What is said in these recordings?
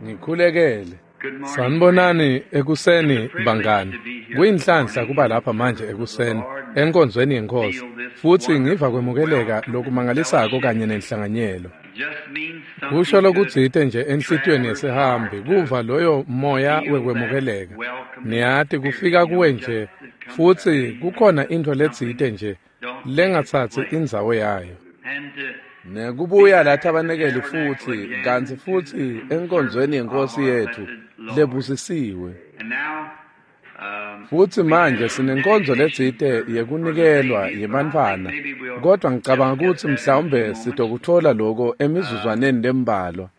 Ngikhulekele. Sanibonani ekuseni bangani. Kuyinhlanhla kuba lapha manje ekuseni enkonzweni yeNkosi futhi ngiva kwemukeleka lokumangalisako kanye nenhlanganyelo. Kusho lokutsite nje enhlitiyweni yesihambi kuva loyo moya wekwemukeleka. Niyati kufika kuwe nje futhi kukhona intfo letsite nje lengatsatsi indzawo yayo. Nekubuya la thabanekeli futhi kantsi futhi enkonzweni yeNkosi yethu lebusisiwe. Futhi manje sinenkonzo letsite yekunikelwa yebantfwana, kodwa ngicabanga kutsi mhlawumbe sitokutfola loko emizuzwaneni lembalwa.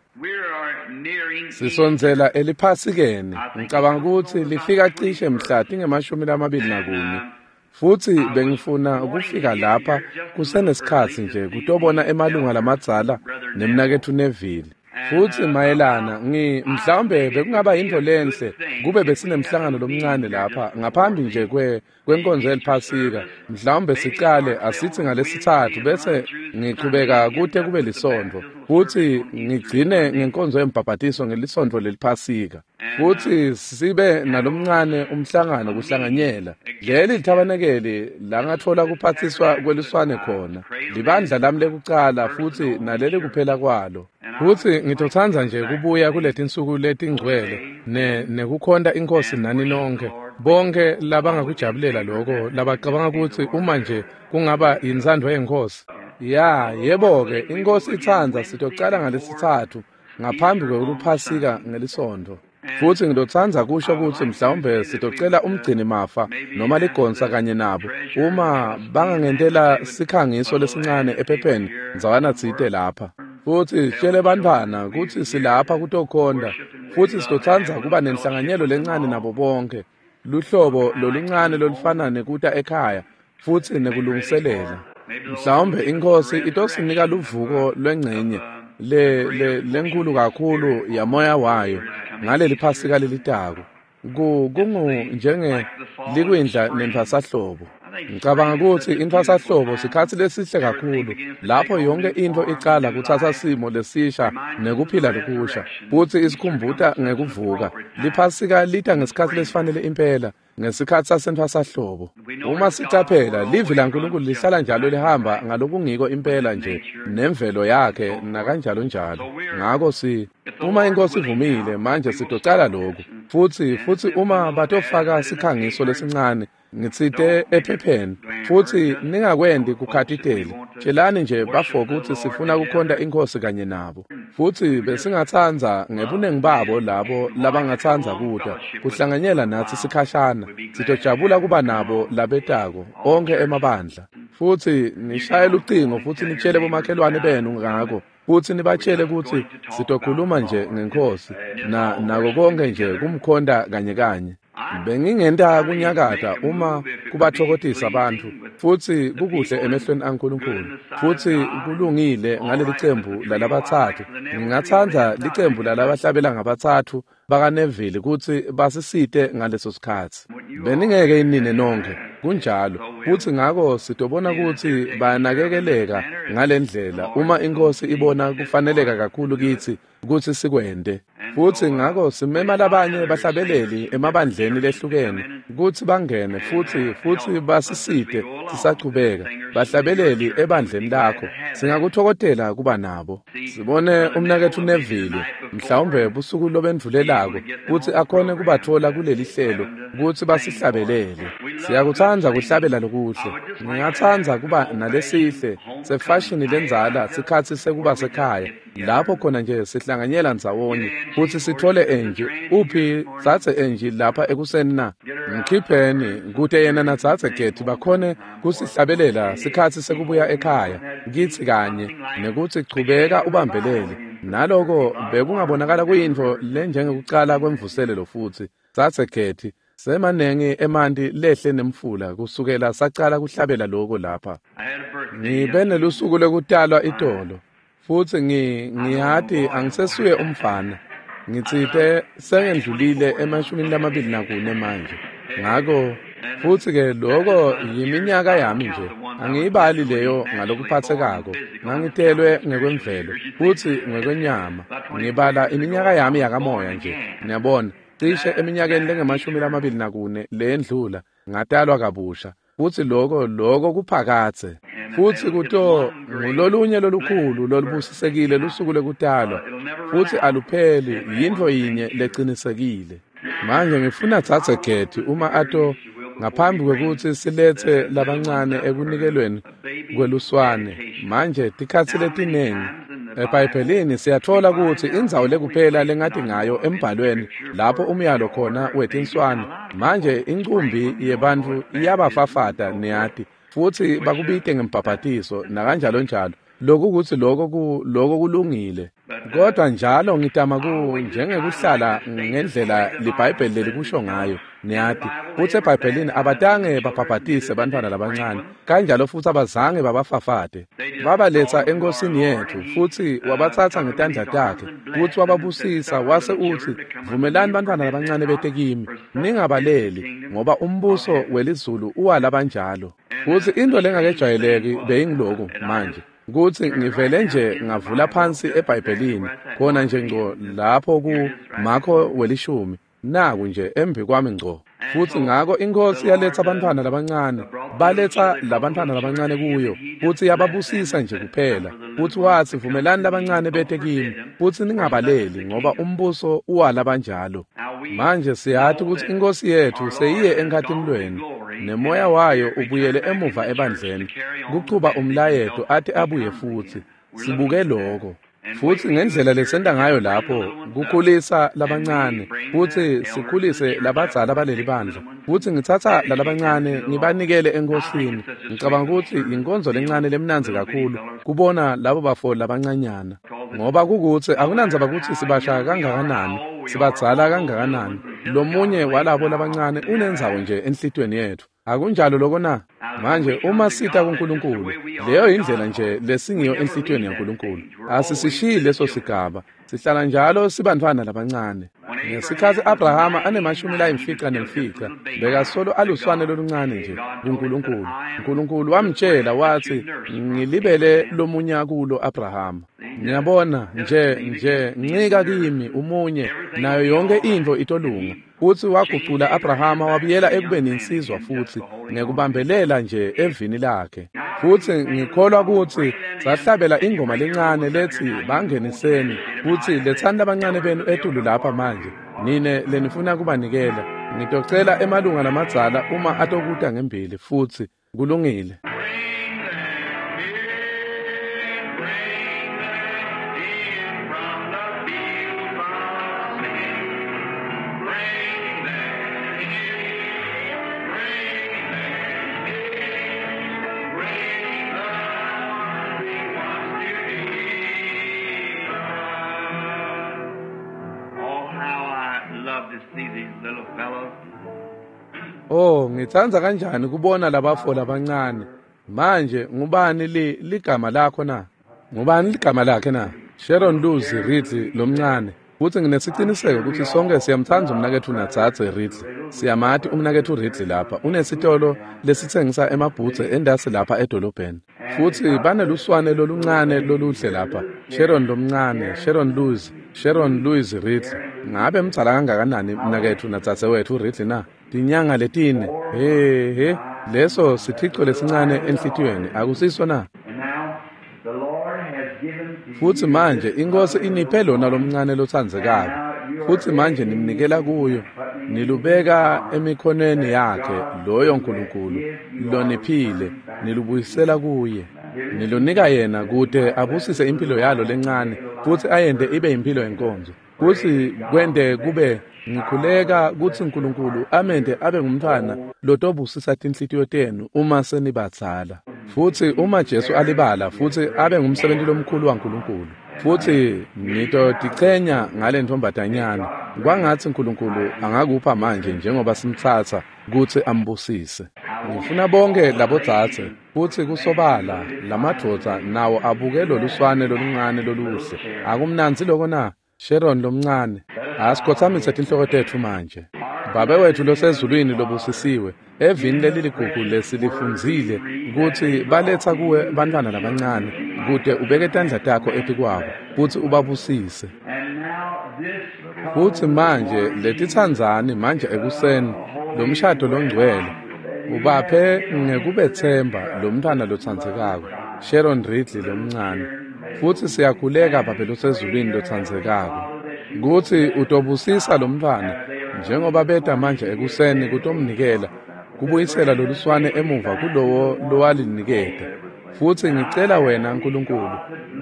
Sisondzela eliphasikeni, ngicabanga kutsi lifika cishe mhla tinge-24. Futhi bengifuna ukufika lapha kusenesikhatsi nje kutobona emalunga lamadzala nemnaketfu Neville. Futhi mayelana mhlawumbe bekungaba yintfo lenhle kube besinemhlangano lomncane lapha ngaphambi nje kwenkonzo yeliphasika. Mhlawumbe sicale asithi ngalesithathu bese ngichubeka kute kube lisontfo futhi ngigcine ngenkonzo yembhabhatiso ngelisontfo leliphasika. Futhi sibe nalomncane umhlangano kuhlanganyela. Leli lithabanekeli langatfola kuphathiswa kweluswane khona. Libandla lami lekucala futhi naleli kuphela kwalo. Futhi ngitotsandza nje kubuya kuletinsuku letingcwele nekukhonta iNkosi nani nonke. Bonke labangakujabulela lokho labacabanga kutsi uma nje kungaba yintsandvo yeNkosi. Ya, yebo-ke, iNkosi itsandza sitocala ngalesithathu ngaphambi kwekuphasika ngelisontfo. Futhi ngitotsandza kusho kutsi mhlawumbe sitocela umgcini mafa noma ligonsa kanye nabo uma bangangentela sikhangiso lesincane ephepheni ndzawana tsite lapha. Futhi sitshele bantfwana kutsi silapha kutokhonta futhi sitotsandza kuba nenhlanganyelo lencane nabo bonke, luhlobo loluncane lolufana nekuta ekhaya futhi nekulungiselela. Mhlawumbe iNkosi itosinika luvuko lwengcenye lenkulu kakhulu yamoya wayo ngaleli phasika lelitako. Kungu njenge likwindla nentfwasahlobo. Ngicabanga kutsi intfwasahlobo sikhatsi lesihle kakhulu lapho yonke intfo icala kutsatsa simo lesisha nekuphila lokusha futsi isikhumbuta ngekuvuka. Liphasika lita ngesikhatsi lesifanele impela, ngesikhatsi sasentfwasahlobo. Uma sicaphela, livi laNkulunkulu lihlala njalo lihamba ngalokungiko impela nje nemvelo yakhe nakanjalo njalo. Ngako uma iNkosi ivumile manje sitocala lokhu futhi uma batofaka sikhangiso lesincane ngitsite ephepheni futhi ningakwendi kukhatitele, tshelani nje bafo kutsi sifuna kukhonta iNkosi kanye nabo. Futhi besingatsandza ngebuningi babo labo labangatsandza kuta kuhlanganyela natsi sikhashana. Sitojabula kuba nabo labetako onkhe emabandla. Futhi nishaye lucingo futhi nitshele bomakhelwane benu ngako futhi nibatshele kutsi sitokhuluma nje ngeNkosi nako konke nje kumkhonta kanye kanye. Bengingenta kunyakata uma kubathokotisa bantfu futhi kukuhle emehlweni aNkulunkulu futhi kulungile ngaleli cembu lalabatsatfu. Ngingatsandza licembu lalabahlabela ngabatsatfu bakaNeville kutsi basisite ngaleso sikhatsi. Beningeke inine nonke kunjalo, futhi ngako sitobona kutsi bayanakekeleka ngalendlela uma iNkosi ibona kufaneleka kakhulu kitsi kutsi sikwente. Futhi ngako simema labanye bahlabeleli emabandleni lehlukene kutsi bangene futhi basisite sisachubeka. Bahlabeleli ebandleni lakho singakuthokotela kuba nabo. Sibone umnaketfu Neville mhlawumbe busuku lobendvulelako kutsi akhone kubatfola kuleli hlelo kutsi basihlabelele. Siyakutsandza kuhlabela lokuhle. Ngingatsandza kuba nalesihle sefashini lendzala sikhatsi sekuba sekhaya lapho khona nje sihlanganyela ndzawonye futhi sithole Angie. Uphi tsatse Angie lapha ekuseni na? Mkhipheni kute yena natsatse Getty bakhone kusihlabelela sikhatsi sekubuya ekhaya kitsi kanye nekutsi chubeka ubambelele. Naloko bekungabonakala kuyintfo lenjengekucala kwemvuselelo futsi. Tsatse Getty semanengi emanti lehle nemfula kusukela sacala kuhlabela loko lapha. Ngibe nelusuku lwekutalwa itolo futhi ngiyati angisesuye umfana. Ngitsite sengendlulile emashumini lamabili nakune manje. Ngako Futsi-ke loko yiminyaka yami nje, angiyibali leyo ngalokuphatsekako. Ngangitelwe ngekwemvelo futsi ngekwenyama, ngibala iminyaka yami yakamoya nje. Niyabona, cishe eminyakeni lengu-24 leyendlula ngatalwa kabusha, futsi loko kuphakadze. Futsi kuto ngulolunye lolukhulu lolubusisekile lusuku lekutalwa, futsi alupheli, yintfo yinye lecinisekile. Manje ngifuna Dzadze Getty uma ato ngaphambi kwekutsi siletse labancane ekunikelweni kweluswane. Manje tikhatsi letiningi eBhayibhelini siyatfola kutsi indzawo lekuphela lengati ngayo embhalweni lapho umyalo khona wetinswane. Manje incumbi yebantfu iyabafafata, niyati, futsi bakubite ngembhabhatiso nakanjalo njalo. Lokukutsi loko kulungile. Kodwa njalo ngitama njengekuhlala ngendlela liBhayibheli lelikusho ngayo, niyati. Futsi eBhayibhelini abatange babhabhatise bantfwana labancane, kanjalo futsi abazange babafafate. Babaletsa eNkosini yetfu, futsi wabatsatsa ngetandla takhe, futsi wababusisa, wase utsi, "Vumelani bantfwana labancane bete kimi, ningabaleli, ngoba umbuso welizulu uwalabanjalo." Futsi intfo lengakejwayeleki beyingiloku manje, kutsi ngivele nje ngavula phansi eBhayibhelini khona nje ngco lapho ku Marko 10, naku nje embi kwami ngco. Futsi ngako iNkhosi yaletsa bantfwana labancane, baletsa labantfwana labancane kuyo, futsi yababusisa nje kuphela. Futsi watsi, "Vumelani labancane bete kimi, futsi ningabaleli, ngoba umbuso uwalabanjalo." Manje siyati kutsi iNkhosi yetfu seyiye enkhatimulweni, nemoya wayo ubuyele emuva ebandleni, kuchuba umlayeto ate abuye futsi. Sibuke loko. Futsi ngendlela lesenta ngayo lapho, kukhulisa labancane, futsi sikhulise labadzala baleli bandla. Futsi ngitsatsa lalabancane ngibanikele eNkhosini. Ngicabanga kutsi inkonzo lencane lemnandzi kakhulu kubona labo bafo labancanyana. Ngoba kukutsi akunandzaba kutsi sibasha kangakanani, sibadzala kangakanani, lomunye walabo labancane unendzawo nje enhlitiyweni yetfu. Akunjalo loko na? Manje uma sita kuNkulunkulu, leyo indlela nje lesingiyo enhlitiyweni yaNkulunkulu. Asisishiyi leso sigaba, sihlala njalo sibantfwana labancane. Ngesikhatsi Abrahama ane-95, bekasolo aluswane loluncane nje kuNkulunkulu. Nkulunkulu wamtjela watsi, "Ngilibele lomunye kulo Abrahama." Ngiyabona nje ncika kimi umunye, nayo yonke intfo itolunga. Futsi wagucula Abrahama wabuyela ekubeni insizwa futsi ngekubambelela nje evini lakhe. Futsi ngikholwa kutsi sahlabela ingoma lencane letsi bangeniseni, futsi letsani labancane benu etulu lapha manje, nine lenifuna kubanikela. Ngitocela emalunga lamadzala uma atokuta ngembili futsi kulungile. Oh, ngitsandza kanjani kubona labafo labancane. Manje ngubani ligama lakho na? Ngubani ligama lakhe na? Sharon Luz Ridley lomncane. Futsi nginesiciniseko kutsi sonke siyamtsandza umnaketfu naDzadze Ridley. Siyamati umnaketfu Ridley lapha. Unesitolo lesitsengisa emabhudze endasi lapha edolobheni. Futsi baneluswane loluncane loluhle lapha. Sharon lomncane, Sharon Louis Ridley. Ngabe mdzala kangakanani mnaketfu nadzadze wetfu Ridley na? Tinyanga letine. He, leso sithico lesincane enhlitiyweni, akusiso na? Futsi manje iNkhosi iniphe lona lomncane lotsandzekako, futsi manje nimnikela kuyo, nilubeka emikhonweni yakhe loyo Nkulunkulu loniphile, nilubuyisela kuye, nilunika yena kute abusise impilo yalo lencane futsi ayente ibe impilo yenkonzo. Futsi kwente kube ngikhuleka kutsi Nkulunkulu amente abe ngumntfwana lotobusisa tinhlitiyo tenu uma senibadzala. Futsi uma Jesu alibala futsi abe ngumsebenti lomkhulu waNkulunkulu. Futsi ngitotichenya ngale ntombazanyana. Kwangatsi Nkulunkulu angakupha manje njengoba simtsatsa kutsi ambusise. Ngifuna bonke labodzadze futsi kusobala lamadvodza nawo abuke loluswane loluncane loluhle. Akumnandzi loko na? Sharon lomncane. Asikhotsamise tinhloko tetfu manje. Babe wethu losezulwini lobusisiwe, evini leliligugu lesilifundzile kutsi baletsa kuwe bantfwana labancane kute ubeke tandla takho etikwabo futsi ubabusise. Futsi manje letitsandzani manje ekuseni lomshado longcwele ubaphe ngekubetsemba lomntfwana lotsandzekako Sharon Ridley lomncane. Futsi siyakhuleka Babe losezulwini lotsandzekako kutsi utobusisa lomntfwana njengoba beta manje ekuseni kutomnikela kubuyisela loluswane emuva kulowo lowaliniketa. Futsi ngicela wena Nkulunkulu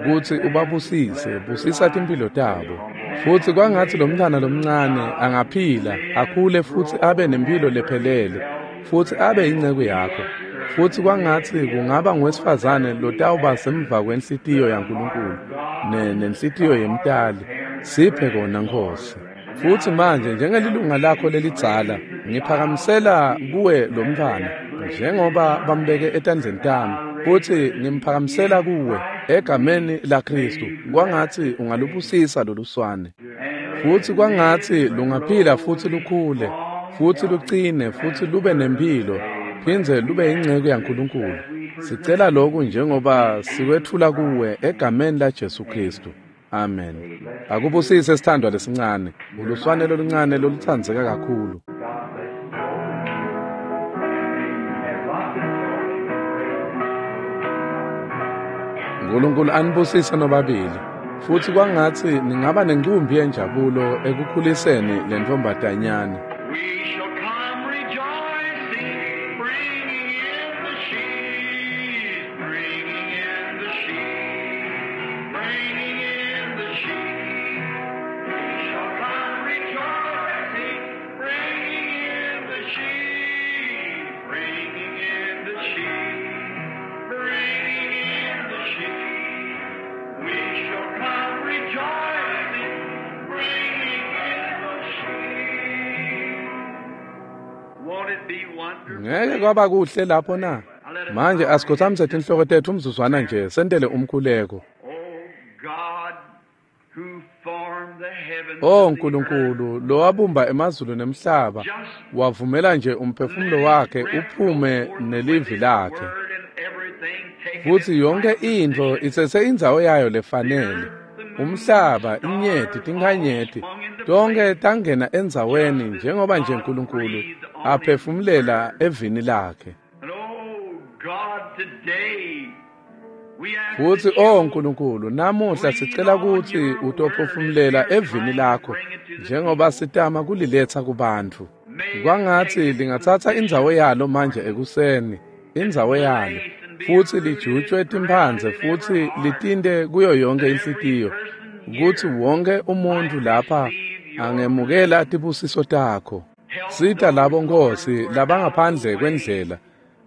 kutsi ubabusise, busisa timphilo tabo. Futsi kwangatsi lomntfwana lomncane angaphila, akhule futsi abe nemphilo lephelele, futsi abe inceku yakho. Futsi kwangatsi kungaba nguwesifazane lotawuba semva kwenhlitiyo yaNkulunkulu nenhlitiyo yemtali. Siphe kona Nkhosi. Futsi manje njengelilunga lakho lelidzala ngiphakamisela kuwe lomntfwana njengoba bambeke etandleni tami, futsi ngimphakamisela kuwe egameni laKhristu. Kwangatsi ungalubusisa loluswane, futsi kwangatsi lungaphila futsi lukhule futsi lucine futsi lube nemphilo phindze lube inceku yaNkulunkulu. Sicela lokhu njengoba sikwetfula kuwe egameni laJesu Khristu. Amen. Akubusise sithandwa lesincane, uluswane loluncane lolutsandzeka kakhulu. Nkulunkulu anibusise nobabili. Futsi kwangatsi ningaba nencumbi yenjabulo ekukhuliseni lentfombatanyana. Ngeke kwaba kuhle lapho na? Manje asikhothamise tinhloko tetfu umzuzwana nje sentele umkhuleko. Oh Nkulunkulu, lowabumba emazulu nemhlaba, wavumela nje umphefumulo wakhe uphume nelivi lakhe. Futsi yonke intfo itsetse indzawo yayo lefanele. Umhlaba, inyeti, tinkhanyeti, tonke tangena endzaweni njengoba nje Nkulunkulu aphefumulela evini lakhe. Futsi oh Nkulunkulu, namuhla sicela kutsi utophefumulela evini lakho njengoba sitama kuliletsa kubantfu. Kwangatsi lingatsatsa indzawo yalo manje ekuseni, indzawo yalo, futsi lijutjwe timphandze futsi litinte kuyo yonke inhlitiyo, kutsi wonke umuntfu lapha angemukela tibusiso takho. Sita labo Nkhosi labangaphandle kwendlela,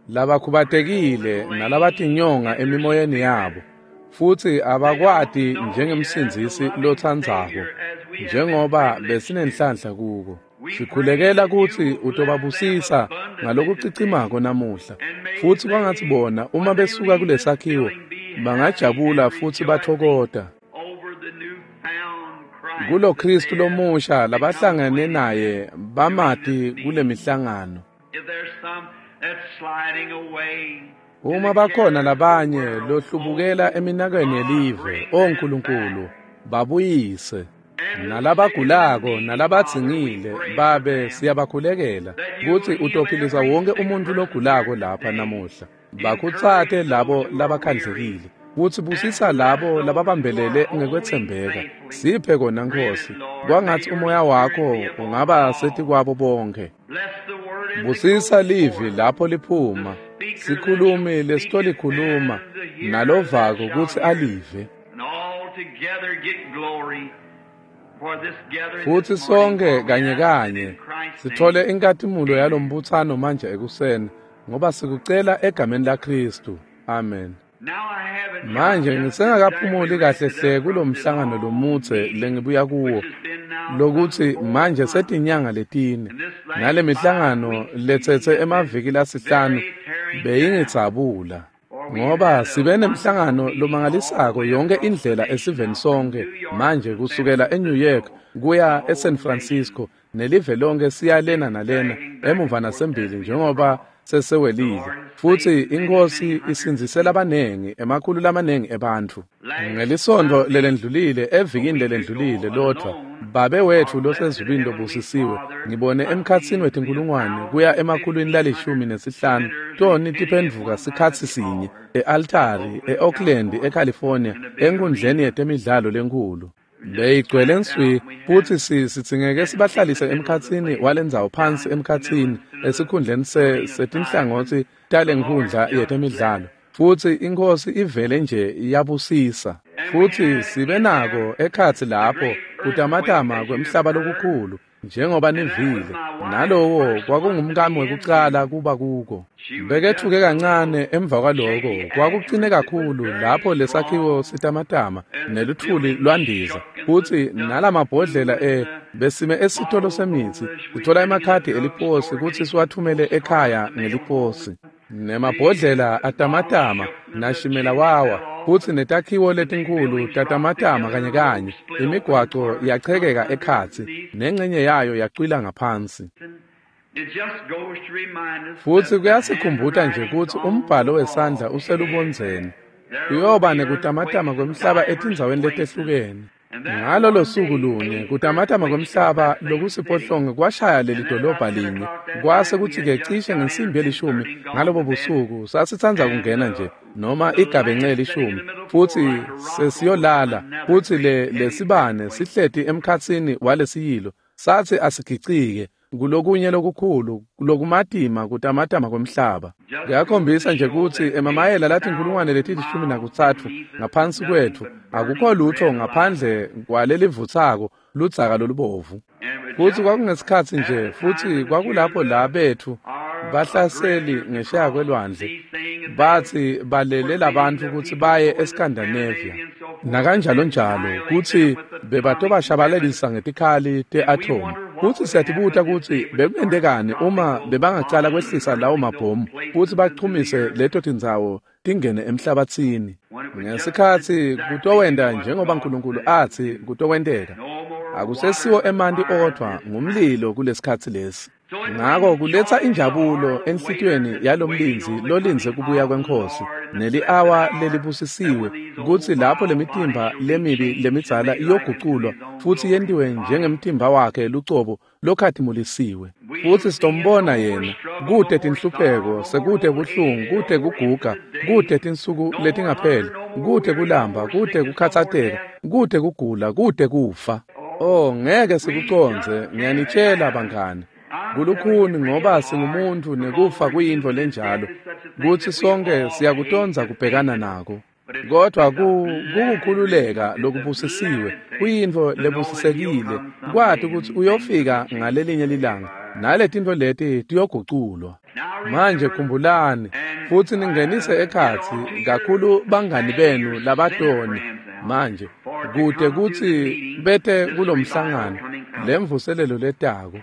labakhubatekile nalabatinyonga emimoyeni yabo, futsi abakwati njengemsindzisi lotsandzako njengoba besinenhlanhla kuko. Sikhulekela kutsi utobabusisa ngalokucicimako namuhla, futsi kwangatsi bona uma besuka kulesakhiwo bangajabula futsi bathokota kulo Khristu lomusha labahlangene naye bamati kule mihlangano. Uma bakhona labanye lohlubukela eminakweni yelive, o Nkulunkulu, babuyise. Nalabagulako nalabadzingile, Babe, siyabakhulekela kutsi utophilisa wonke umuntfu logulako lapha namuhla. Bakhutsate labo labakhandlekile, kutsi busisa labo lababambelele ngekwetsembeka. Siphe kona Nkhosi, kwangatsi umoya wakho ungaba setikwabo bonke. Busisa livi lapho liphuma, sikhulumi lesitolikhuluma nalovako kutsi alive. Futsi sonke kanye kanye sithole inkatimulo yalombutsano manje ekuseni, ngoba sikucela egameni laKhristu. Amen. Manje ngisengakaphumuli kahle hle kulomhlangano lomudze lengibuya kuwo, lokuthi manje setinyanga letine, nale mihlangano letsetse emaviki lasihlanu beyingitsabula. Ngoba sibe nemhlangano lomangalisako yonke indlela esiveni sonke manje kusukela eNew York kuya eSan Francisco nelive lonke siya lena nalena emuva nasembili njengoba sesewelile futsi inkosi isindzisela abanengi emakhulu lamanengi ebantfu. Ngelisonto lelendlulile evikini lelendlulile lodvwa Babe wetfu losezulwini lobusisiwe ngibone emkhatsini wetinkulungwane kuya emakhulwini la15 toni tiphendvuka sikhatsi sinye e-altari e-Oakland eCalifornia enkundleni yetemidlalo lenkhulu. Beyigcwele nswi futsi sidzingeke sibahlalise emkhatsini walendzawo phansi emkhatsini esikhundleni setinhlangotsi talenkhundla yetemidlalo futsi inkosi ivele nje yabusisa. Futsi sibe nako ekhatsi lapho kutamatama kwemhlaba lokukhulu njengoba nivile nalowo kwakungumkami wekucala kuba kuko. Bekethuke kancane emva kwaloko kwakucine kakhulu lapho lesakhiwo sitamatama neluthuli lwandiza futsi nalamabhodlela besime esitolo semitsi sithola emakhadi eliposi kutsi siwathumele ekhaya ngeliposi. Nemabhodlela atamatama nashimela wawa futsi netakhiwo letinkhulu tatamatama kanye kanye imigwaco yachekeka ekhatsi nengcenye yayo yacwila ngaphansi. Futsi kuyasikhumbuta nje kutsi umbhalo wesandla uselubondzeni. Kuyoba nekutamatama kwemhlaba etindzaweni letehlukene. Ngalolo suku lunye kutamatama kwemhlaba lokusiphohlongo kwashaya leli dolobha linye kwase kutsi-ke cishe ngensimbi yelishumi ngalobo busuku sasitsandza kungena nje noma igabenxe yelishumi futsi sesiyolala futsi lesibane sihleti emkhatsini walesiyilo satsi asigicike kulokunye lokukhulu lokumatima kutamatama kwemhlaba. Kuyakhombisa nje kutsi emamayela latinkulungwane leti-13 ngaphansi kwetfu akukho lutho ngaphandle kwalelivutsako ludzaka lolubovu. Futsi kwakungesikhatsi nje futsi kwakulapho la betfu bahlaseli ngesheya kwelwandle batsi balele labantfu kutsi baye eScandinavia nakanjalo njalo kutsi bebatobashabalalisa ngetikhali te-atomu. Futsi siyatibuta kutsi bekungentekani uma bebangacala kwehlisa lawo mabhomu futsi bachumise leto tindzawo tingene emhlabatsini. Ngesikhatsi kutowenta njengoba uNkulunkulu atsi kutokwenteka. Akusesiwo emanti odvwa ngumlilo kulesikhatsi lesi. Ngako kuletsa injabulo enhlitiyweni yalomlindzi lolindze kubuya kweNkhosi neli-awa lelibusisiwe kutsi lapho lemitimba lemibi lemidzala iyoguculwa futsi yentiwe njengemtimba wakhe lucobo lokhatimulisiwe. Futsi sitombona yena kute tinhlupheko sekute buhlungu kute kuguga kute tinsuku letingapheli kute kulamba kute kukhatsateka kute kugula kute kufa. Oh ngeke sikucondze ngiyanitshela bangani. Kulukhuni ngoba singumuntu nekufa kuyintfo lenjalo kutsi sonke siyakutondza kubhekana nako. Kodwa kukukhululeka lokubusisiwe kuyintfo lebusisekile kwati kutsi uyofika ngalelinye lilanga naletintfo leti tiyoguculwa. Manje khumbulani futsi ningenise ekhatsi kakhulu bangani benu labatoni manje kute kutsi bete kulomhlangano lemvuselelo letako.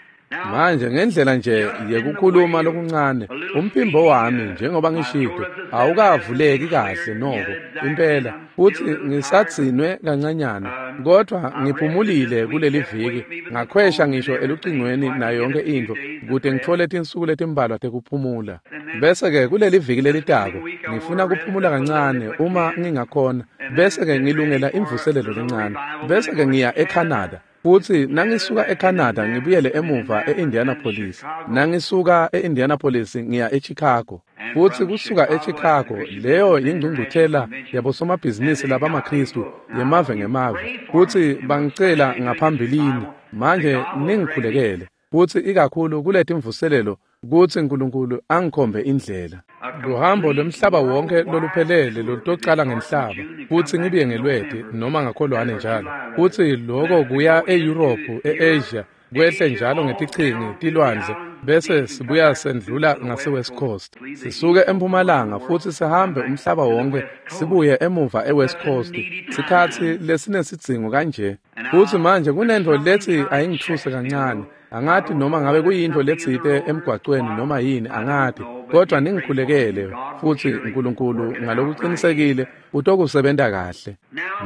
Manje ngendlela nje yekukhuluma lokuncane umphimbo wami njengoba ngishito awukavuleki kahle noko impela futsi ngisatsinwe kancanyana kodwa ngiphumulile kuleli viki ngakhwesha ngisho elucingweni nayo yonke intfo kute ngitfole tinsuku letimbalwa tekuphumula. Bese-ke kuleli viki lelitako ngifuna kuphumula kancane uma ngingakhona bese-ke ngilungela imvuselelo lencane bese-ke ngiya eCanada. Futsi nangisuka eCanada ngibuyele emuva eIndianapolis. Nangisuka eIndianapolis ngiya eChicago. Futsi kusuka eChicago leyo yingcungcuthela yabosomabhizinisi labamaKristu yemave ngemave. Futsi bangicela ngaphambilini manje ningikhulekele. Futsi ikakhulu kuletimvuselelo kutsi uNkulunkulu angikhombe indlela. Luhambo lwemhlaba wonke loluphelele lolutocala ngenhlaba futsi ngibuye ngelweti noma ngakholwane njalo. Futsi loko kuya eYurophu, eAsia, kwehle njalo ngetichingi tilwandle bese sibuya sendlula ngase-West Coast. Sisuke empumalanga futsi sihambe umhlaba wonke sibuye emuva eWest Coast. Sikhatsi lesinesidzingo kanje. Futsi manje kunentfo letsi ayingithuse kancane. Angati noma ngabe kuyintfo letsite emgwacweni noma yini, angati, kodwa ningikhulekele futsi uNkulunkulu ngalokuqinisekile utokusebenta kahle.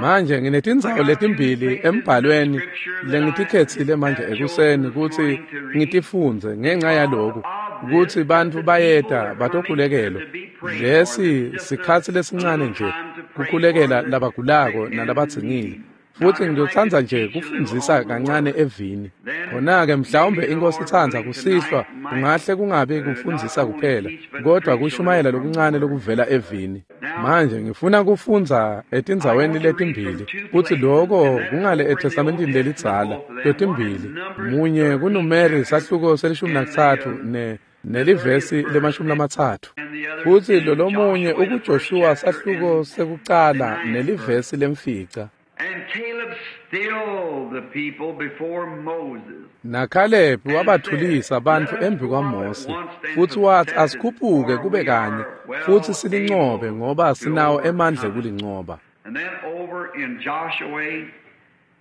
Manje nginetindzawo letimbili embhalweni lengitikhetsile manje ekuseni kutsi ngitifundze ngenxa yaloku kutsi bantfu bayeta batokhulekelwa. Lesi sikhatsi lesincane nje kukhulekela labagulako nalabadzingile. Futsi ngiyotsandza nje kufundzisa kancane evini. Khona-ke mhlawumbe inkosi itsandza kusihlwa kungahle kungabi kufundzisa kuphela, kodwa kushumayela lokuncane lokuvela evini. Manje ngifuna kufundza etindzaweni letimbili, kutsi loko kungale eTestamentini lelidzala, letimbili. Munye kuNumeri sahluko se-13 nelivesi le-30. Futsi lolomunye ukuJoshua sahluko sekucala nelivesi lemfica. NaKhalebi wabathulisa bantfu embi kwaMose, futsi watsi asikhuphuke kube kanye, futsi silincobe ngoba sinawo emandla ekulincoba.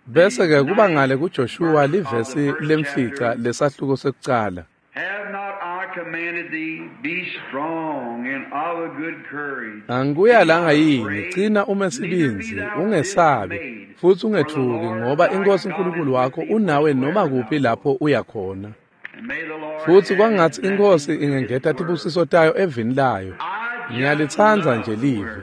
Bese-ke kuba ngale kuJoshua livesi lemfica lesahluko sekucala. Angikuyalanga yini, cina ume sibindzi, ungesabi, futsi ungetfuki, ngoba inkosi uNkulunkulu wakho unawe noma kuphi lapho uya khona. Futsi kwangatsi inkosi ingengeta tibusiso tayo evini layo. Ngiyalitsandza nje livi.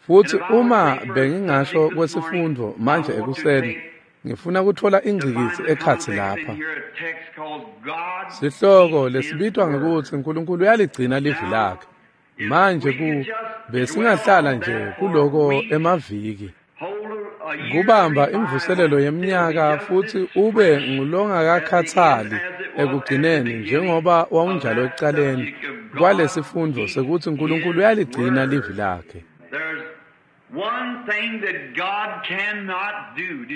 Futsi uma bengingasho kwesifundvo manje ekuseni, ngifuna kutfola ingcikitsi ekhatsi lapha. Sihloko lesibitwa ngekutsi uNkulunkulu uyaligcina livi lakhe. Manje besingahlala nje kuloko emaviki. Kubamba imvuselelo yeminyaka futsi ube ngulongakakhatsali ekugcineni njengoba wawunjalo ekucaleni kwalesifundvo sekutsi uNkulunkulu uyaligcina livi lakhe.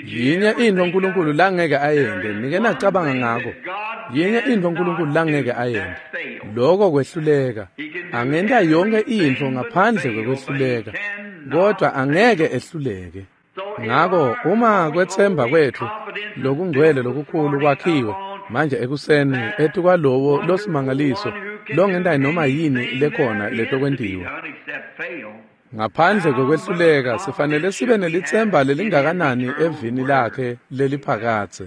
Yinye intfo uNkulunkulu langeke ayente, nike nacabanga ngako. Yinye intfo uNkulunkulu langeke ayente, loko kwehluleka. Angenta yonke intfo ngaphandle kwekwehluleka, kodwa angeke ehluleke. Ngako uma kwetsemba kwetfu lokungcwele lokukhulu kwakhiwe manje ekuseni etukwalowo losimangaliso longenta noma yini lekhona letokwentiwa. Ngaphandle kwekwehluleka sifanele sibe nelitsemba lelingakanani evini lakhe leliphakadze.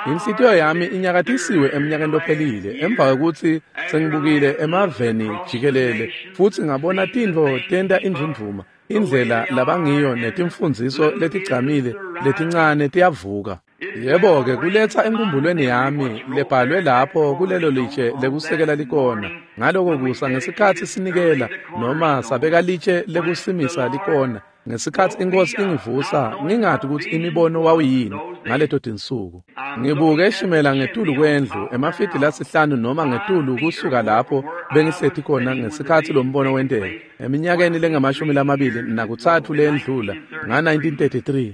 Inhlitiyo yami inyakatisiwe eminyakeni lophelile emva kwekutsi sengibukile emaveni jikelele futsi ngabona tintfo tenta indvundvuma, indlela labangiyo netimfundziso letigcamile letincane tiyavuka. Yebo-ke kuletsa enkumbulweni yami lebhalwe lapho kulelo litshe lekusekela likona. Ngaloko kusa ngesikhatsi sinikela noma sabeka litshe lekusimisa likona, ngesikhatsi inkosi ingivusa ngingati kutsi imibono wawuyini ngaleto tinsuku. Ngibuke eshimela ngetulu kwendlu emafidi lasihlanu noma ngetulu kusuka lapho bengihleti khona ngesikhatsi lo mbono wenteka eminyakeni lengamashumi-23 leyendlula nga-1933.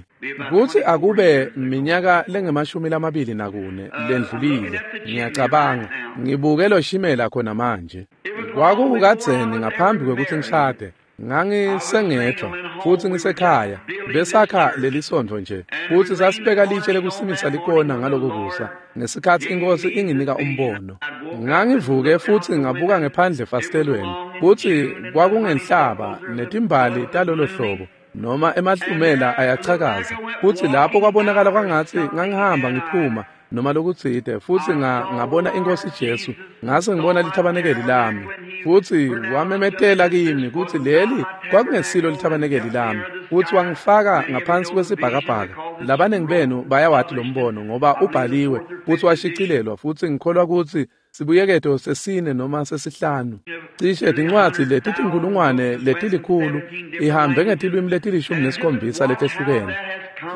Kutsi akube minyaka lengamashumi-24 lendlulile, ngiyacabanga ngibuke lo shimela khona manje. Kwakukadzeni ngaphambi kwekutsi ngishade. Ngangisengedvwa futsi ngisekhaya besakha lelisontfo nje futsi sasibeka litshe lekusimisa likona ngaloko kusa ngesikhatsi inkosi inginika umbono. Ngangivuke futsi ngabuka ngephandle efasitelweni kutsi kwakungenhlaba netimbali talolo hlobo noma emahlumela ayachakaza, futsi lapho kwabonakala kwangatsi ngangihamba ngiphuma noma lokutsite, futsi ngabona inkosi Jesu, ngase ngibona lithabanekeli lami, futsi wamemetela kimi kutsi leli kwakungesilo lithabanekeli lami, futsi wangifaka ngaphansi kwesibhakabhaka. Labanengi benu bayawati lo mbono ngoba ubhaliwe futsi washicilelwa, futsi ngikholwa kutsi sibuyeketo sesine noma sesihlanu. Cishe tincwadzi letitinkhulungwane letilikhulu ihambe ngetilwimi leti-17 letehlukene.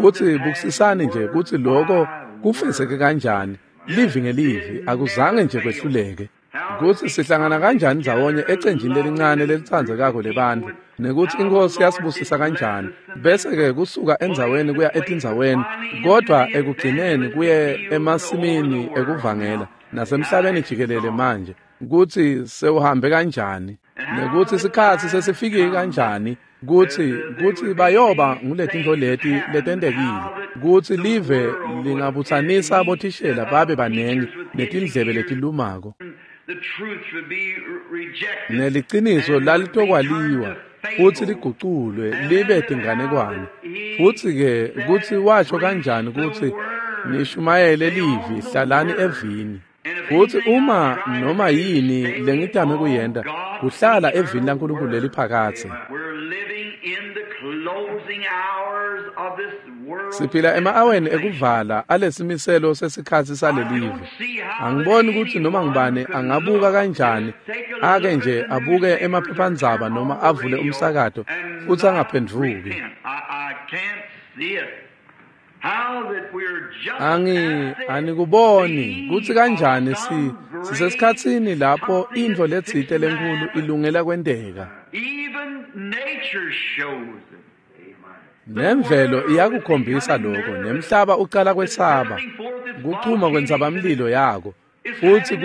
Futsi bukisisani nje kutsi loko kufezeke kanjani, livi ngelivi, akuzange nje kwehluleke. Kutsi sihlangana kanjani ndzawonye ecenjini lelincane lelitsandzekako lebantfu, nekutsi inkosi yasibusisa kanjani, bese-ke kusuka endzaweni kuya etindzaweni, kodvwa ekugcineni kuye emasimini ekuvangela nasemhlabeni jikelele manje, kutsi sewuhambe kanjani, nekutsi sikhatsi sesifikile kanjani, kutsi bayoba nguletintfo leti letentekile, kutsi live lingabutsanisa bothishela babe banengi netindlebe letilumako. Neliciniso lalitokwaliwa futsi liguculwe libe tinganekwane. Futsi-ke kutsi washo kanjani kutsi nishumayele livi, hlalani evini. Futsi uma noma yini lengitame kuyenta, kuhlala evini laNkulunkulu leliphakadze. Siphila ema-aweni ekuvala alesimiselo sesikhatsi salelive. Angiboni kutsi noma ngubani angabuka kanjani, ake nje abuke emaphephandzaba noma avule umsakato futsi angaphendvuki. Anikuboni kutsi kanjani sisesikhatsini lapho intfo letsite lenkhulu ilungela kwenteka. Nemvelo iyakukhombisa lokho, nemhlaba ucala kwesaba, kuchuma kwentsabamlilo yako, futsi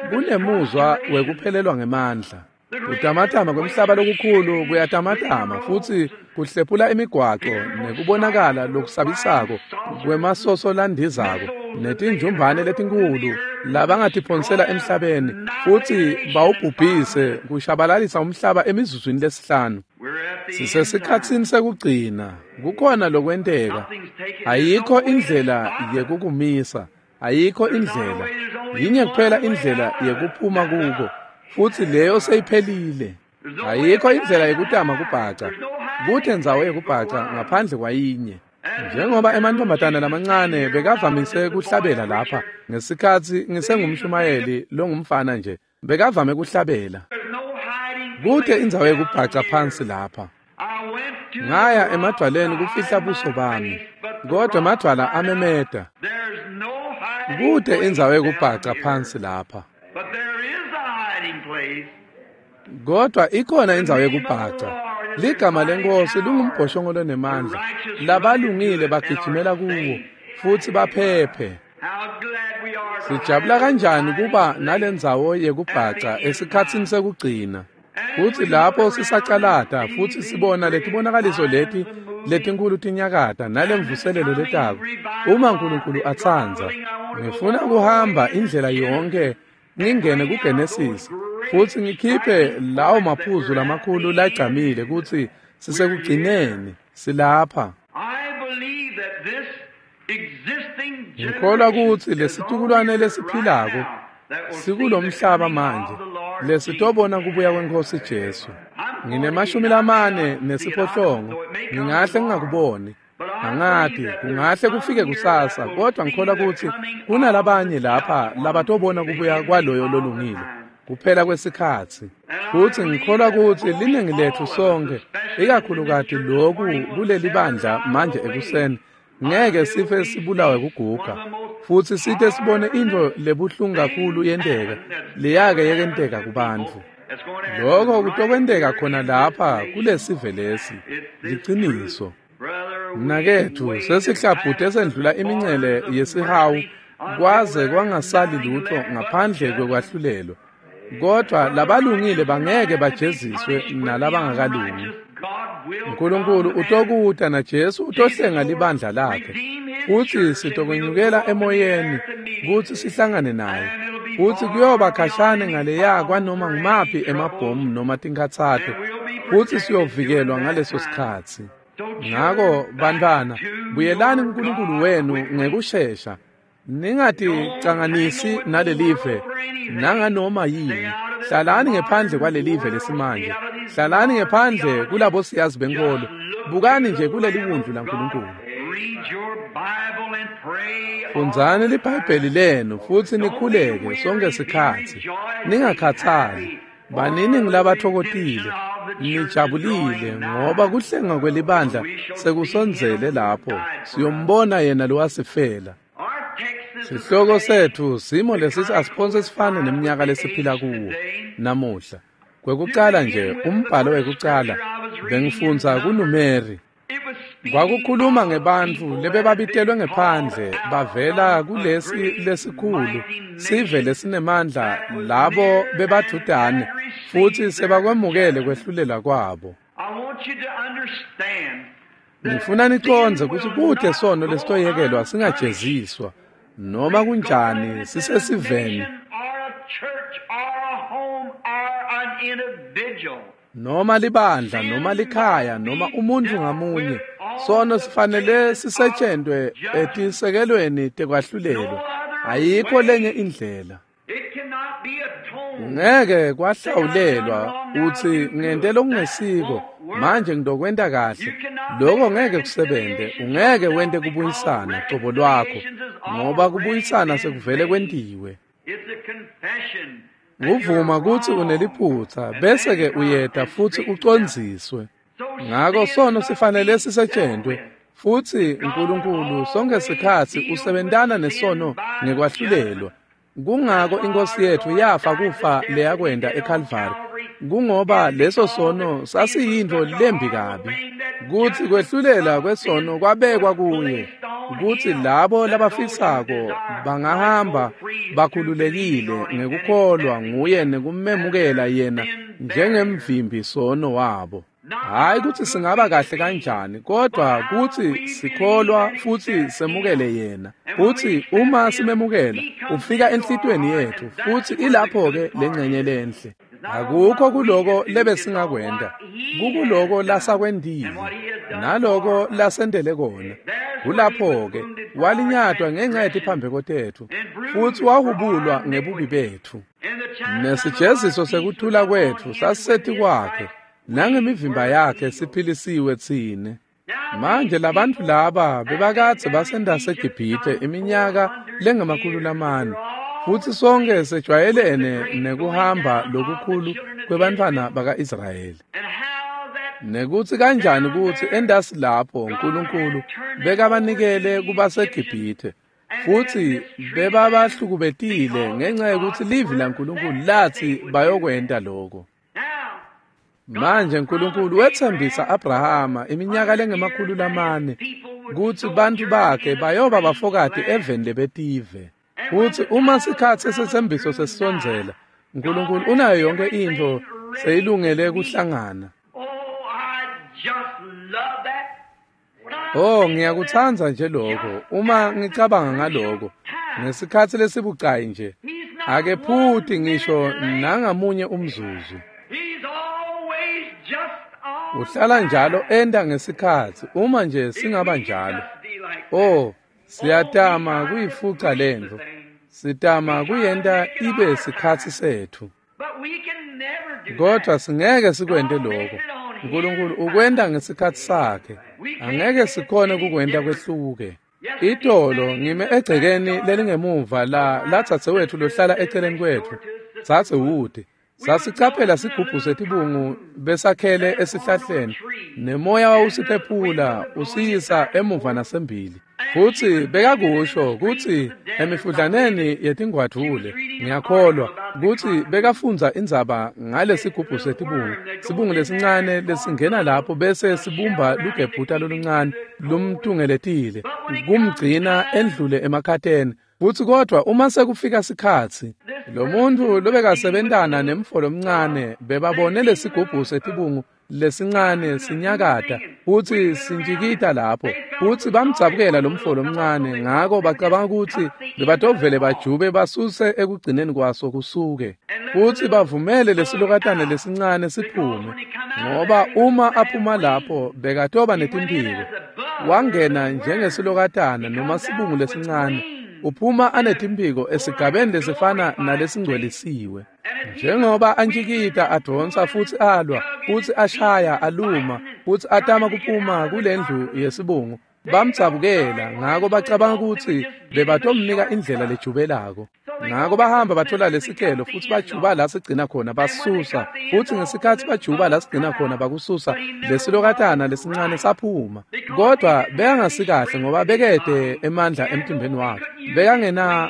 kunemuzwa wekuphelelwa ngemandla. Kutamatama kwemhlaba lokukhulu kuyatamatama futsi kuhlephula imigwaco nekubonakala lokusabisako kwemasoso landizako netinjumbane letinkhulu labangatiphonsela emhlabeni futsi bawubhubhise kushabalalisa umhlaba emizuzwini lesihlanu. Sisesikhatsini sekugcina, kukhona lokwenteka. Ayikho indlela yekukumisa, ayikho indlela. Yinye kuphela indlela yekuphuma kuko, futsi leyo seyiphelile. Ayikho indlela yekutama kubhaca, kute ndzawo yekubhaca ngaphandle kwayinye. Njengoba emantombazane lamancane bekavamise kuhlabela lapha ngesikhatsi ngisengumshumayeli longumfana nje, bekavame kuhlabela. Kute indzawo yekubhaca phansi lapha. Ngaya emadwaleni kufihla buso bami, kodwa emadwala amemeta. Kute indzawo yekubhaca phansi lapha. Kodwa ikhona indzawo yekubhaca. Ligama leNkosi lingumbhoshongo lonemandla. Labalungile bagijimela kuwo futsi baphephe. Sijabula kanjani kuba nalendzawo yekubhaca esikhatsini sekugcina. Futsi lapho sisacalata futsi sibona letibonakaliso leti letinkhulu tinyakata nalemvuselelo letako. Uma uNkulunkulu atsandza, ngifuna kuhamba indlela yonke ngingene kuGenesis futsi ngikhiphe lawo maphuzu lamakhulu lagcamile kutsi sisekugcineni, silapha. Ngikholwa kutsi lesitukulwane lesiphilako sikulomhlaba manje lesitobona kubuya kweNkosi Jesu. Ngine-48, ngingahle ngingakuboni. Angati, kungahle kufike kusasa, kodwa ngikholwa kutsi kunalabanye lapha labatobona kubuya kwaloyo lolungile kuphela kwesikhatsi. Futsi ngikholwa kutsi liningi letfu sonke, ikakhulukati loku kuleli bandla manje ekuseni, ngeke sife sibulawe kuguga futsi site sibone intfo lebuhlungu kakhulu yenteka leyake yekenteka kubantfu. Lokho kutokwenteka khona lapha kulesive lesi. Liciniso. Mnaketfu, sesihlabhute sendlula imincele yesihawu kwaze kwangasali lutho ngaphandle kwekwahlulelwa. Kodwa labalungile bangeke bajeziswe nalabangakalungi. uNkulunkulu utokuta na Jesu utohlenga libandla lakhe, futsi sitokwenyukela emoyeni kutsi sihlangane naye. Futsi kuyoba khashane ngaleya kwanoma ngumaphi emabhomu noma tinkhatsato, futsi siyovikelwa ngaleso sikhatsi. Ngako bantwana, buyelani kuNkulunkulu wenu ngekushesha. Ningaticanganisi nalelive nanganoma yini. Hlalani ngephandle kwalelive lesimanje. Hlalani ngephandle kulabo siyazi benkolo. Bukani nje kuleli wundlu laNkulunkulu. Fundzani liBhayibheli lenu futsi nikhuleke sonke sikhatsi. Ningakhathali. Banini ngilabathokotile, nijabulile ngoba kuhlenga kwelibandla sekusondzele lapho. Siyombona yena lowasifela. Sihloko setfu simo lesisi asiphonse sifane neminyaka lesiphila kuwo namuhla. Kwekucala nje umbhalo wekucala bengifundza kuNumeri. Kwakukhuluma ngebantfu lebebabitelwe ngephandle bavela kulesi lesikhulu sive lesinemandla, labo bebadudane futsi sebakwemukele kwehlulela kwabo. Ngifuna nicondze kutsi kute sono lesitoyekelwa singajeziswa. Noma kunjani sisesiveni, noma libandla, noma likhaya, noma umuntu ngamunye, sono sifanele sisetshentwe etisekelweni tekwahlulelwa. Ayikho lenye indlela. Ngeke kwahlawulelwa uthi ngente lokungesiko manje ngidokwenta kahle. Lokho ngeke kusebenze. Ungeke wente kubuyisana cobo lwakho, ngoba kubuyisana sekuvele kwentiwe. Uvuma kutsi uneliphutsa bese ke uyeta futsi ucondziswe. Ngako sono sifanele sisetshentwe, futsi uNkulunkulu sonke sikhatsi usebentana nesono ngekwahlulelwa. Kungako inkosi yethu yafa kufa leyakwenda eCalvary. Kungoba leso sono sasiyintfo lembi kabi, kutsi kwehlulela kwesono kwabekwa kuye, kutsi labo labafisako bangahamba bakhululekile ngekukholwa nguye nekumemukela yena njengemvimbi sono wabo. Hayi kutsi singaba kahle kanjani, kodwa kutsi sikholwa futsi semukele yena. Futsi uma simemukela, ufika enhlitiyweni yethu, futsi ilapho-ke lengxenye lenhle. Akukho kuloko lebesingakwenta, kukuloko lasakwentile naloko lasentele kona. Kulapho-ke walinyatwa ngenxa yetiphambeko tetfu, futsi wahubulwa ngebubi betfu. Nesijeziso sekuthula kwetfu sasisetikwakhe, nangemivimba yakhe siphilisiwe tsine. Manje labantfu laba bebakadze basendaseGibhithe iminyaka lengama-400, futsi sonke sejwayelene nekuhamba lokukhulu kwebantfwana baka-Israyeli. Nekutsi kanjani kutsi endasi lapho uNkulunkulu bekabanikele kubaseGibhithe, futsi bebabahlukubetile ngenxa yekutsi livi laNkulunkulu latsi bayokwenta lokho. Manje uNkulunkulu wetsembisa Abrahama iminyaka lengama-400 kutsi bantfu bakhe bayoba bafokati eveni lebetive. Futsi uma sikhatsi setsembiso sesisondzela, uNkulunkulu unayo yonke intfo seyilungele kuhlangana. Oh, ngiyakutsandza nje lokho uma ngicabanga ngaloko. Ngesikhatsi lesibucayi nje, akephuti ngisho nangamunye umzuzu. Uhlala njalo enta ngesikhatsi uma nje singaba njalo. Oh, siyatama kuyifuca lentfo. Sitama kuyenta ibe sikhatsi setfu. Kodwa singeke sikwente lokho. uNkulunkulu ukwenta ngesikhatsi sakhe. Angeke sikhone kukwenta kwehluke. Itolo ngime egcekeni lelingemuva la dzadzewetfu lohlala eceleni kwetfu, Dzadze Wood. Sasicaphela sigubhu setibungu besakhele esihlahleni, nemoya wawusiphephula usiyisa emuva nasembili. Futsi bekakusho kutsi emifudlaneni yetingwadvule, ngiyakholwa kutsi bekafundza indzaba ngalesigubhu setibungu, sibungu lesincane lesingena lapho bese sibumba lugebhuta loluncane lumtungeletile kumgcina endlule emakhateni. Futsi kodwa uma sekufika sikhatsi, lo muntfu lobekasebentana nemfo lomncane bebabone lesigubhu setibungu lesincane sinyakata futsi sintjikita lapho, futsi bamdzabukela lo mfo lomncane, ngako bacabanga kutsi bebatovele bajube basuse ekugcineni kwaso kusuke, futsi bavumele lesilokatane lesincane siphume, ngoba uma aphuma lapho bekatoba netimphiko. Wangena njengesilokatana noma sibungu lesincane, uphuma anetimphiko esigabeni lesifana nalesingcwelisiwe. Njengoba antjikita advonsa futsi alwa, futsi ashaya aluma, futsi atama kuphuma kulendlu yesibungu, bamdzabukela, ngako bacabanga kutsi bebatomnika indlela lejubelako. Ngako bahamba bathola lesikelo futsi bajuba la sigcina khona basusa, futsi ngesikhatsi bajuba la sigcina khona bakususa, lesilokatana lesincane saphuma. Kodwa bekangasikahle ngoba bekete emandla emtimbeni wakhe.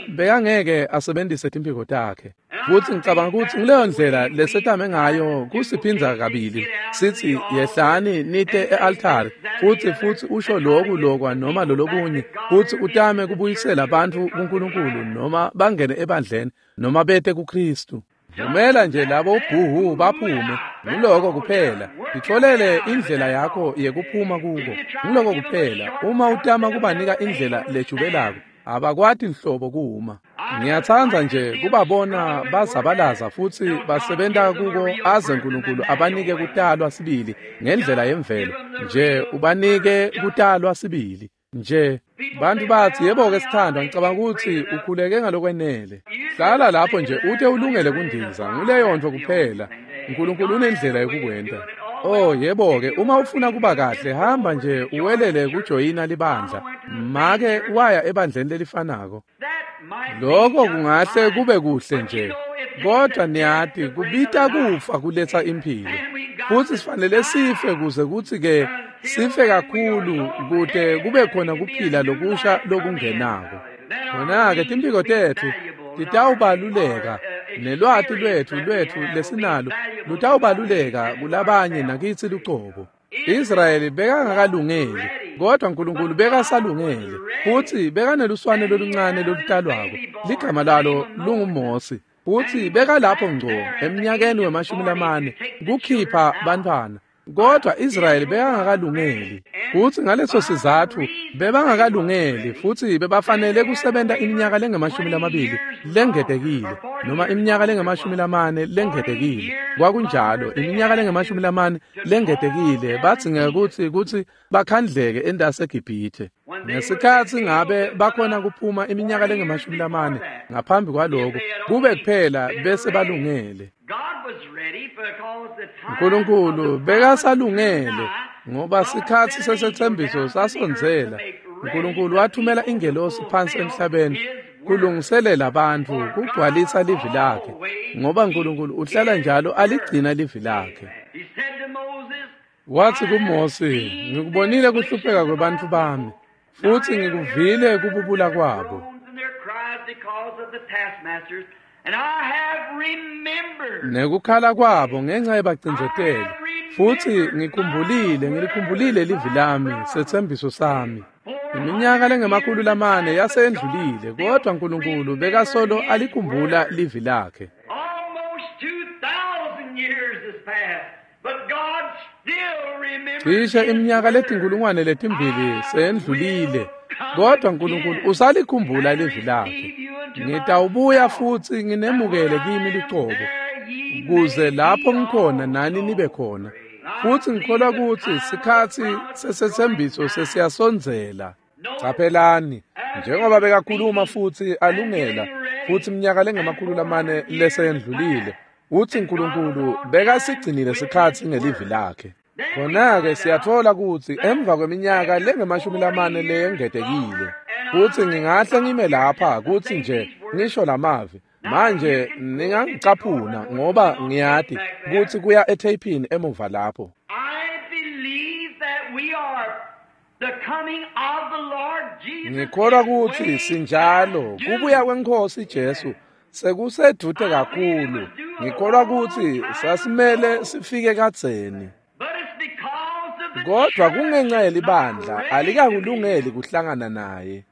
Bekangeke asebenzise timphiko takhe. Futsi ngicabanga kutsi ngileyo ndlela lesetame ngayo kusiphindza kabili. Sithi yehlani nite e-altari, futsi usho loku lokwa noma lolokunye, futsi utame kubuyisela bantfu kuNkulunkulu noma bangene ebandleni noma bete kuKristu. Vumela nje labo ubhuhu baphume, nguloko kuphela. Titfolele indlela yakho yekuphuma kuko, nguloko kuphela. Uma utama kubanika indlela lejubelako, Abakwati nhlobo kuma. Ngiyatsandza nje kubabona bazabalaza futsi basebenta kuko aze Nkulunkulu abanike kutalwa sibili ngendlela yemvelo. Nje ubanike kutalwa sibili. Nje bantu bathi, yebo-ke sithandwa, ngicabanga ukuthi ukhuleke ngalokwenele. Hlala lapho nje ute ulungele kundiza, nguleyo nto kuphela. Nkulunkulu unendlela yokukwenta. Oh yebo-ke, uma ufuna kuba kahle, hamba nje uwelele kujoyina libandla. Make waya ebandleni lelifanako. Lokho kungahle kube kuhle nje, kodwa niyati kubita kufa kuletsa imphilo. Futsi sifanele sife kuze kutsi-ke sife kakhulu kute kube khona kuphila lokusha lokungenako. Khona-ke timphiko tetfu titawubaluleka, nelwati lwetfu lesinalo lutawubaluleka kulabanye nakitsi lucobo. Israyeli bekangakalungeli, kodwa Nkulunkulu bekasalungele, futsi bekaneluswane loluncane lolutalwako, ligama lalo lunguMosi, futsi bekalapho ngco emnyakeni we-40 kukhipha bantfwana. Kodwa Israyeli bekangakalungeli, futsi ngaleso sizatfu bebangakalungeli, futsi bebafanele kusebenta iminyaka lengama-20 lengetekile, noma iminyaka lengama-40 lengetekile. Kwakunjalo, iminyaka lengama-40 lengetekile badzingeka kutsi bakhandleke entasi eGibhithe. Ngesikhatsi ngabe bakhona kuphuma iminyaka lengama-40 ngaphambi kwaloko, kube kuphela bese balungele. Nkulunkulu bekasalungele ngoba sikhatsi sesethembiso sasondzela. Nkulunkulu wathumela ingelosi phansi emhlabeni kulungiselela bantfu kugcwalisa livi lakhe, ngoba Nkulunkulu uhlala njalo aligcina livi lakhe. Wathi kuMose, ngikubonile kuhlupheka kwebantfu bami, futsi ngikuvile kububula kwabo. Nekukhala kwabo ngenxa yebacindzeteli, futsi ngikhumbulile, ngilikhumbulile livi lami, setsembiso sami. Iminyaka lengama-400 yasendlulile, kodwa Nkulunkulu bekasolo alikhumbula livi lakhe. Cishe iminyaka 2000 seyendlulile, kodwa Nkulunkulu usalikhumbula livi lakhe. Ngitawubuya futsi nginemukele kimi lucobo, kuze lapho ngikhona nani nibe khona. Futsi ngikholwa kutsi sikhatsi sesethembiso sesiyasondzela. Caphelani, njengoba bekakhuluma futsi alungela, futsi iminyaka lengama-400 leseyendlulile, utsi Nkulunkulu bekasigcinile sikhatsi ngelivi lakhe. Khona-ke siyatfola kutsi emva kweminyaka lengama-40 leyengetekile, futsi ngingahle ngime lapha kutsi nje ngisho lamavi. Manje ningangicaphuna ngoba ngiyati kutsi kuya etheyphini emuva lapho. Ngikholwa kutsi sinjalo kubuya kweNkhosi Jesu sekusedvute kakhulu. Ngikholwa kutsi sasimele sifike kadzeni. Kodwa kungenxa yelibandla alikakulungeli kuhlangana naye.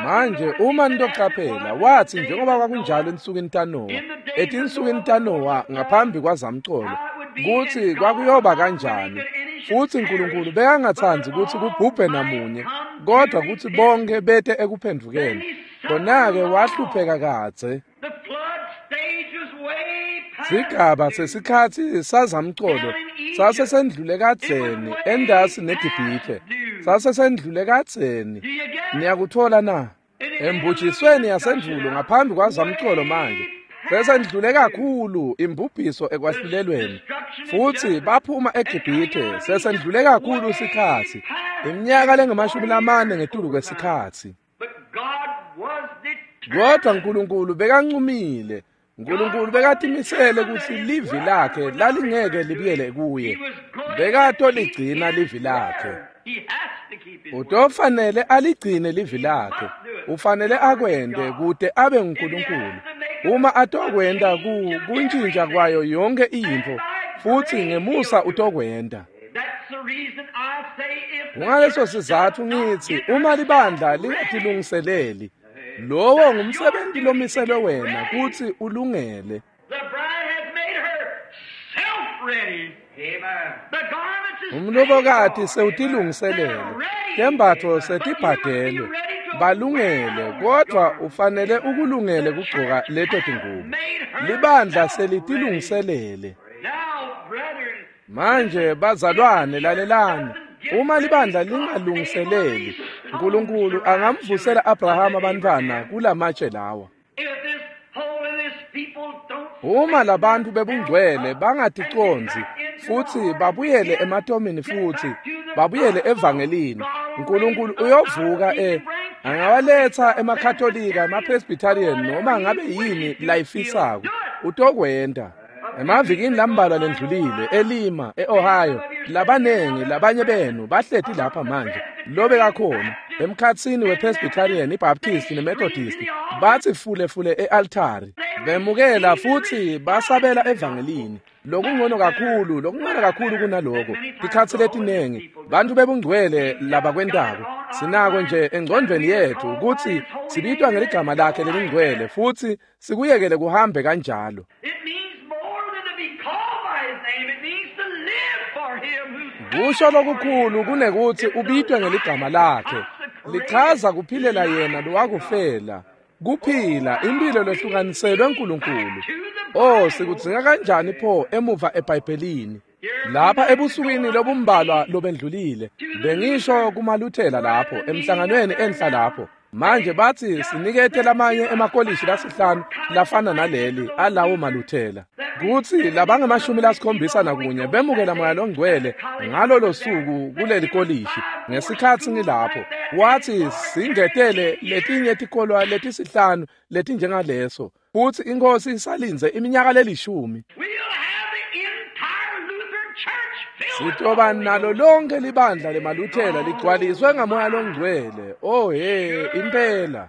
Manje uma nitocaphela, wathi njengoba kwakunjalo ensukwini taNowa, etinsukwini taNowa ngaphambi kwazamcolo, kutsi kwakuyoba kanjani. Futsi Nkulunkulu bekangatsandzi kutsi kubhubhe namunye, kodwa kutsi bonke bete ekuphendvukeni. Khona-ke wahlupheka kadze. Sigaba sesikhatsi sazamcolo sasesendlule kadzeni entasi neGibhithe. Sasesendlule kadzeni. Niyakuthola na? Embujisweni yasendvulo ngaphambi kwazamcolo manje. Sesendlule kakhulu imbubhiso ekwahlulelweni. Futsi baphuma eGibhithe sesendlule kakhulu sikhatsi. Iminyaka lengama-40 ngetulu kwesikhatsi. Kodwa Nkulunkulu bekancumile. Nkulunkulu bekatimisele kutsi livi lakhe lalingeke libuyele kuye. Bekatoligcina livi lakhe. Utofanele aligcine livi lakhe. Ufanele akwente kute abe nguNkulunkulu. Uma atokwenta kuntjintja kwayo yonke intfo, futsi ngemusa utokwenta. Kungaleso sizatfu ngitsi uma libandla lingatilungiseleli, lowo ngumsebenzi lomiselwe wena kutsi ulungele. Umlobokati sewutilungiselele, tembatfo setibhadelwe, Balungele, kodvwa ufanele ukulungele kugcoka leto tingubo. Libandla selitilungiselele. Manje bazalwane lalelani. Uma libandla lingalungiseleli, uNkulunkulu angamvusela Abrahama abantwana kulamatshe lawa. Uma labantu bebungcwele bangaticondzi futhi babuyele ematomini futhi babuyele evangelini, uNkulunkulu uyovuka angawaletha emaKatolika, emaPresbyterian noma ngabe yini layifisako, utokwenta. Emavikini lambalwa lendlulile eLima, eOhio, labanengi labanye benu bahleti lapha manje lobe kakhona emkhatsini wePresbyterian, iBaptist neMethodist, bathi fule fule ealtari bemukela futhi basabela evangelini. Lokungcono kakhulu, lokungcono kakhulu kunaloko. Tikhatsi letinengi bantu bebungcwele labakwentako sinako nje engcondvweni yethu ukuthi sibitwa ngeligama lakhe lelingcwele futhi sikuyekele kuhambe kanjalo. Kusho lokukhulu kunekuthi ubitwe ngeligama lakhe. Lichaza kuphilela yena lowakufela, kuphila impilo lehlukaniselwe uNkulunkulu. Oh, sikudzinga kanjani pho emuva eBhayibhelini. Lapha ebusukwini lobumbalwa lobendlulile bengisho kumaluthela lapho emhlanganweni enhla lapho. Manje bathi sinikete lamanye emakolishi lasihlanu lafana naleli alawo maluthela, kutsi labangamashumi 71 bemukela moya longcwele ngalolo suku kuleli kolishi. Ngesikhatsi ngilapho wathi singetele letinye tikolwa letisihlanu letinjengaleso, futhi inkosi isalinze iminyaka lelishumi. Sitoba nalo lonke libandla lemaluthela ligcwaliswe ngamoya longcwele. Oh he, impela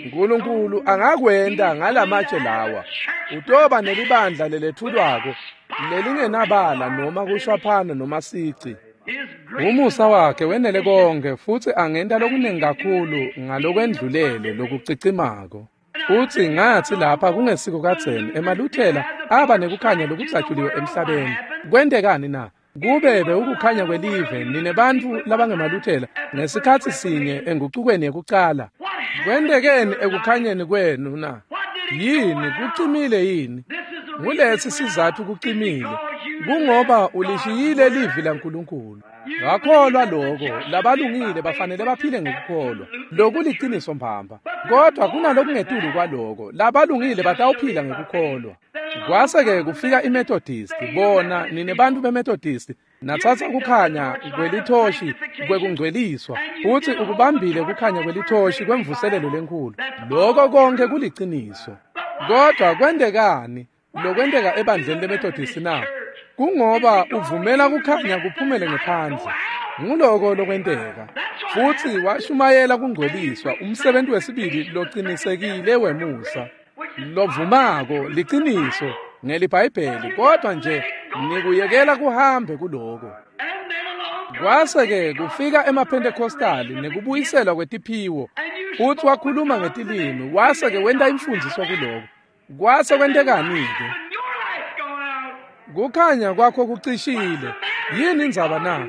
uNkulunkulu angakwenta ngalamatshe lawa. Utoba nelibandla lelethulwako lelingenabala noma kushwaphana noma sici. Umusa wakhe wenele konke futhi angenta lokuningi kakhulu ngalokwendlulele lokucicimako. Uthi ngathi lapha kungesiko kadzeni emaluthela aba nekukhanya lokujatshuliwe emhlabeni. Kwentekani na? Kube bewukukhanya kwelive nine bantfu labangemaluthela ngesikhatsi sinye engucukweni yekucala. Kwentekeni ekukhanyeni kwenu na? Yini kucimile yini? Ngulesi sizathu kucimile, kungoba ulishiyile livi laNkulunkulu. Ngakholwa lokho, labalungile bafanele baphile ngokukholwa. Lokuliciniso mbamba. Kodwa kunalokungetulu kwaloko, labalungile batawuphila ngokukholwa. Kwase-ke kufika iMethodist, bona nine bantu beMethodist, nathatha kukhanya kwelithoshi kwekungcweliswa, futhi ukubambile kukhanya kwelithoshi kwemvuselelo lenkulu. Lokho konke kuliciniso. Kodwa kwentekani lokwenteka ebandleni leMethodist na? Kungoba uvumela kukhanya kuphumele ngephandle. Nguloko lokwenteka. Futhi washumayela kungcweliswa, umsebenzi wesibili locinisekile wemusa. Lovumako liciniso ngeliBhayibheli, kodwa nje nikuyekela kuhambe kuloko. Kwase-ke kufika emaPentecostali nekubuyiselwa kwetiphiwo, futhi wakhuluma ngetilimi, wase-ke wenta imfundiso kuloko. Kwase kwentekani-ke? Kukhanya kwakho kucishile. Yini indzaba na?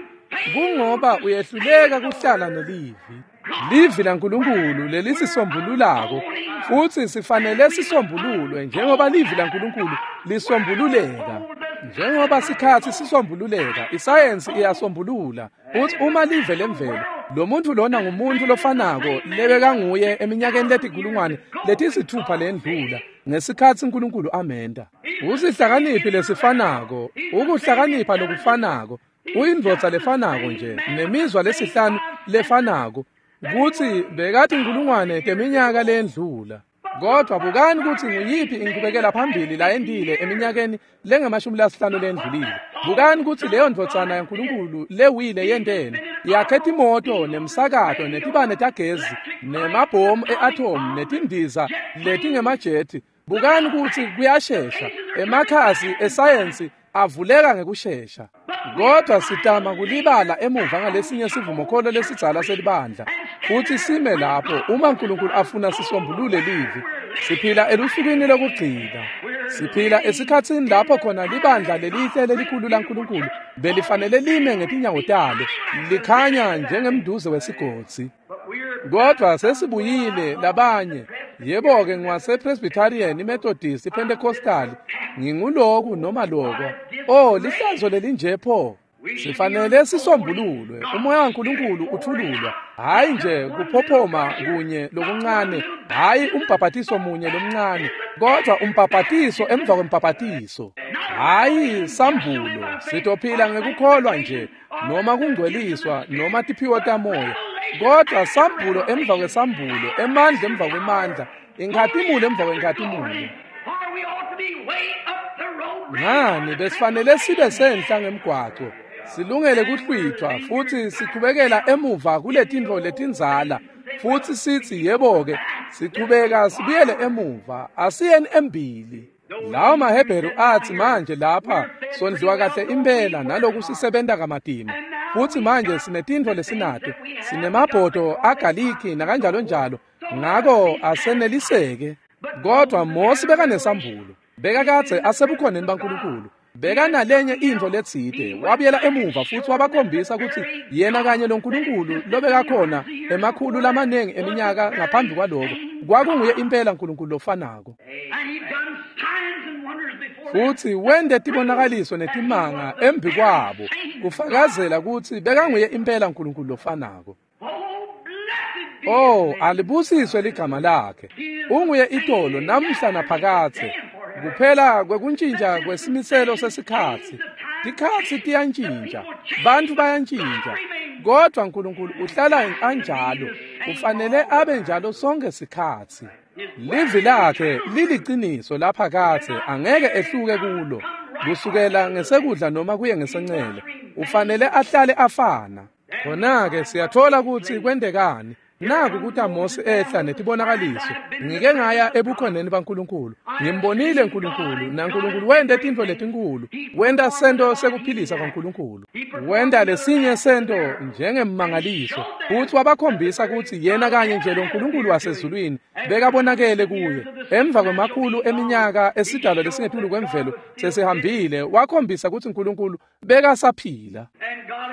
Kungoba uyehluleka kuhlala nelivi. Livi laNkulunkulu lelisisombululako, futhi sifanele sisombululwe njengoba livi laNkulunkulu lisombululeka. Njengoba sikhatsi sisombululeka, isayensi iyasombulula. Futhi uma live lemvelo, lo muntu lona ngumuntu lofanako lebekanguye eminyakeni letikulungwane letisithupha lendlula ngesikhatsi uNkulunkulu amenta. Usihlakaniphi lesifanako, ukuhlakanipha lokufanako, uyindvodza lefanako nje, nemizwa lesihlanu lefanako, kutsi bekathi inkulungwane teminyaka lendlula. Kodwa bukani kutsi nguyiphi inqubekela phambili layentile eminyakeni lengamashumi 50 lendlulile. Bukani kutsi leyo ndvodzana yaNkulunkulu lewile yenteni. Yakhe timoto nemsakato netibane tagezi nemabhomu e-atom netindiza letingemajethi. Bukani kutsi kuyashesha. Emakhasi esayensi avuleka ngekushesha. Kodwa sitama kulibala emuva ngalesinye sivumokholo lesidzala selibandla, futhi sime lapho uma uNkulunkulu afuna sisombulule livi. Siphila elusukwini lokugcina. Siphila esikhatsini lapho khona libandla lelihle lelikhulu laNkulunkulu belifanele lime ngetinyawo talo, likhanya njengemduze wesigodzi. Kodwa sesibuyile labanye. Yebo-ke ngiwasePresbyterian, iMethodist, iPentecostal, nginguloku noma loko. Oh, lihlazo lelinje pho. Sifanele sisombululwe. Umoya waNkulunkulu uthululwa. Hhayi nje kuphophoma kunye lokuncane, hhayi umbhabhatiso munye lomncane, kodwa umbhabhatiso emva kwembhabhatiso. Hhayi sambulo, sitophila ngekukholwa nje, noma kungcweliswa, noma tiphiwo tamoya. Kodwa sambulo emva kwesambulo, emandla emva kwemandla, inkhatimulo emva kwenkhatimulo. Ngani besifanele sibe senhla ngemgwaco, silungele kuhlwithwa futhi sichubekela emuva kuletintfo letindzala, futhi sithi yebo-ke, sichubeka sibuyele emuva, asiyeni embili. Lawo maHebheru athi manje lapha sondliwa kahle impela naloku sisebenta kamatima, futhi manje sinetintfo lesinato, sinemabhodo agaliki nakanjalo njalo, ngako aseneliseke. Kodwa Mosi bekanesambulo, bekakadze asebukhoneni baNkulunkulu, bekanalenye intfo letsite, wabuyela emuva futhi wabakhombisa kutsi yena kanye loNkulunkulu lobekakhona emakhulu lamaningi eminyaka ngaphambi kwaloko kwakunguye impela Nkulunkulu lofanako. Futhi wente tibonakaliso netimanga embi kwabo kufakazela kutsi bekanguye impela Nkulunkulu lofanako. Oh, alibusiswe ligama lakhe. Unguye itolo namhla naphakadze. Kuphela kwekuntjintja kwesimiselo sesikhatsi. Tikhatsi tiyantjintja, bantfu bayantjintja, kodwa Nkulunkulu uhlala anjalo. Ufanele abe njalo sonke sikhatsi. Livi lakhe liliciniso laphakadze, angeke ehluke kulo. Kusukela ngesekudla noma kuye ngesencele, ufanele ahlale afana. Khona-ke siyathola kutsi kwentekani. Naku kuta Mosi ehla netibonakaliso. Ngike ngaya ebukhoneni baNkulunkulu. Ngimbonile Nkulunkulu, naNkulunkulu wente tintfo letinkulu. Wenta sento sekuphilisa kwaNkulunkulu. Wenta lesinye sento njengemmangaliso. Futsi wabakhombisa kutsi yena kanye nje lo Nkulunkulu wasezulwini bekabonakele kuye. Emva kwemakhulu eminyaka esidalwa lesingetulu kwemvelo sesihambile, wakhombisa kutsi Nkulunkulu bekasaphila.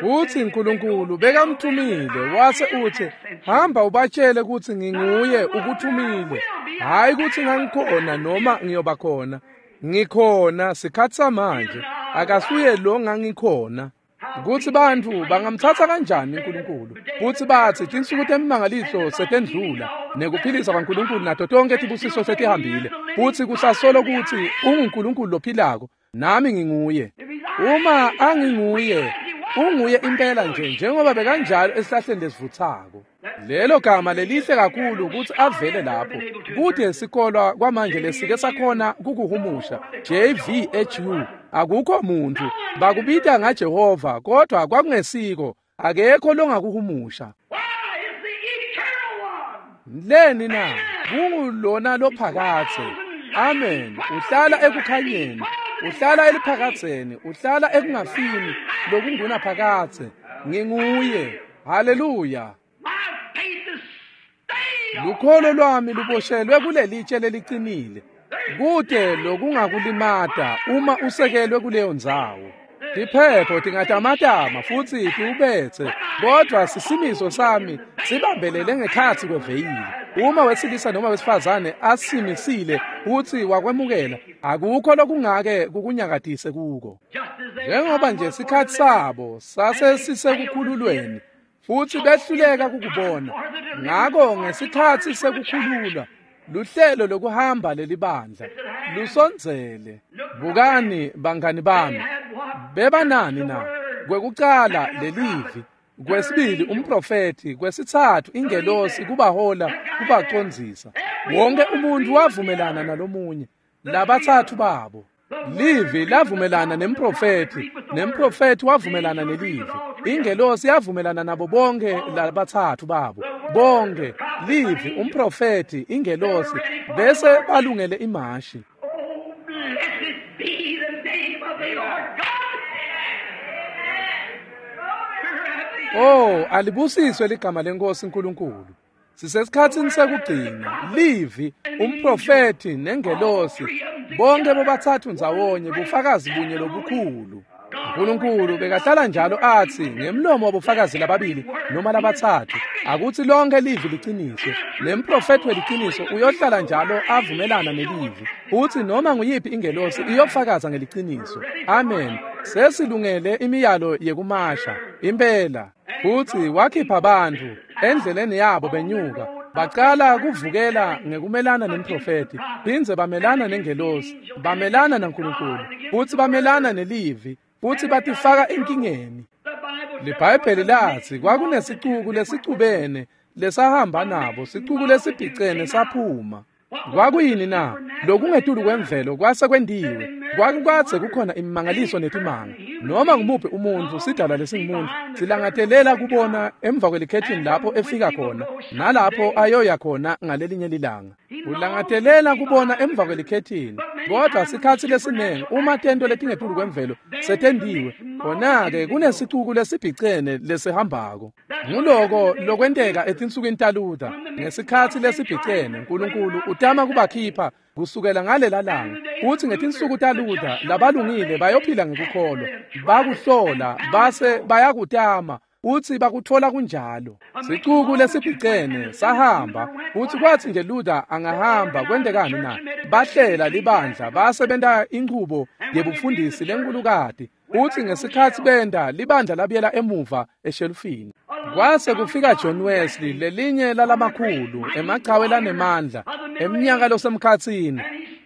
Futsi Nkulunkulu bekamthumile, wase utsi, hamba ubatshele kutsi nginguye ukuthumile. Hhayi kutsi ngangikhona noma ngiyoba khona. Ngikhona sikhatsi samanje, akasuye lo ngangikhona. Kutsi bantfu bangamtsatsa kanjani uNkulunkulu, futsi batsi tinsuku temimangaliso setendlula, nekuphilisa kwaNkulunkulu nato tonke tibusiso setihambile, futsi kusasolo kutsi unguNkulunkulu lophilako, nami nginguye. Uma anginguye, unguye impela nje njengoba bekanjalo esihlahleni lesivutsako. Lelo gama lelihle kakhulu kutsi avele lapho. Kute sikolwa kwamanje lesike sakhona kukuhumusha JVHU. Akukho muntu bakubita ngaJehova, kodwa kwakungesiko, akekho longakuhumusha. Leni na? Kungulona lophakadze. Amen. Uhlala ekukhanyeni, uhlala eliphakadzeni, uhlala ekungafini lokungunaphakadze. Nginguye. Haleluya. Lukholo lwami luboshelwe kulelitshe lelicinile. Kute lokungakulimata uma usekelwe kuleyo ndzawo. Tiphepho tingatamatama futsi tiwubetse, kodwa sisimiso sami sibambelele ngekhatsi kweveyili. Uma wesilisa noma wesifazane asimisile futsi wakwemukela, akukho lokungake kukunyakatise kuko. Njengoba nje sikhatsi sabo sase sisekukhululweni, futsi behluleka kukubona. Ngako ngesikhatsi sekukhululwa, luhlelo lokuhamba lelibandla lusondzele. Bukani bangani bami, bebanani na? Kwekucala lelivi, kwesibili umprofethi, kwesitsatfu ingelosi kubahola kubacondzisa. Wonke umuntu wavumelana nalomunye, labatsatfu babo. Livi lavumelana nemprofethi, nemprofethi wavumelana nelivi. Ingelosi yavumelana nabo bonke labatsatfu babo. Bonke, livi, umprofethi, ingelosi, bese balungele imashi. Oh, blessed be the name of the Lord God. Oh, alibusiswe ligama lenkosi uNkulunkulu. Sisesikhatsini sekugcina, livi, umprofethi nengelosi, bonke bobathathu ndzawonye bufakazi bunye lobukhulu. Nkulunkulu bekahlala njalo atsi ngemlomo wabofakazi lababili noma labatsatfu akutsi lonke livi liqiniswe. Nemprofethi weliciniso uyohlala njalo avumelana nelivi. Utsi noma nguyiphi ingelosi iyofakaza ngeliciniso. Amen. Sesilungele imiyalo yekumasha. Impela. Futsi wakhipha bantfu endleleni yabo benyuka. Bacala kuvukela ngekumelana nemprofethi, phindze bamelana nengelosi, bamelana naNkulunkulu, futsi bamelana nelivi, futsi batifaka enkingeni. LiBhayibheli latsi kwakunesicuku lesicubene lesahamba nabo, sicuku lesibhicene saphuma. Kwakuyini na? Lokungetulu kwemvelo kwase kwentiwe. Kwakukadze kukhona imimangaliso netimanga. Noma ngumuphi umuntfu, sidalwa lesingumuntu, silangatelela kubona emva kwelikhethini lapho efika khona nalapho ayoya khona ngalelinye lilanga. Ulangatelela kubona emva kwelikhethini. Kodwa sikhatsi lesiningi uma tento letingetulu kwemvelo setendiwe, khona-ke kunesicuku lesibhicene lesihambako. Nguloko lokwenteka etinsukwini taLuther. Ngesikhatsi lesibhicene, Nkulunkulu utama kubakhipha kusukela ngalela langa. Utsi ngetinsuku taLuther labalungile bayophila ngekukholwa. Bakuhlola base bayakutama. Utsi bakutfola kunjalo. Sicuku lesibhicene sahamba. Utsi kwatsi nje Luther angahamba kwentekani na? Bahlela libandla basebenta inchubo yebufundisi lenkulukati. Utsi ngesikhatsi benda libandla labuyela emuva eshelufini. Kwase kufika John Wesley, lelinye lalamakhulu emachawe lanemandla eminyaka losemkhatsini.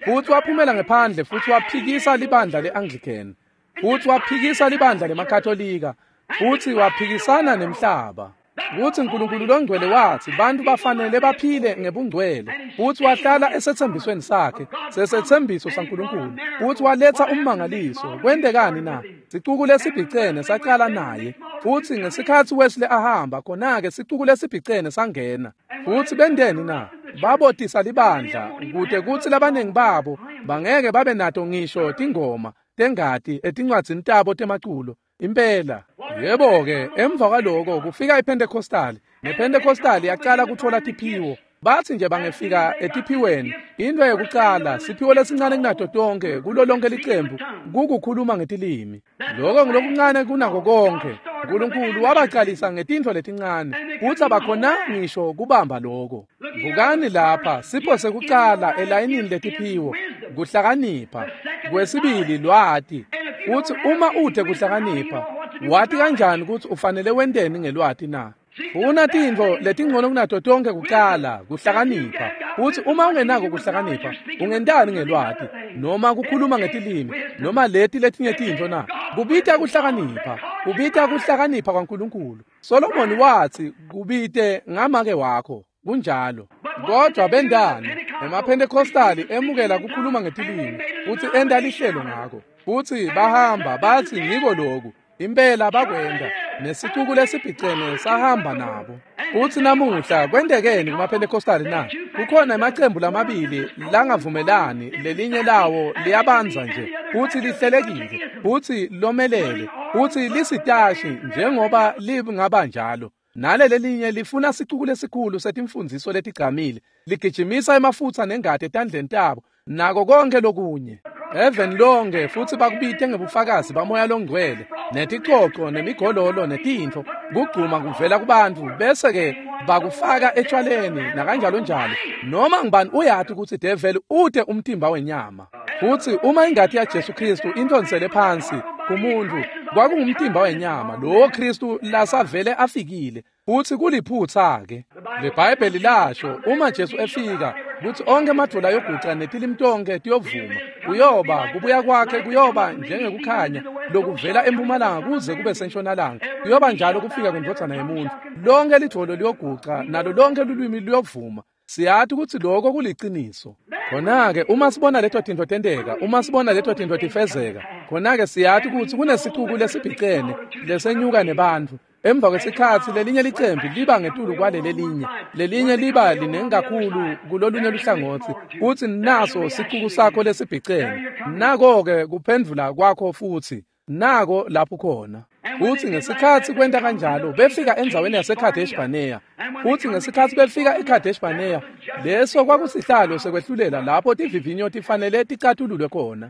Futsi waphumela ngephandle futsi waphikisa libandla le-Anglican. Futsi waphikisa libandla lemaKatolika. Futsi waphikisana nemhlaba. Kutsi Nkulunkulu longcwele watsi bantfu bafanele baphile ngebungcwele. Futsi wahlala esetsembisweni sakhe, sesetsembiso saNkulunkulu. Futsi waletsa ummangaliso. Kwentekani na? Sicuku lesibhicene sacala naye. Futsi ngesikhatsi Wesley ahamba, khona-ke sicuku lesibhicene sangena. Futsi benteni na? Babotisa libandla kute kutsi labaningi babo bangeke babe nato ngisho tingoma tengati etincwadzini tabo temaculo. Impela. Yebo-ke, emva kwaloko kufika iPentecostal. NePentecostal yaqala kutfola tiphiwo. Batsi nje bangefika etiphiweni, into yekucala, siphiwo lesincane kunato tonke kulo lonke licembu kukukhuluma ngetilimi. Loko ngulokuncane kunako konke. Nkulunkulu wabacalisa ngetintfo letincane, futsi abakhona ngisho kubamba loko. Bukani lapha, sipho sekucala elayinini letiphiwo, kuhlakanipha. Kwesibili lwati. Futsi uma ute kuhlakanipha, wati kanjani kutsi ufanele wenteni ngelwati na? Funa tintfo letingcono kunato tonke kucala, kuhlakanipha. Futsi uma ungenako kuhlakanipha, ungentani ngelwati noma kukhuluma ngetilimi noma leti letinye tintfo na? Kubita kuhlakanipha, kubita kuhlakanipha kwaNkulunkulu. Solomoni watsi kubite ngamake wakho. Kunjalo. Kodwa bendani? EmaPentecostali emukela kukhuluma ngetilimi futsi enta lihlelo ngako. Futsi bahamba batsi ngiko loku. Impela bakwenda. Nesicuku lesibhicene sahamba nabo. Futsi namuhla kwentekeni kumaPentecostali na? Kukhona emacembu lamabili langavumelani, lelinye lawo liyabandza nje, futsi lihlelekile, futsi lomelele, futsi lisitashi njengoba lingaba njalo. Nale lelinye lifuna sicuku lesikhulu setimfundziso letigcamile, ligijimisa emafutsa nengati etandleni tabo, nako konke lokunye. Even lonke futsi bakubite ngebufakazi bamoya longcwele, neticoco nemigololo netintfo, kugcuma kuvela kubantfu, bese-ke bakufaka etshwaleni nakanjalo njalo. Noma ngubani uyati kutsi develi ute umtimba wenyama. Futsi uma ingati yaJesu Kristu intonsele phansi kumuntfu, kwakungumtimba wenyama lowo Kristu lasavele afikile. Futsi kuliphutsa-ke. LiBhayibheli lasho uma Jesu efika kutsi onke emadvola ayoguca netilimi tonke tiyovuma. Kuyoba kubuya kwakhe kuyoba njengekukhanya lokuvela empumalanga kuze kube sentshonalanga. Kuyoba njalo kufika kwendvodzana yemuntfu. Lonke lidvolo liyoguca nalo lonke lulwimi luyovuma. Siyati kutsi loko kuliciniso. Khona-ke uma sibona leto tintfo tenteka, uma sibona leto tintfo tifezeka, khona-ke siyati kutsi kunesicuku lesibhicene lesenyuka nebantfu. Emva kwesikhatsi lelinye licembu liba ngetulu kwaleli lelinye, lelinye liba linengi kakhulu kulolunye luhlangotsi. Utsi naso sicuku sakho lesibhicene. Nako-ke kuphendvula kwakho futsi, nako lapho khona. Futsi ngesikhatsi kwenta kanjalo befika endzaweni yaseKadesh Barnea. Futsi ngesikhatsi befika eKadesh Barnea, leso kwakusihlalo sekwehlulela lapho tivivinyo tifanele ticatululwe khona.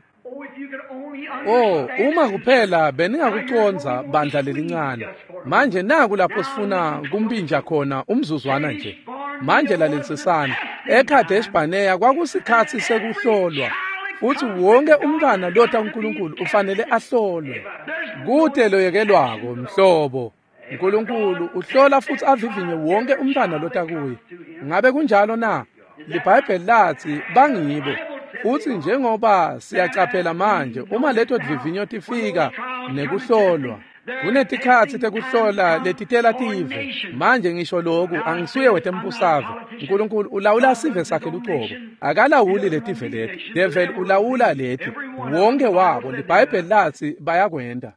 Oh, uma kuphela beningakucondza bandla lelincane. Manje naku lapho sifuna kumpinja khona umzuzwana nje. Manje lalelisisani. eKadesh Barnea kwakusikhatsi sekuhlolwa. Futhi wonke umntwana lota uNkulunkulu ufanele ahlolwe. Kude loyekelwako mhlobo. uNkulunkulu uhlola futhi avivinye wonke umntwana lota kuye. Ngabe kunjalo na? LiBhayibheli lathi bangibo. Futhi njengoba siyacaphela manje uma leto divivinyo tifika nekuhlolwa kunetikhatsi tekuhlola letitela tive. Manje ngisho lokhu angisuye wetembusave. uNkulunkulu ulawula sive sakhe luqobo, akalawuli letive leti. Devil ulawula leti wonke wabo. LiBhayibheli lathi bayakwenda.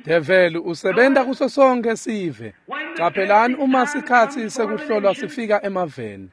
Devil usebenta kuso sonke sive. Caphelani uma sikhatsi sekuhlolwa sifika emaveni.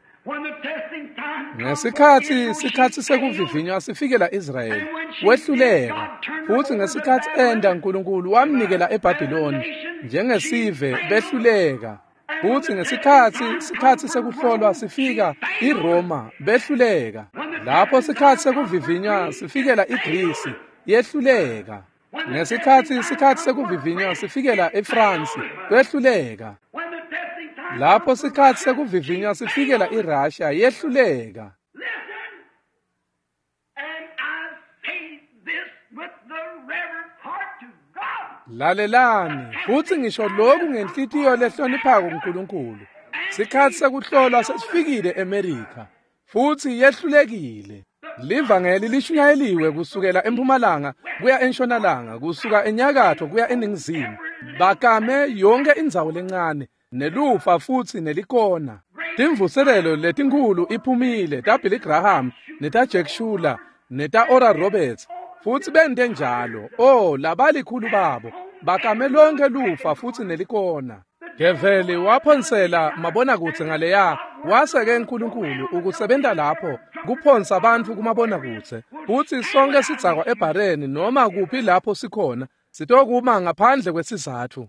Ngesikhatsi sikhatsi sekuvivinywa sifikela Israyeli, wehluleka. Futhi ngesikhatsi enda uNkulunkulu wamnikela eBhabhiloni njengesive behluleka. Futhi ngesikhatsi sikhatsi sekuhlolwa sifika iRoma behluleka. Lapho sikhatsi sekuvivinywa sifikela iGrisi yehluleka. Ngesikhatsi sikhatsi sekuvivinywa sifikela eFrance behluleka. Lapho sikhatsi sekuvivinywa sifikela iRussia yehluleka. Lalelani futhi ngisho lokhu ngenhlitiyo lehloniphako uNkulunkulu. Sikhatsi sekuhlolwa sesifikile eMerika futhi yehlulekile. Livangeli lishunyayeliwe kusukela empumalanga kuya entshonalanga, kusuka enyakatho kuya eningizimu. Bakame yonke indzawo lencane nelufa futhi nelikona. Timvuselelo letinkhulu iphumile ta Billy Graham neta Jack Schuler neta Oral Roberts futhi bente njalo. Oh, labalikhulu babo bakame lonke lufa futhi nelikona. Develi waphonsela mabonakudze ngaleya waseke uNkulunkulu ukusebenta lapho kuphonsa abantu kumabonakudze. Futhi sonke sidzakwa ebhareni noma kuphi lapho sikhona sitokuma ngaphandle kwesizathu.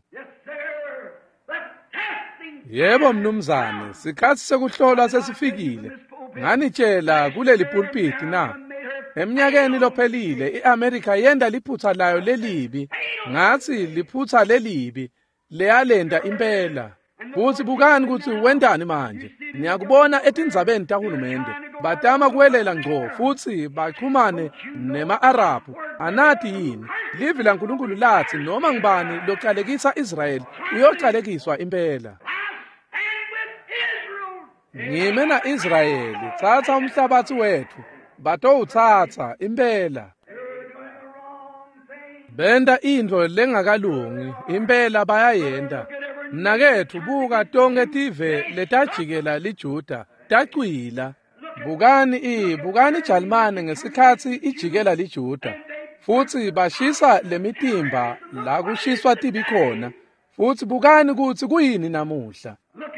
Yebo mnumzane, sikhatsi sekuhlolwa sesifikile. Nganitshela kuleli pulpiti na? Eminyakeni lophelile iAmerica yenda liphutha layo lelibi. Ngathi liphutha lelibi leyalenda impela. Futhi bukani ukuthi wendani manje. Niyakubona etindzabeni tahulumende. Batama kuwelela ngco futhi baxhumane nema-Arabhu. Anathi yini? Livi laNkulunkulu lathi noma ngubani localekisa Israyeli uyocalekiswa impela. Ngime na-Israyeli, tsatsa umhlabatsi wethu, batowutsatsa impela. Benta intfo lengakalungi, impela bayayenta. Mnaketfu buka tonke tive letajikela liJuda, tacwila. Bukani bukani iJalimane ngesikhatsi ijikela liJuda. Futhi bashisa lemitimba la kushiswa tibi khona. Futhi bukani kutsi kuyini namuhla.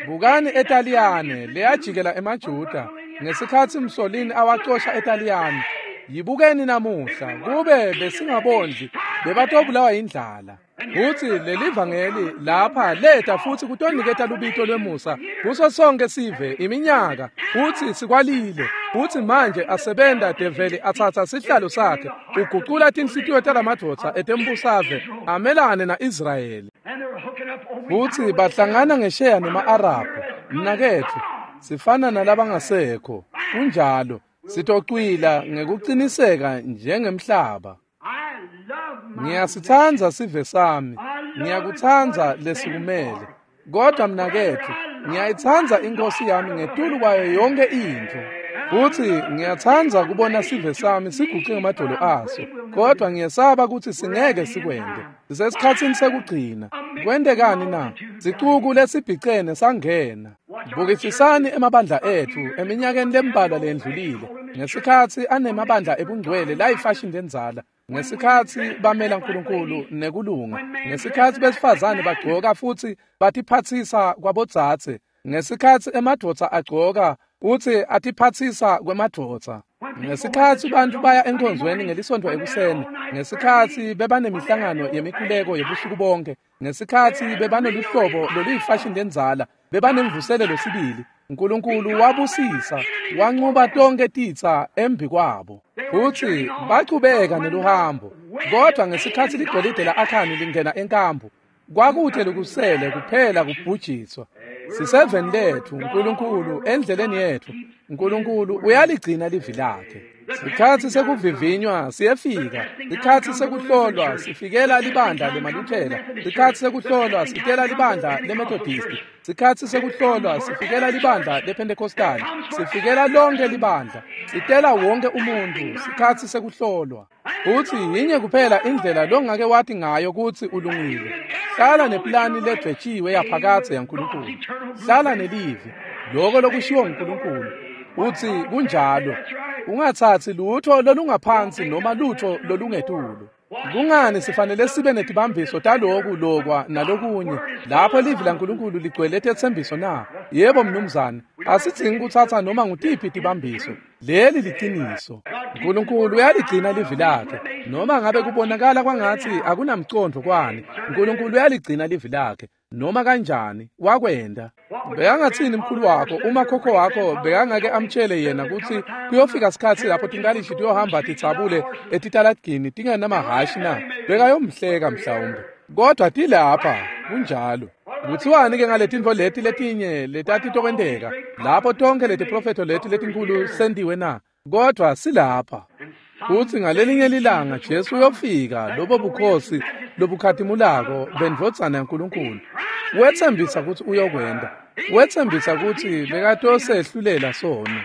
Bukani eTaliyane leyajikela emaJuda ngesikhatsi Mussolini awacosha eTaliyane. Yibukeni namuhla kube besingabondli bebatobulawa indlala. Futhi lelivangeli lapha leta futhi kutoniketa lubito lwemusa kuso sonke sive iminyaka. Futhi sikwalile. Futhi manje asebenta develi atsatsa sihlalo sakhe ugucula tinhlitiyo talamadvodza etembusave amelane na-Israyeli. Futhi bahlangana ngesheya nema-Arabhu. Mnaketfu sifana nalabangasekho. Kunjalo sitocwila ngekuqiniseka njengemhlaba. Ngiyasitsandza sive sami, ngiyakutsandza lesikumele. Kodwa mnaketfu ngiyayitsandza inkosi yami ngetulu kwayo yonke intfo. Futhi ngiyatsandza kubona sive sami siguce ngemadolo aso. Kodwa ngiyesaba kutsi singeke sikwente. Sisesikhatsini sekugcina. Kwentekani na? Sicuku lesibhicene sangena. Bukisisani emabandla etfu eminyakeni lembalwa lendlulile. Ngesikhatsi anemabandla ebungcwele layifashini lendzala. Ngesikhatsi bamela uNkulunkulu nekulunga. Ngesikhatsi besifazane bagcoka futhi batiphatsisa kwabodzadze. Ngesikhatsi emadvodza agcoka uthi atiphatsisa kwemadvodza. Ngesikhatsi bantu baya enkonzweni ngelisonto ekuseni, ngesikhatsi bebanemihlangano yemikhuleko yebusuku bonke, ngesikhatsi bebanoluhlobo loluyifashini lendzala, bebanemvuselelo sibili. Nkulunkulu wabusisa, wanqoba tonke titsa embi kwabo. Futsi bachubeka neluhambo. Kodwa ngesikhatsi ligolide la-Akhani lingena enkambu, kwakute lokusele kuphela kubhujiswa. Siseveni letfu, Nkulunkulu endleleni yetfu. Nkulunkulu uyaligcina livi lakhe. Sikhatsi sekuvivinywa siyefika. Sikhatsi sekuhlolwa sifikela libandla lemaLuthela. Sikhatsi sekuhlolwa sitela libandla leMethodisti. Sikhatsi sekuhlolwa sifikela libandla lePentecostal. Sifikela lonke libandla. Sitela wonke umuntu. Sikhatsi sekuhlolwa. Futsi yinye kuphela indlela longake wathi ngayo kutsi ulungile. Hlala neplani ledvwetshiwe yaphakadze yaNkulunkulu. Hlala nelivi. Loko lokushiwo nguNkulunkulu. Utsi kunjalo. Ungatsatsi lutho lolungaphansi noma lutho lolungetulu. Kungani sifanele sibe netibambiso taloku lokwa nalokunye lapho livi laNkulunkulu ligcwele tetsembiso na? Yebo mnumzane, asidzingi kutsatsa noma ngutiphi tibambiso. Leli liciniso. Nkulunkulu uyaligcina livi lakhe. Noma ngabe kubonakala kwangatsi akunamcondvo kwani, Nkulunkulu uyaligcina livi lakhe. Noma kanjani wakwenda. Bekangatsini mkhulu wakho uma khokho wakho bekangake amtshele yena kutsi kuyofika sikhatsi lapho tinkalishi tiyohamba titsabule etitaladini tingenamahhashi na? Bekayomhleka mhlawumbe. Kodwa tilapha kunjalo. Kuthiwani ke ngaletintfo leti letinye letatitokwenteka lapho tonke letiprofetho leti letinkhulu sentiwe na? Kodwa silapha. Futsi ngalelinye lilanga Jesu uyofika lobo bukhosi lobukhatimulako bendvodzana yaNkulunkulu. Wetsembisa kutsi uyokwenda. Wetsembisa kutsi bekatosehlulela sono.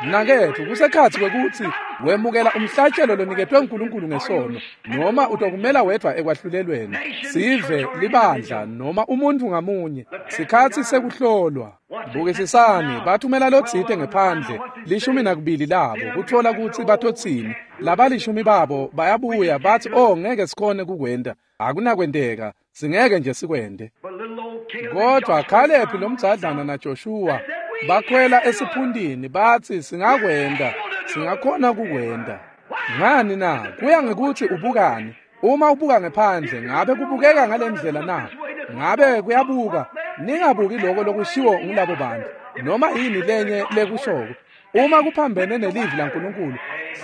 Mnaketfu, kusekhatsi kwekutsi wemukela umhlatshelo loniketwe uNkulunkulu ngesono noma utokumela wedvwa ekwahlulelweni. Sive, libandla noma umuntu ngamunye. Sikhatsi sekuhlolwa. Bukisisani, bathumela lotsite ngephandle, 12 labo, kutfola kutsi batotsini. Labalishumi babo bayabuya bathi, "Oh, ngeke sikhone kukwenta. Akunakwenteka, singeke nje sikwente." Kodwa Caleb lomdzadlana naJoshua bakhwela esiphundini bathi, "Singakwenta, singakhona kukwenta." Ngani na? Kuya ngekuthi ubukani. Uma ubuka ngephandle, ngabe kubukeka ngalendlela na? Ngabe kuyabuka? Ningabuki lokho lokushiwo ngulabo bantu noma yini lenye lekushoko. Uma kuphambene nelivi laNkulunkulu,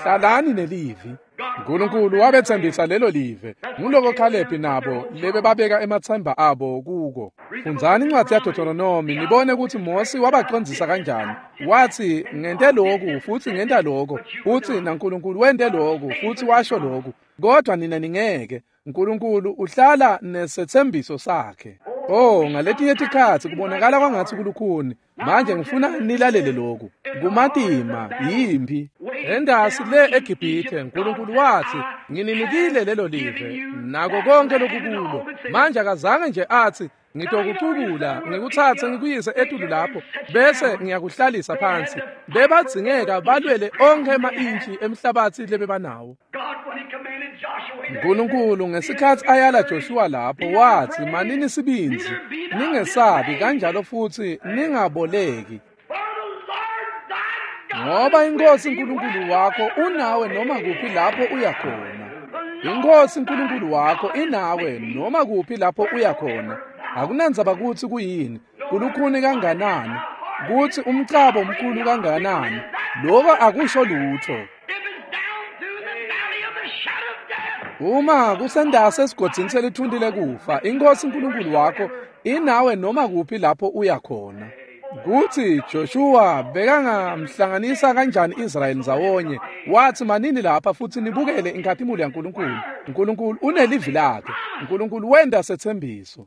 hlalani nelivi. Nkulunkulu wabetsembisa lelo live. Nguloko Caleb nabo lebebabeka emathemba abo kuko. Fundzani incwadzi yaDeuteronomy nibone kutsi Mosi wabacondzisa kanjani. Wathi, "Ngente lokhu futhi ngenta lokho, futhi naNkulunkulu wente lokhu futhi washo lokhu." Kodwa nina ningeke. Nkulunkulu uhlala nesethembiso sakhe. Oh, ngaletinye tikhatsi kubonakala kwangatsi kulukhuni. Manje ngifuna nilalele lokhu. Kumatima yimpi. Endasi le eGibhithe Nkulunkulu wathi, "Ngininikile lelo live nako konke lokukulo." Manje akazange nje athi, "Ngitokucukula, ngikutsatse ngikuyise etulu lapho bese ngiyakuhlalisa phansi." Bebadzingeka balwele onkhe ema-intshi emhlabatsi lebebanawo. Nkulunkulu ngesikhatsi ayala Joshua lapho wathi, "Manini sibindzi, ningesabi kanjalo futsi ningaboleki. Ngoba iNkosi uNkulunkulu wakho unawe noma kuphi lapho uya khona. INkosi uNkulunkulu wakho inawe noma kuphi lapho uya khona. Akunandzaba kutsi kuyini, kulukhuni kanganani, kutsi umcabo mkhulu kanganani, lokho akusho lutho. Uma kusendase esigodzini selithundi lekufa, iNkosi uNkulunkulu wakho inawe noma kuphi lapho uya khona." Kutsi Joshua bekangamhlanganisa kanjani Israyeli ndzawonye, wathi, "Manini lapha futhi nibukele inkhatimulo yaNkulunkulu. Nkulunkulu unelivi lakhe. Nkulunkulu wenta setsembiso."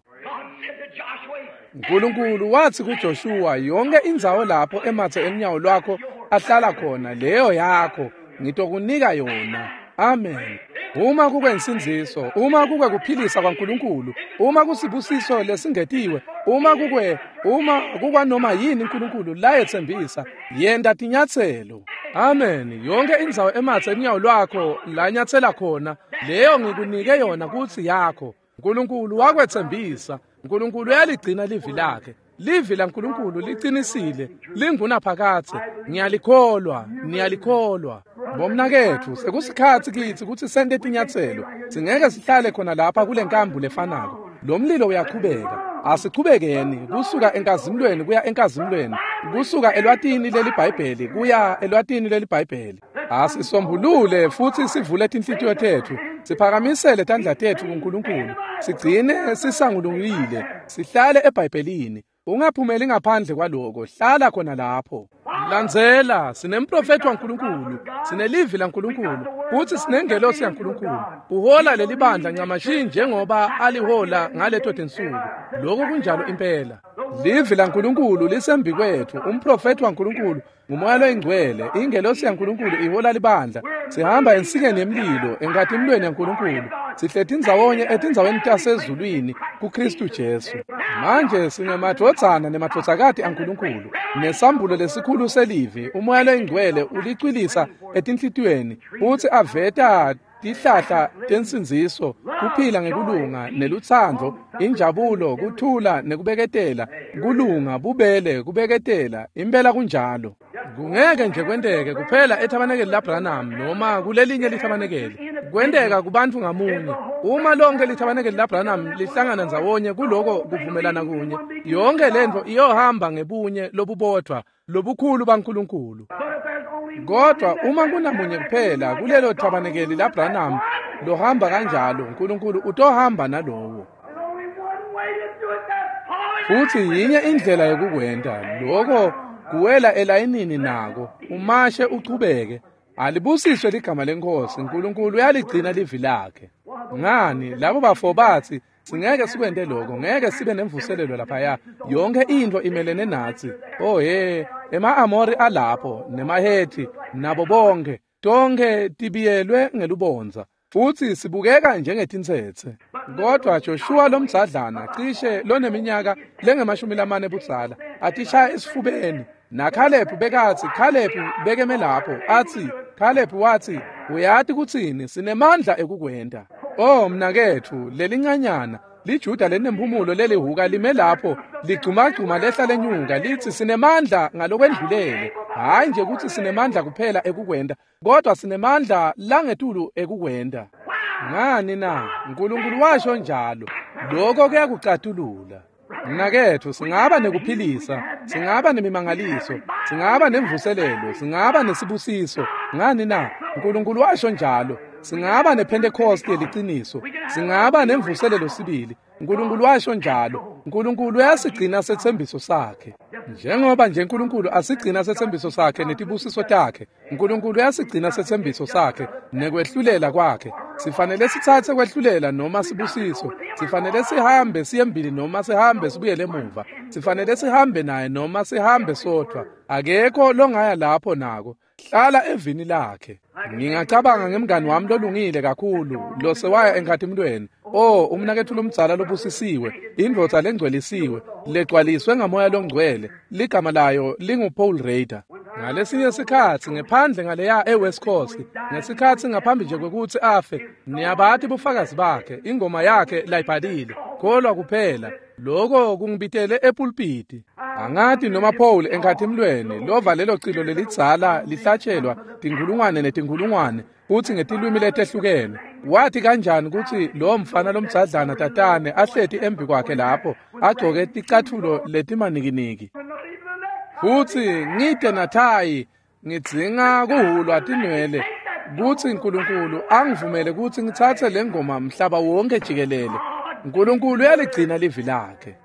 Nkulunkulu wathi kuJoshua, "Yonke indzawo lapho emathe emnyawo lwakho ahlala khona, leyo yakho, ngitokunika yona." Amen. Uma kukwensindziso, uma kukwekuphilisa kwaNkulunkulu, uma kusibusiso lesingetiwe, uma kukwanoma yini uNkulunkulu layetsembisa, yenta tinyatselo. Amen. Yonke indzawo emathe emnyawo lwakho lanyatsela khona, leyo ngikunike yona kutsi yakho. Nkulunkulu wakwetsembisa. Nkulunkulu uyaligcina livi lakhe. Livi laNkulunkulu liqinisile, lingunaphakadze. Ngiyalikholwa, niyalikholwa. Bomnaketfu, sekusikhatsi kitsi kutsi sente tinyatselo. Singeke sihlale khona lapha kule nkambu lefanako. Lo mlilo uyaqhubeka. Asichubekeni kusuka enkazimulweni kuya enkazimulweni, Kusuka elwatini leliBhayibheli kuya elwatini leliBhayibheli. Asisombulule futhi sivule tinhlitiyo tetfu, siphakamisele tandla tetfu kuNkulunkulu, sigcine sisangulungile, sihlale eBhayibhelini. Ungaphumeli ngaphandle kwaloko, hlala khona lapho. Landzela, sinemprofethi waNkulunkulu, sinelivi laNkulunkulu, futhi sinengelosi yaNkulunkulu. Uhola leli bandla ncamashi njengoba alihola ngaleto tinsuku. Lokho kunjalo impela. Livi laNkulunkulu lisembi kwethu, umprofethi waNkulunkulu ngumoya loyingcwele, ingelosi yaNkulunkulu ihola libandla. Sihamba ensikeni yemlilo, enkatimulweni yaNkulunkulu. Sihleti ndzawonye etindzaweni tasezulwini kuKristu Jesu. Manje singemadvodzana nemadvodzakati aNkulunkulu, nesambulo lesikhulu selivi. Umoya loyingcwele ulicwilisa etinhlitiyweni futsi aveta tihlahla tensindziso, kuphila ngekulunga nelutsandvo, injabulo, kuthula nekubeketela, kulunga, bubele, kubeketela. Impela kunjalo. Kungeke nje kwenteke kuphela ethabanekeli laBranham noma kulelinye lithabanekeli. Kwenteka kubantu ngamunye. Uma lonke lithabanekeli laBranham lihlangana ndzawonye kuloko kuvumelana kunye, yonke lentfo iyohamba ngebunye lobubodvwa lobukhulu baNkulunkulu. Kodwa uma kunamunye kuphela kulelo thabanekeli laBranham lohamba kanjalo, uNkulunkulu utohamba nalowo. Futhi yinye indlela yokukwenta lokho, kuwela elayinini nako, umashe uchubeke. Alibusiswe ligama leNkosi. uNkulunkulu uyaligcina livi lakhe. Ngani labo bafo bathi singeke sikwente lokho, ngeke sibe nemvuselelo laphaya, yonke into imelene natsi. Oh he, ema-Amori alapho nemaHethi nabo bonke, tonke tibiyelwe ngelubondza futhi sibukeka njengetintsetse. Kodwa Joshua lomdzadlana cishe loneminyaka lengemashumi lamane budzala atishaya esifubeni, naKhalebu bekathi, Khalebu bekeme lapho athi, Khalebu wathi, uyati kutsini, sinemandla ekukwenta. Oh mnaketfu, lelincanyana liJuda lenemphumulo lelihuka lime lapho ligcumagcuma lehla lenyuka lithi sinemandla ngalokwendlulele. Hhayi nje kutsi sinemandla kuphela ekukwenta, kodwa sinemandla langetulu ekukwenta. Ngani na? uNkulunkulu washo njalo. Lokho kuyakucatulula. Mnaketfu, singaba nekuphilisa, singaba nemimangaliso, singaba nemvuselelo, singaba nesibusiso. Ngani na? uNkulunkulu washo njalo. Singaba nePhentekoste yeliciniso, singaba nemvuselelo sibili. uNkulunkulu washo njalo. uNkulunkulu uyasigcina setsembiso sakhe. Njengoba nje uNkulunkulu asigcina setsembiso sakhe netibusiso takhe, uNkulunkulu uyasigcina setsembiso sakhe nekwehlulela kwakhe. Sifanele sitsatse kwehlulela noma sibusiso. Sifanele sihambe siye noma sihambe sibuyele emuva. Sifanele sihambe naye noma sihambe sodvwa. Akekho longaya lapho nako. Hlala evini lakhe. Ngingacabanga ngemngani wami lolungile kakhulu losewaya enkatimulweni. Oh, umnaketfu lomdzala lobusisiwe, indvodza lengcwelisiwe, legcwaliswe ngamoya longcwele, ligama layo linguPaul Rader. Ngalesinye sikhatsi ngephandle ngaleya eWest Coast, ngesikhatsi ngaphambi nje kwekutsi afe, niyabati bufakazi bakhe, ingoma yakhe layibhalile, kholwa kuphela. Lokho kungibitele epulpiti. Angati noma Paul enkatimulweni lova lelo cilo lelidzala lihlatshelwa tinkhulungwane netinkhulungwane futhi ngetilwimi letehlukene. Wathi kanjani kutsi lo mfana lomdzadlana tatane ahleti embi kwakhe lapho agcoke ticatfulo letimanikiniki. Futhi ngide nathayi ngidzinga kuhulwa tinwele kutsi uNkulunkulu angivumele kutsi ngitsatse lengoma mhlaba wonke jikelele. uNkulunkulu uyaligcina livi lakhe.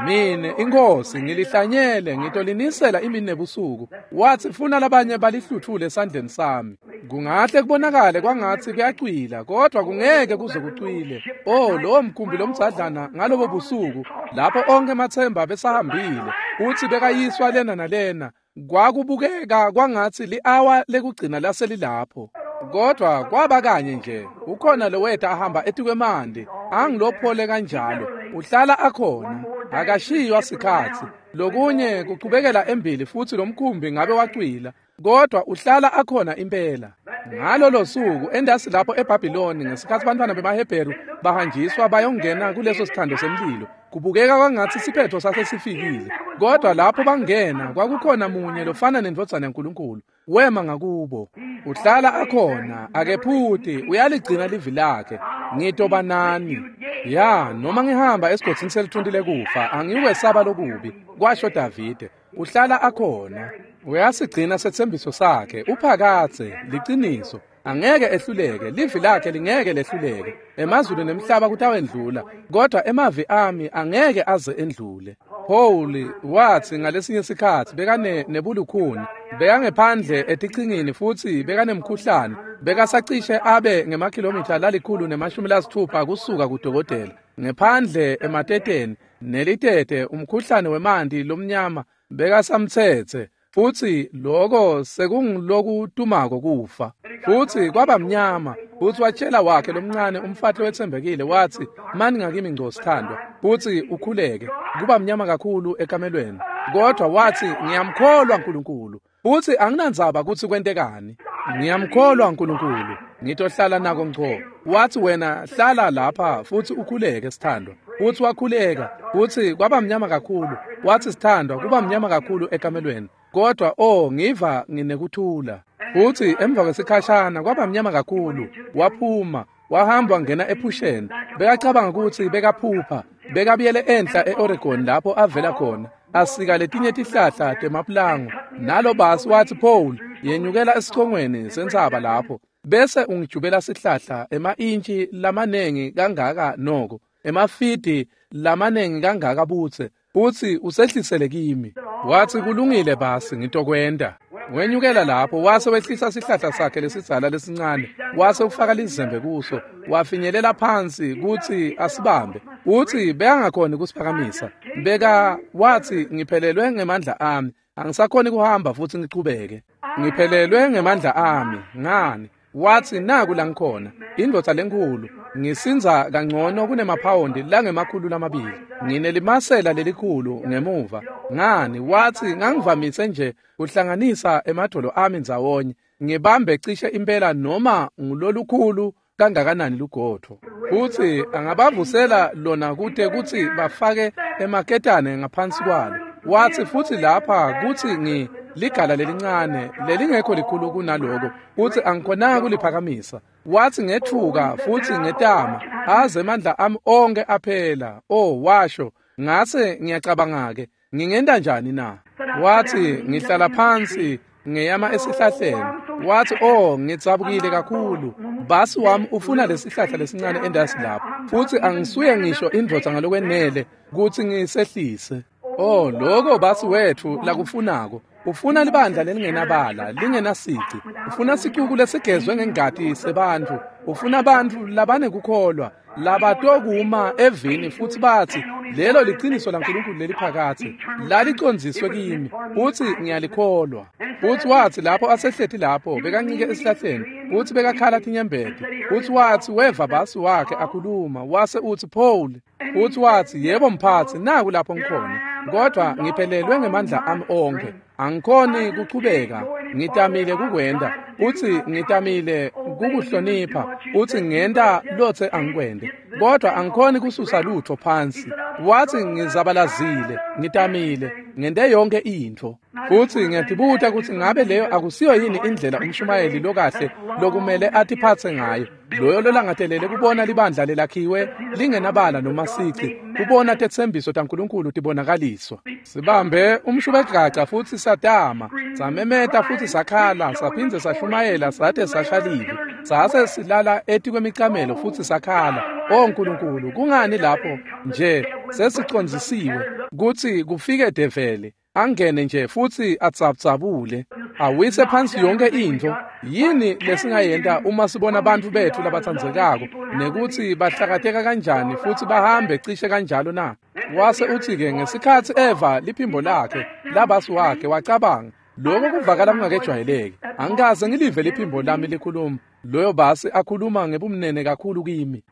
Mine inkosi ngilihlanyele ngitolinisela imini nebusuku. Wathi funa labanye balihluthule esandleni sami. Kungahle kubonakale kwangatsi kuyacwila, kodwa kungeke kuze kucwile. Oh, lowo mkhumbi lomdzadlana ngalobo busuku lapho onke emathemba besahambile uthi bekayiswa lena nalena, kwakubukeka kwangatsi li-awa lekugcina laselilapho. Kodwa kwaba kanye nje ukhona loweta ahamba etikwemanti, angilophole kanjalo, uhlala akhona, akashiywa sikhatsi. Lokunye kuchubekela embili futhi lomkhumbi ngabe wacwila, kodwa uhlala akhona impela. Ngalolo suku endasi lapho eBhabhiloni, ngesikhatsi bantwana bemaHebheru bahanjiswa bayongena kuleso sithando semlilo, kubukeka kwangatsi siphetho sasesifikile. Kodwa lapho bangena kwakukhona munye lofana nendvodzana yaNkulunkulu, wema ngakubo. Uhlala akhona, akephuti, uyaligcina livi lakhe. Ngitoba nani. Ya, noma ngihamba esigodzini selithunti lekufa, angiwesaba lokubi, kwasho Davide. Uhlala akhona. Uyasigcina setsembiso sakhe, uphakatse, liciniso. Angeke ehluleke, livi lakhe lingeke lehluleke. Emazulu nemhlaba kutawendlula, kodwa emavi ami angeke aze endlule. Paul wathi ngalesinye sikhatsi bekane nebulukhuni, bekangephandle etichingini futsi bekanemkhuhlane, bekasacishe abe ngemakhilomitha 160 kusuka kudokotela. Ngephandle emateteni nelitete umkhuhlane wemanti lomnyama bekasamtsetse. Futsi loko sekungulokutumako kufa. Futsi kwaba mnyama. Futsi watshela wakhe lomncane umfati wetsembekile wathi, mani ngakimi ngco sithandwa, futsi ukhuleke. Kuba mnyama kakhulu ekamelweni. Kodwa wathi, ngiyamkholwa uNkulunkulu. Futsi anginandzaba kutsi kwentekani. Ngiyamkholwa uNkulunkulu. Ngitohlala nako ngco. Wathi wena hlala lapha futsi ukhuleke sithandwa. Futsi wakhuleka. Futsi kwaba mnyama kakhulu. Wathi sithandwa kuba mnyama kakhulu ekamelweni. Kodwa oh ngiva nginekuthula. Futsi emva kwesikhashana kwaba mnyama kakhulu. Waphuma, wahamba wangena ephusheni. Bekacabanga kutsi bekaphupha. Bekabuyele enhla eOregon lapho avela khona. Asika letinye tihlahla temaplango. Nalo basi wathi Paul, yenyukela esicongweni sentsaba lapho. Bese ungijubela sihlahla ema-intshi lamanengi kangaka noko, emafidi lamanengi kangaka butse. Futsi usehlisele kimi. Wathi kulungile basi ngitokwenta. Wenyukela lapho wase wehlisa sihlahla sakhe lesidzala lesincane, wase ufaka lizembe kuso, wafinyelela phansi kutsi asibambe. Uthi bekangakhoni kusiphakamisa. Beka wathi ngiphelelwe ngemandla ami, angisakhoni kuhamba futhi ngichubeke. Ngiphelelwe ngemandla ami, ngani? Wathi naku la ngikhona, indvodza lenkhulu, ngisindza kangcono kunemaphawundi langema-200. Nginelimasela lelikhulu ngemuva. Ngani? Wathi ngangivamise nje kuhlanganisa emadolo ami ndzawonye, ngibambe cishe impela noma ngulolukhulu kangakanani lugotho. Futsi angabavusela lona kute kutsi bafake emaketane ngaphansi kwalo. Wathi futsi lapha kutsi ngi ligala lelincane lelingekho likhulu kunaloko, futsi angikhonanga kuliphakamisa. Wathi ngethuka futhi ngetama aze amandla ami onke aphela. Oh washo, ngase ngiyacabanga ke ngingenta njani na? Wathi ngihlala phansi ngeyama esihlahleni. Wathi oh ngitsabukile kakhulu, basi wami ufuna lesihlahla lesincane endasi lapho, futhi angisuye ngisho indvodza ngalokwenele kutsi ngisehlise. Oh lokho basi wethu lakufunako. Ufuna libandla lelingenabala, lingenasici. Ufuna sicuku lesigezwe ngengati sebantfu. Ufuna abantu labanekukholwa, labatokuma evini futhi bathi lelo liciniso laNkulunkulu leliphakathe, lalicondziswe kimi, futhi ngiyalikholwa. Futhi wathi lapho asehleti lapho bekancike esihlahleni, futhi bekakhala tinyembeti. Futhi wathi weva basi wakhe akhuluma, wase uthi Paul. Futhi wathi yebo mphathi, naku lapho ngikhona, kodwa ngiphelelwe ngemandla ami onke, angikhoni kuchubeka. Ngitamile kukwenda, uthi ngitamile kukuhlonipha, uthi ngenta lothe angikwende, kodwa angikhoni kususa lutho phansi. Wathi ngizabalazile, ngitamile, ngente yonke intfo. Futhi ngiyatibuta kutsi ngabe leyo akusiyo yini indlela umshumayeli lokahle lokumele atiphatse ngayo, loyo lolangatelele kubona libandla lelakhiwe lingenabala noma sici, kubona tetsembiso taNkulunkulu tibonakaliswa. Sibambe umshubegaca futhi satama, samemeta futhi sakhala, saphindze sashumayela sate sashalive, sase silala etikwemicamelo futhi sakhala. Oh Nkulunkulu, kungani lapho nje sesicondzisiwe kutsi kufike develi angene nje futhi atsabutsabule awise phansi yonke intfo? Yini lesingayenta uma sibona abantu bethu labatsandzekako nekutsi bahlakateka kanjani futhi bahambe cishe kanjalo na? Wase uthi-ke ngesikhatsi eva liphimbo lakhe labasi wakhe, wacabanga lokho kuvakala kungakejwayeleki, angikaze ngilive liphimbo lami likhuluma, loyo basi akhuluma ngebumnene kakhulu kimi.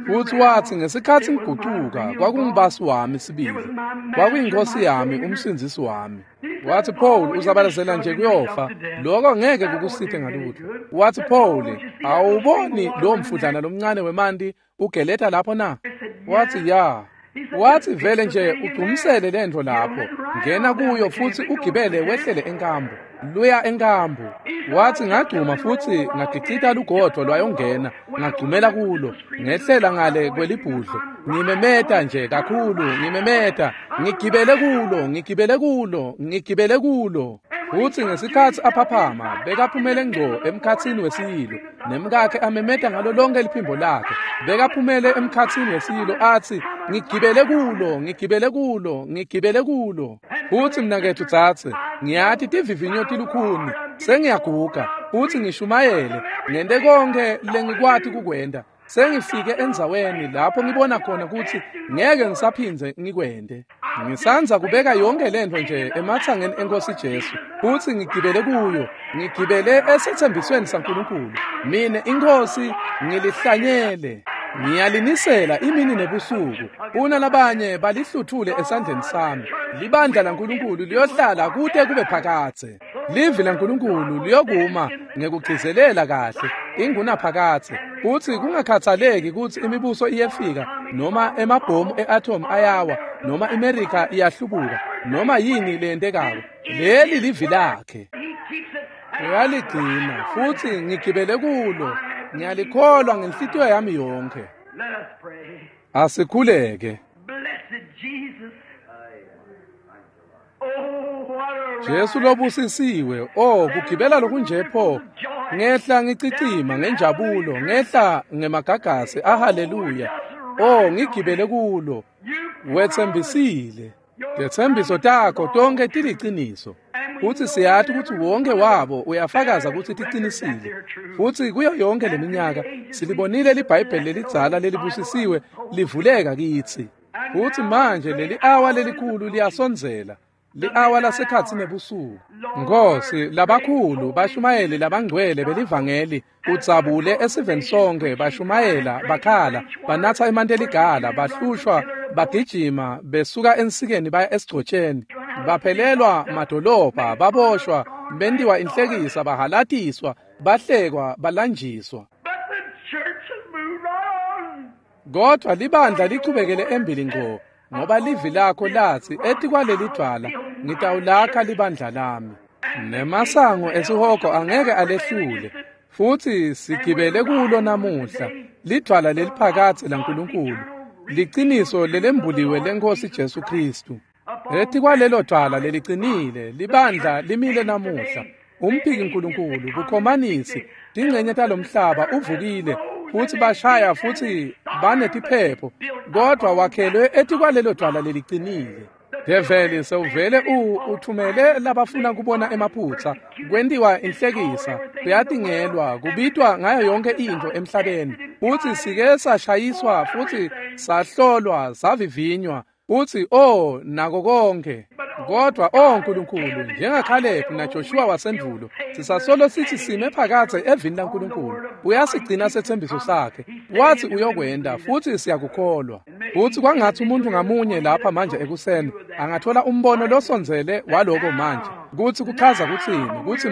Futhi wathi ngesikhatsi ngigucuka kwakungubasi wami sibili, kwakuyinkosi yami, umsindzisi wami. Wathi Paul uzabalazela nje kuyofa, lokho ngeke kukusite ngalutho. Wathi Paul, awuboni lo mfudlana lomncane wemanti ugeleta lapho na? Wathi ya. Wathi vele nje ugcumisele lento lapho, ngena kuyo futhi ugibele wehlele enkambu. Luya enkambu. Wathi ngagcuma futhi ngagicita lugodvo lwayongena, ngagcumela kulo, ngehlela ngale kwelibhudlo. Ngimemeta nje kakhulu, ngimemeta, ngigibele kulo, ngigibele kulo, ngigibele kulo. Futhi ngesikhathi aphaphama, bekaphumele ngco emkhatsini wesiyilo, nemkakhe amemeta ngalo lonke liphimbo lakhe. Bekaphumele emkhatsini wesiyilo athi, ngigibele kulo, ngigibele kulo, ngigibele kulo. Futhi mnaketfu tsatse, ngiyati tivivinyo tilukhuni, sengiyaguga, futhi ngishumayele, ngente konke lengikwati kukwenta. Sengifike endzaweni lapho ngibona khona kutsi ngeke ngisaphindze ngikwente. Ngisandza kubeka yonke lento nje ematsangeni eNkosi Jesu, futhi ngigibele kuyo, ngigibele esethembisweni saNkulunkulu. Mine iNkosi ngilihlanyele, ngiyalinisela imini nebusuku. Una labanye balihluthule esandleni sami. Libandla laNkulunkulu liyohlala kute kube phakadze. Livi laNkulunkulu liyokuma ngekugcizelela kahle ingunaphakadze. Kuthi kungakhathaleki kutsi imibuso iyefika noma emabhomu e-atom ayawa noma iMerika iyahlubuka noma yini leyentekako, leli livi lakhe. Uyaligcina futhi ngigibele kulo, ngiyalikholwa ngenhlitiyo yami yonke. Asikhuleke. Jesu lobusisiwe, oh kugibela lokunje pho, ngehla ngicicima ngenjabulo, ngehla ngemagagasi, ahaleluya. Oh ngigibele kulo, wetsembisile. Tetsembiso takho tonke tiliciniso. Futhi siyati kutsi wonke wabo uyafakaza kutsi ticinisile. Futhi kuyo yonke leminyaka silibonile liBhayibheli lelidzala lelibusisiwe livuleka kitsi. Futhi manje leli awa lelikhulu liyasondzela. Li-awa lasekhatsi nebusuku. Nkosi, labakhulu bashumayeli labangcwele belivangeli udzabule esiveni sonke, bashumayela, bakhala, banatsa emanti eligala, bahlushwa, bagijima besuka ensikeni baya esigcotsheni, baphelelwa madolobha, baboshwa, bentiwa inhlekisa, bahalatiswa, bahlekwa, balanjiswa. Kodwa libandla lichubekele embili ngco, ngoba livi lakho lathi etikwaleli dvwala ngitawulakha libandla lami, nemasango esihogo angeke alehlule. Futhi sigibele kulo namuhla, lidvwala leliphakadze laNkulunkulu, liciniso lelembuliwe leNkosi Jesu Kristu. Etikwalelo dvwala lelicinile libandla limile namuhla. Umphiki Nkulunkulu, bukhomanisi, tingcenye talomhlaba uvukile futhi bashaya futhi banetiphepho, kodwa wakhelwe etikwalelo dvwala lelicinile. Develi sewuvele uthumele labafuna kubona emaphutsa, kwentiwa inhlekisa, kuyatingelwa, kubitwa ngayo yonke intfo emhlabeni. Futhi sike sashayiswa futhi sahlolwa, savivinywa, futhi oh nako konke. Kodwa oh Nkulunkulu, njengaKhalebu naJoshua wasendulo, sisasolo sithi sime phakadze evini laNkulunkulu. Uyasigcina sethembiso sakhe, wathi uyokwenda, futhi siyakukholwa. Futhi kwangathi umuntu ngamunye lapha manje ekuseni angathola umbono losondzele waloko manje, kutsi kuchaza kutsini, kutsi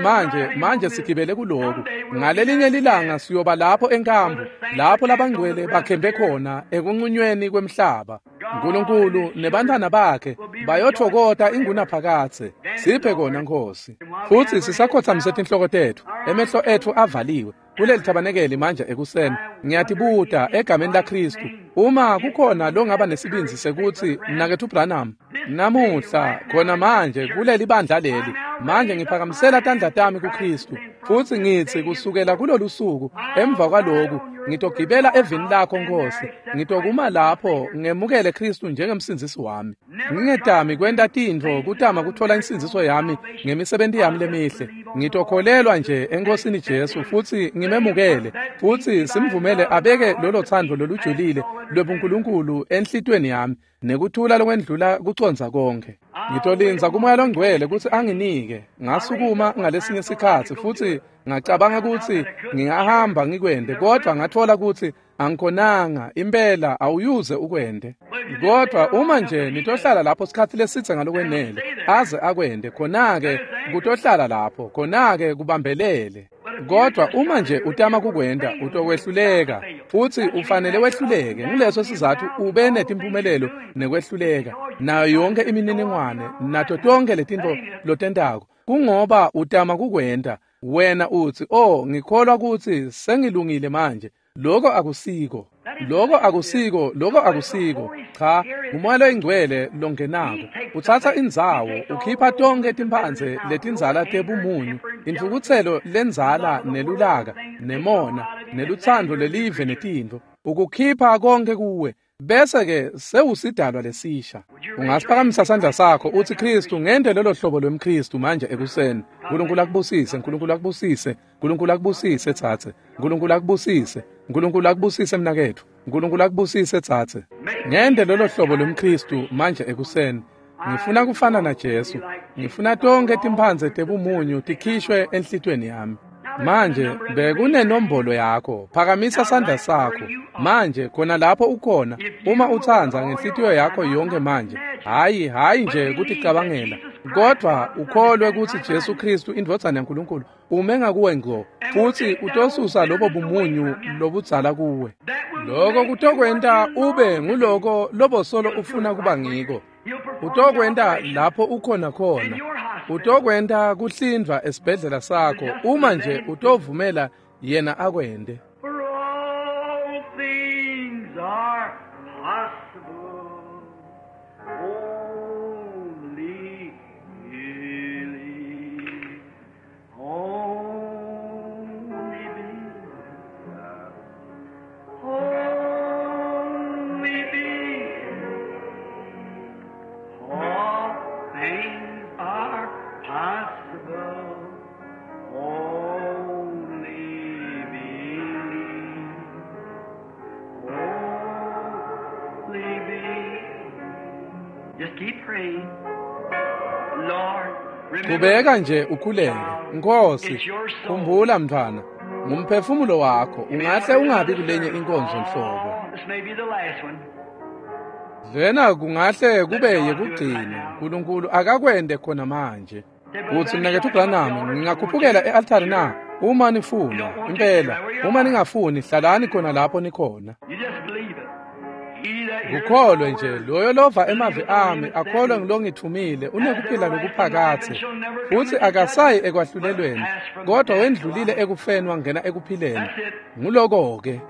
manje sigibele kuloku. Ngalelinye lilanga siyoba lapho enkambu, lapho labangcwele bakhembe khona ekunqunyweni kwemhlaba. Nkulunkulu nebantwana bakhe bayothokota ingunaphakadze. Siphe kona Nkosi. Futhi sisakhothamise tinhloko tetfu, emehlo etfu avaliwe kuleli thabanekeli manje ekuseni. Ngiyatibuta egameni laKristu, uma kukhona longaba nesibindzi sekuthi mnaketfu Branham, namuhla khona manje kuleli bandla leli, manje ngiphakamisela tandla tami kuKristu, futhi ngitsi kusukela kulolu suku emva kwaloku ngitogibela evini lakho Nkosi, ngitokuma lapho ngemukele Kristu njengemsindzisi wami. Ngingetami kwenta tintfo kutama kuthola insindziso yami ngemisebenti yami lemihle. Ngitokholelwa nje eNkosini Jesu futhi ngimemukele, futhi simvumele abeke lolo thando lolujulile lwebuNkulunkulu enhlitweni yami, nekuthula lokwendlula kucondza konke. Ngitolindza kuMoya loNgcwele kutsi anginike. Ngasukuma ngalesinye sikhatsi futhi ngacabanga kutsi ngingahamba ngikwende, kodwa ngathola kutsi angikhonanga. Impela awuyuze ukwende. Kodwa uma nje nitohlala lapho sikhatsi lesitse ngalokwenele aze akwende, khona-ke kutohlala lapho, khona-ke kubambelele. Kodwa uma nje utama kukwenda, utokwehluleka, futhi ufanele wehluleke. Nguleso sizathu ube netimpumelelo nekwehluleka nayo yonke imininingwane nato tonke letintfo lotentako. Kungoba utama kukwenta. Wena utsi, "Oh, ngikholwa kutsi sengilungile manje." Lokho akusiko. Lokho akusiko, lokho akusiko. Cha, uMoya loyiNgcwele longenako. Utsatsa indzawo, ukhipha tonkhe timphandze letindzala tebumunyu, intfukutselo lendzala nelulaka, nemona, nelutsandvo lelive netintfo. Ukukhipha konke kuwe. Bese-ke sewusidalwa lesisha. Ungasiphakamisa sandla sakho utsi, "Kristu, ngente lelo hlobo lwemKristu manje ekuseni." Nkulunkulu akubusise, Nkulunkulu akubusise, Nkulunkulu akubusise tsatse. Nkulunkulu akubusise, Nkulunkulu akubusise mnaketfu. Nkulunkulu akubusise tsatse. Ngente lolo hlobo lwemKristu manje ekuseni. Ngifuna kufana na Jesu. Ngifuna tonkhe timphandze tebumunyu tikhishwe enhlitiyweni yami. Manje bekunenombolo yakho. Phakamisa sandla sakho. Manje khona lapho ukhona, uma utsandza ngenhlitiyo yakho yonke manje. Hhayi nje kuticabangela, kodvwa ukholwe kutsi Jesu Kristu indvodzana yaNkulunkulu ume ngakuwe ngco, futsi utosusa lobo bumunyu lobudzala kuwe. Lokho kutokwenta ube nguloko lobosolo ufuna kuba ngiko. Utokwenta lapho ukhona khona. Utokwenta kuhlindvwa esibhedlela sakho uma nje utovumela yena akwente. For all things are possible. Only believe. Only believe. Only believe. All things are possible. Only believe. Only believe. Just keep praying. Lord, remember Qhubeka nje ukhuleke. Nkosi, khumbula mntwana, ngumphefumulo wakho ungahle ungabi kulenye inkonzo nhlobo. Oh, this may be the last one. Lena kungahle kube yekugcina. Nkulunkulu akakwente khona manje. Utsi, mnaketfu Branham, ngingakhuphukela e-altari na? Uma nifuna, impela. Uma ningafuni, hlalani khona lapho nikhona. You just believe it. He that hears Kukholwe my nje word loyo lova emavi ami akholwe ngilongithumile unekuphila lokuphakathe, futsi akasayi ekwahlulelweni, kodwa wendlulile ekufeni wangena ekuphileni. Nguloko-ke.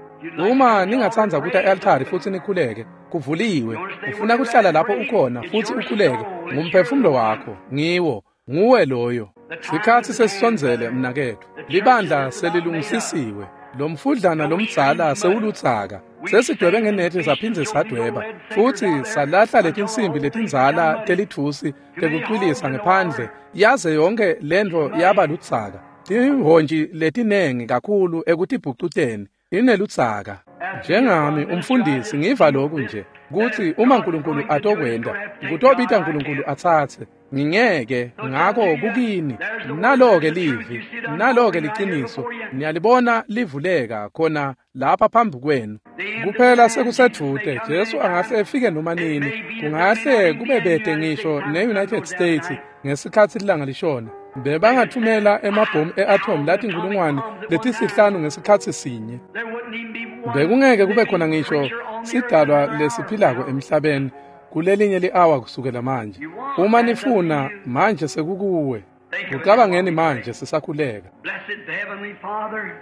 Uma ningatsandza kuta e-altari futsi nikhuleke, kuvuliwe. Ufuna kuhlala lapho ukhona futsi ukhuleke, ngumphefumulo wakho, ngiwo, nguwe loyo. Sikhatsi sesisondzele mnaketfu. Libandla selilungisisiwe. Lomfudlana lomdzala sewulutsaka. Sesidwebe ngenethi saphindze sadweba, futsi salahla letinsimbi letindzala telitfusi tekucwilisa ngephandle, yaze yonke lentfo yaba lutsaka. Tihhontji letinengi kakhulu ekutibhucuteni inelutsaka. Njengami umfundisi ngiva lokhu nje, kutsi uma Nkulunkulu atokwenta, kutobita Nkulunkulu atsatse. Ngingeke, ngako kukini. Nalo-ke livi, nalo-ke liciniso. Niyalibona livuleka khona lapha phambi kwenu. Kuphela sekusedvute, Jesu angahle efike noma nini. Kungahle kube bede ngisho ne-United States ngesikhatsi lilanga lishona. Bebangathumela emabhomu e-atom latinkhulungwane letisihlanu ngesikhatsi sinye. There wouldn't even be one Bekungeke kube khona living ngisho creature on the earth sidalwa another hour. lesiphilako emhlabeni kulelinye li-awa kusukela manje. Uma nifuna manje sekukuwe. Kucabangeni manje sisakhuleka. Blessed Heavenly Father,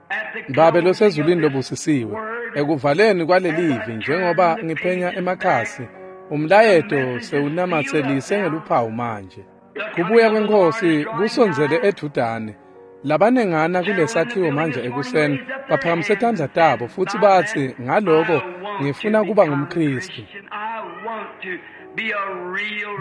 at the Babe closing losezulwini of this lobusisiwe, word, ekuvaleni kwalelivi njengoba ngiphenya emakhasi, umlayeto sewunamatselise ngeluphawu manje. Kubuya kweNkosi kusondzele edvutane. Labanengana kulesakhiwo manje ekuseni baphakamise tandla tabo futsi batsi, ngaloko ngifuna kuba ngumKristu.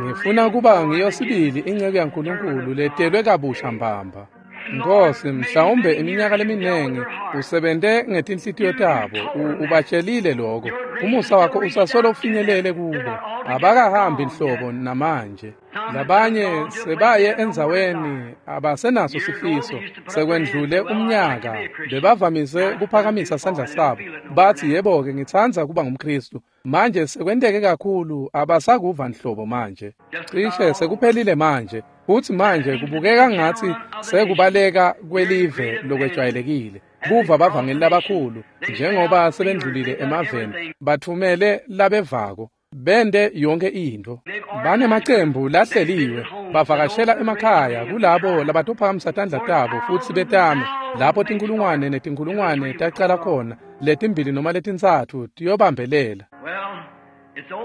Ngifuna kuba ngiyo sibili inceku yaNkulunkulu letelwe kabusha mbamba. Nkosi, mhlawumbe iminyaka leminengi usebente ngetinhlitiyo tabo, ubatshelile lokho. Umusa wakho usasolo ufinyelele kubo. Abakahambi nhlobo namanje. Labanye sebaye endzaweni abasenaso sifiso. Sekwendlule umnyaka bebavamise kuphakamisa sandla sabo. Bathi, yebo-ke, ngitsandza kuba ngumKristu. Manje sekwenteke kakhulu abasakuva nhlobo manje. Cishe sekuphelile manje. Futsi manje kubukeka ngathi sekubaleka kwelive lokwejwayelekile. Kuva bavangeli labakhulu njengoba sebendlulile emaveni, bathumele labevako. Bente yonke intfo. Banemacembu lahleliwe, bavakashela emakhaya kulabo labatophakamisa tandla tabo futsi betame. Lapho tinkulungwane netinkulungwane tacala khona, letimbili noma letintsatfu tiyobambelela.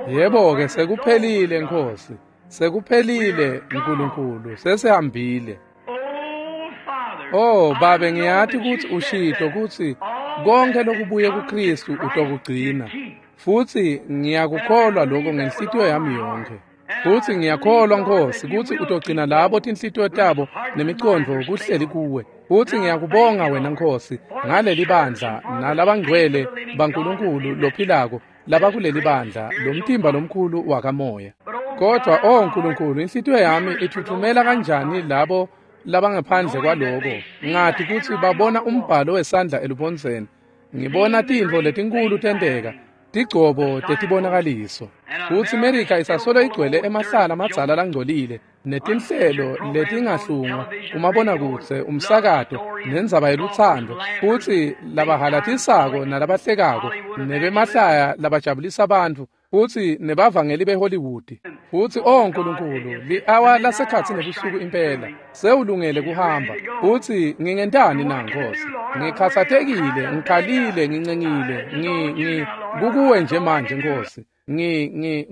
Yebo-ke, sekuphelile Nkhosi. Sekuphelile Nkulunkulu, sesihambile. Oh Babe, ngiyati kutsi ushito kutsi konke lokubuye kuKristu utokugcina. Futsi ngiyakukholwa lokho ngenhlitiyo yami yonke. Futsi ngiyakholwa Nkhosi kutsi utogcina labo tinhlitiyo tabo nemicondvo kuhleli kuwe. Futsi ngiyakubonga wena Nkhosi ngaleli bandla nalabangcwele baNkulunkulu lophilako labakuleli bandla lomtimba lomkhulu wakamoya. Kodwa oh Nkulunkulu, inhlitiyo yami ithuthumela kanjani labo labangaphandle kwaloko. Ngati kutsi babona umbhalo wesandla elubondzeni. Ngibona tintfo letinkulu tenteka, tigcobo tetibonakaliso. Futsi America isasolo igcwele emahlala amadzala langcolile netinhlelo letingahlungwa, umabonakudze, umsakato, nendzaba yelutsandvo, futsi labahalatisako nalabahlekako, nebemahlaya labajabulisa bantfu, futsi nebavangeli beHollywood. Futsi oh Nkulunkulu, li-awa lasekhatsi nebusuku impela, sewulungele kuhamba. Futsi ngingentani na Nkhosi? Ngikhatsatekile, ngikhalile, ngincengile, kukuwe nje manje Nkhosi.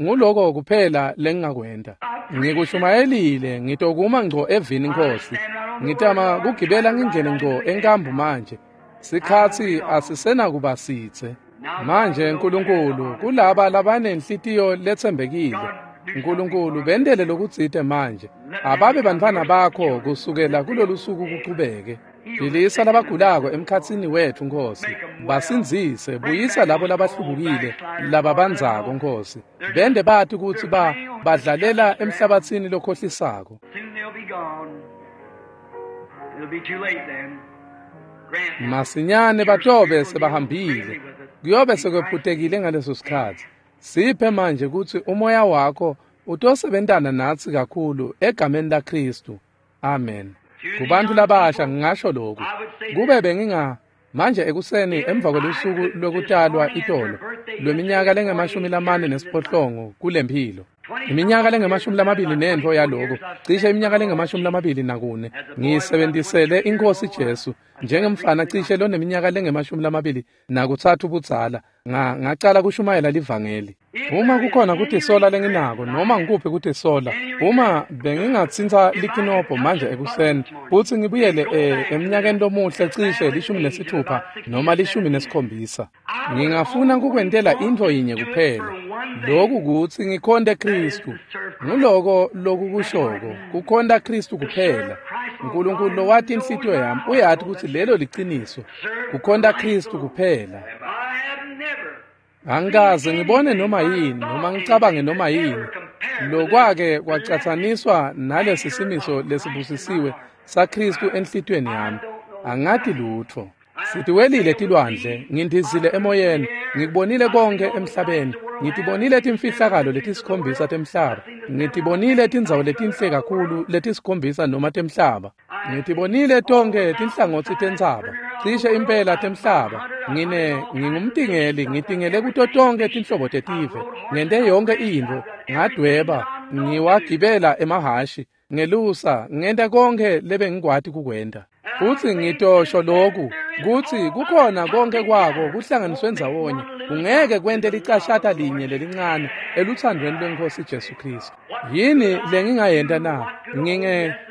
Nguloko kuphela lengingakwenta. Ngikushumayelile, ngitokuma ngco evini Nkhosi. Ngitama kugibela ngingene ngco enkambu manje. Sikhatsi asisenakuba sitse. Manje Nkulunkulu, kulaba labanenhlitiyo letsembekile, Nkulunkulu bendele lokutsite manje. Ababe bantfwana bakho kusukela kulolu suku kuchubeke. Philisa labagulako emkhatsini wetfu Nkhosi. Basindzise, buyisa labo labahlubukile lababandzako Nkhosi. Bende bati kutsi badlalela emhlabatsini lokhohlisako. Masinyane batobe sebahambile. Kuyobe sekwephutekile ngaleso sikhatsi. Siphe manje kutsi umoya wakho utosebentana natsi kakhulu egameni laKristu. Amen. Kubantu labasha ngingasho lokhu. Kube benginga manje ekuseni emva kwelusuku lwekutalwa itolo lweminyaka lengu-48 kulemphilo. Iminyaka lengu-24 yaloko, cishe iminyaka lengu-24 ngiyisebentisele iNkhosi Jesu njengemfana cishe loneminyaka lengu-23 budzala. Ngacala kushumayela livangeli. Uma kukhona kutisola lenginako noma ngikuphi kutisola, uma bengingatsintsa likinobho manje ekuseni futsi ngibuyele eminyakeni lomuhle cishe 16 noma 17, ngingafuna kukwentela intfo yinye kuphela. Lokhu kutsi ngikhonte Kristu. Nguloko lokukushoko, kukhonta Kristu kuphela. Nkulunkulu lowati inhlitiyo yami uyati kutsi lelo liciniso. Kukhonta Kristu kuphela. Angikaze ngibone noma yini noma ngicabange noma yini lokwake kwacatsaniswa nalesi simiso lesibusisiwe saKristu enhlitiyweni yami. Angati lutfo. Sitiwelile tilwandle, ngindizile emoyeni, ngikubonile konke emhlabeni, ngitibonile timfihlakalo letisikhombisa temhlaba, ngitibonile tindzawo letinhle kakhulu letisikhombisa noma temhlaba, ngitibonile tonke tinhlangotsi tentsaba, cishe impela temhlaba. Ngingumtingeli, ngitingele kuto tonke tinhlobo tetive, ngente yonke intfo, ngadweba, ngiwagibela emahhashi, ngelusa, ngenta konke lebengikwati kukwenta. Futsi ngitosho lokhu kutsi kukhona konke kwako kuhlanganiswe ndzawonye, kungeke kwente licashata linye lelincane eluthandweni lweNkhosi Jesu Kristu. Yini lengingayenta na?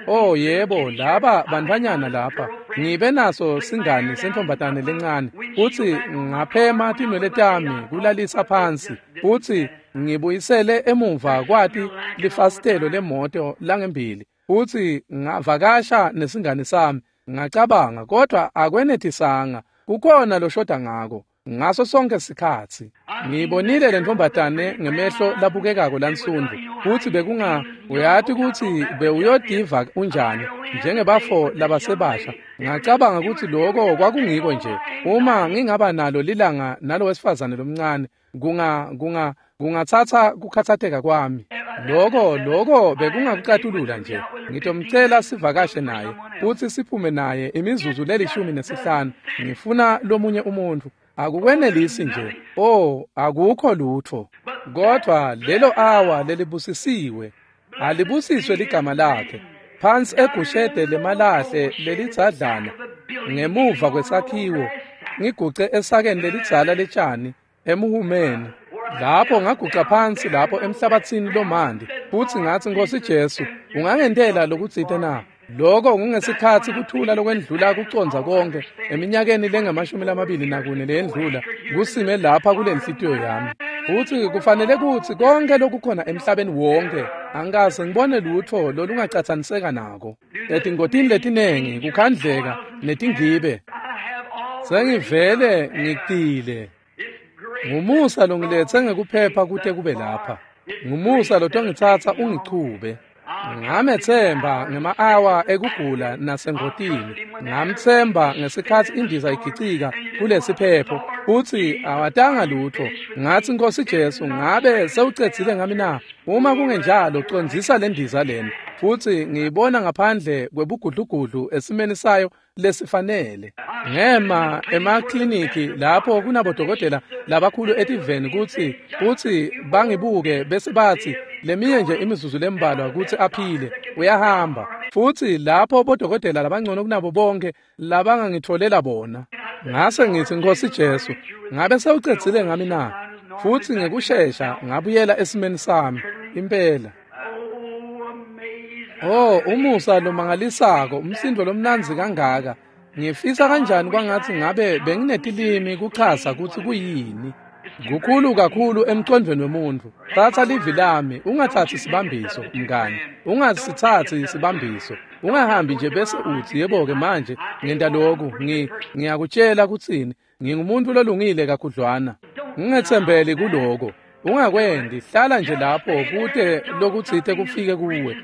Oh yebo, laba bantfwanyana lapha ngibe naso singani sentombatane lencane, futsi ngaphema tinwele tami kulalisa phansi, futsi ngibuyisele emuva kwati lifasitelo lemoto langembili, futsi ngavakasha nesingani sami. Ngacabanga, kodwa akwenetisanga, kukhona loshoda ngako ngaso sonke sikhatsi. Ngibonile lentombatane ngemehlo labukekako lansundvu, futsi bekunga uyati kutsi bewuyodiva unjani njengebafo labasebasha. Ngacabanga kutsi lokho kwakungiko nje. Uma ngingaba nalo lilanga nalo wesifazane lomncane, kungatsatsa kukhatsateka kwami. Loko bekungakucatulula nje. Ngitomcela sivakashe naye futsi siphume naye imizuzu leli-15. Ngifuna lomunye umuntu. Akukwenelisi nje. Oh, akukho lutho. Kodwa lelo awa lelibusisiwe, alibusiswe ligama lakhe. Phansi egushede lemalahle lelidzadlana ngemuva kwesakhiwo, ngiguce esakeni lelidzala letshani emuhumeni. Lapho ngaguca phansi lapho emhlabathini lomandi, futhi ngathi, Nkosi Jesu, ungangentela lokutsite na? Lokho kungesikhathi kuthula lokwendlula kucondza konke eminyakeni lengu-24 leyendlula kusime lapha kule nhliziyo yami. Futhi kufanele kutsi konke lokukhona emhlabeni wonke angikaze ngibone lutho lolungacathaniseka nako. Etingotini letinengi kukhandleka netingibe sengivele ngicile. Ngumusa longilethe ngekuphepha kute kube lapha. Ngumusa lotongitsatsa ungichube. Ngamethemba ngema-awa ekugula nasengotini. Ngamthemba ngesikhathi indiza igicika kulesiphepho futhi awatanga lutho. Ngathi, Nkosi Jesu, ngabe sewucedzile ngami na? Uma kungenjalo, condzisa le ndiza lena. Futhi ngiyibona ngaphandle kwebugudlugudlu esimeni sayo lesifanele. Ngema emakliniki lapho kunabodokotela labakhulu etiveni kutsi bangibuke bese bathi leminye nje imizuzu lembalwa kutsi aphile, uyahamba. Futhi lapho bodokotela labangcono kunabo bonke labangangitholela bona. Ngase ngithi, Nkosi Jesu, ngabe sewucedzile ngami na? Futhi ngekushesha ngabuyela esimeni sami impela. Oh, umusa lomangalisako, umsindo lomnandzi kangaka. Ngifisa kanjani kwangathi ngabe benginetilimi kuchaza kutsi kuyini. Kukhulu kakhulu emcondvweni wemuntfu. Tsatsa livi lami, ungathatsi sibambiso, mngani. Ungasithatsi sibambiso. Ungahambi nje bese utsi, yebo-ke manje ngenta lokhu, ngiyakutshela kutsini, ngingumuntu lolungile kakhudlwana. Ungetsembeli kuloko. Ungakwendi, hlala nje lapho kute lokutsite kufike kuwe,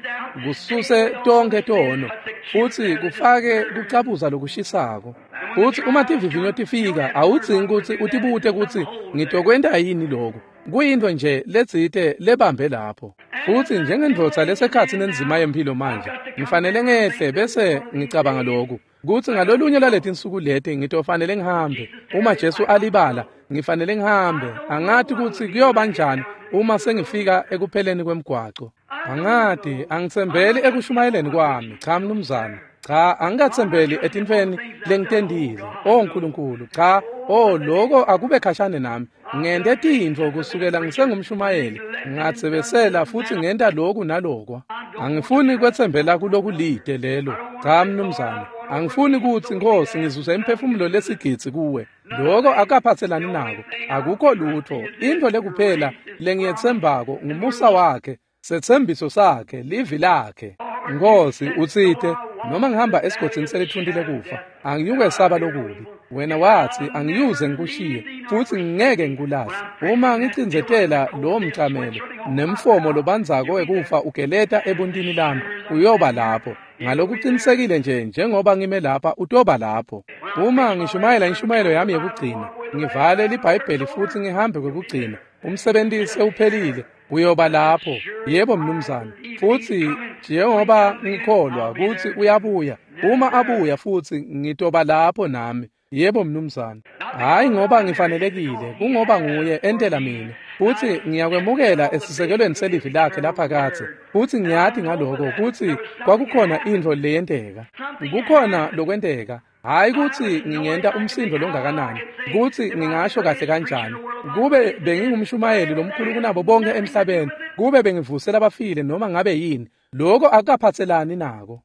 kususe tonkhe tono, futhi kufake kucabuza lokushisako. Futhi uma tivivinyo tifika, awudzingi kutsi utibute kutsi ngitokwenta yini lokhu. Kuyintfo nje letsite lebambe lapho. Futhi njengendvodza lesekhatsi nenzima yemphilo manje, ngifanele ngehle bese ngicabanga lokhu, kutsi ngalolunye lwaletinsuku leti ngitofanele ngihambe. Uma Jesu alibala, ngifanele ngihambe. Angati kutsi kuyoba njani uma sengifika ekupheleni kwemgwaco. Angati, angitsembeli ekushumayeleni kwami. Cha mnumzane. Cha, angikatsembeli etintfweni lengitendile. Oh Nkulunkulu, cha, oh lokho akube khashane nami. Ngente tintfo kusukela ngisengumshumayeli, ngatsebesela futhi ngenta lokhu nalokwa. Angifuni kwetsembela kulokulide lelo. Cha mnumzane. Angifuni kutsi, Nkosi, ngizuze imphefumulo lesigidzi kuwe. Lokho akaphatselani nako. Akukho lutho. Intfo lekuphela lengiyetsembako ngumusa wakhe, setsembiso sakhe, livi lakhe. Nkosi, utsite, noma ngihamba esigodzini selithunti lekufa, angiyukwesaba lokubi. Wena watsi angiyuze ngikushiye futhi ngingeke ngikulahle. Uma ngicindzetela lowo mcamelo nemfomo lobandzako wekufa ugeleta ebuntini lami, uyoba lapho. Ngalokuqinisekile nje njengoba ngime lapha, utoba lapho. Uma ngishumayela inshumayelo yami yekugcina, ngivale liBhayibheli futhi ngihambe kwekugcina, umsebenzi sewuphelile, uyoba lapho. Yebo mnumzane. Futhi njengoba ngikholwa kutsi uyabuya, uma abuya futhi ngitoba lapho nami. Yebo mnumzane. Hayi ngoba ngifanelekile, kungoba nguye entela mina. Futhi ngiyakwemukela esisekelweni selivi lakhe laphakadze. Futhi ngiyati ngaloko kutsi kwakukhona intfo leyenteka. Kukhona lokwenteka. Hayi kutsi ngingenta umsindo longakanani, kutsi ngingasho kahle kanjani. Kube bengingumshumayeli lomkhulu kunabo bonke emhlabeni, kube bengivusela abafile noma ngabe yini, lokho akukaphatselani nako.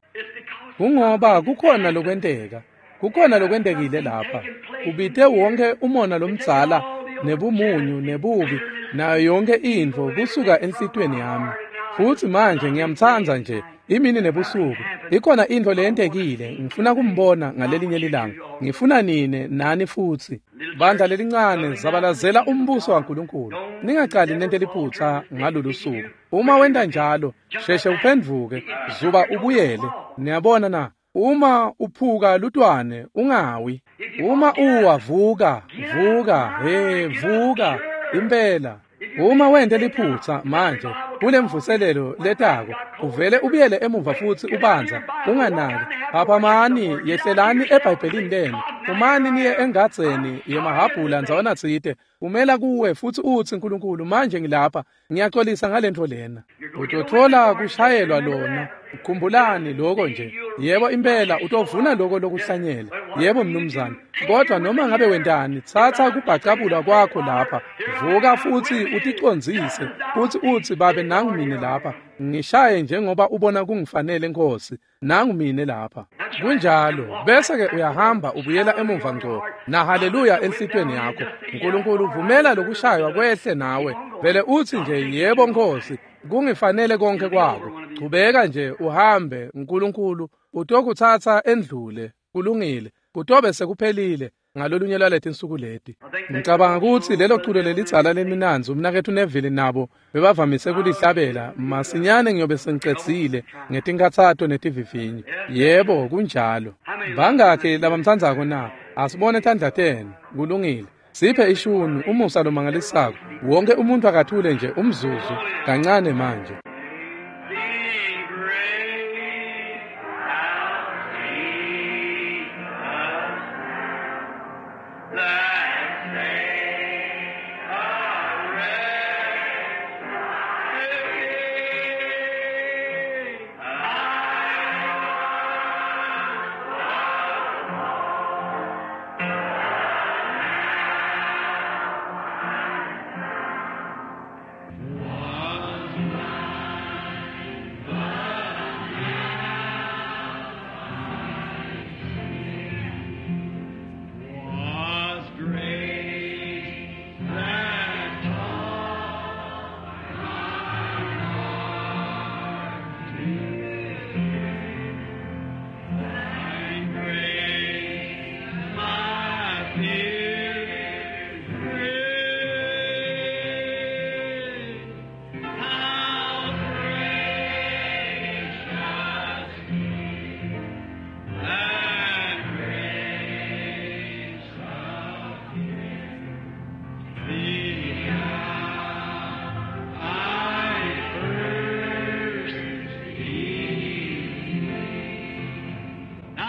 Kungoba kukhona lokwenteka. Kukhona lokwentekile lapha. Ubite wonke umona lomdzala nebumunyu nebubi nayo yonke intfo kusuka enhlitiyweni yami. Futhi manje ngiyamtsandza nje imini nebusuku. Ikhona intfo leyentekile, ngifuna kumbona ngalelinye lilanga. Ngifuna nine nani futhi. Bandla lelincane, zabalazela umbuso waNkulunkulu. Ningacali nente liphutsa ngalolu suku. Uma wenta njalo, sheshe uphendvuke, zuba ubuyele. Niyabona na? Uma uphuka lutwane, ungawi. Uma uwa, vuka, vuka, he, vuka, impela. Uma wente liphutsa manje kulemvuselelo letako, uvele ubuyele emuva futhi ubanza, unganaki. Phaphamani, yehlelani eBhayibhelini lenu. Phumani niye engadzeni yemahhabhula ndzawana tsite, umela kuwe futsi utsi, Nkulunkulu, manje ngilapha, ngiyaxolisa ngalentfo lena. Utotfola kushayelwa lona. Khumbulani lokho nje. Yebo impela utovuna lokho lokuhlanyela. Yebo mnumzane. Kodwa noma ngabe wentani, tsatsa kubhacabulwa kwakho lapha. Vuka futsi uticondzise, futsi utsi, Babe, nangu mine lapha. Ngishaye njengoba ubona kungifanele, Nkosi. Nangu mine lapha. Kunjalo. Bese ke uyahamba ubuyela emuva ngco. Na haleluya enhlitiyweni yakho. Nkulunkulu vumela lokushaywa kwehle nawe. Vele utsi nje, yebo Nkosi, kungifanele konke kwako. Chubeka nje uhambe, Nkulunkulu utokutsatsa endlule. Kulungile. Kutobe sekuphelile ngalolunye lwaletinsuku leti. Ngicabanga kutsi lelo culo lelidzala leminandzi umnaketfu Neville nabo bebavamise kulihlabela, masinyane ngiyobe sengicedzile ngetinkhatsato netivivinyo. Yebo, kunjalo. Bangakhi labamtsandzako na? Asibone tandla tenu. Kulungile. Siphe ishuni, umusa lomangalisako. Wonke umuntu akathule nje umzuzu kancane manje.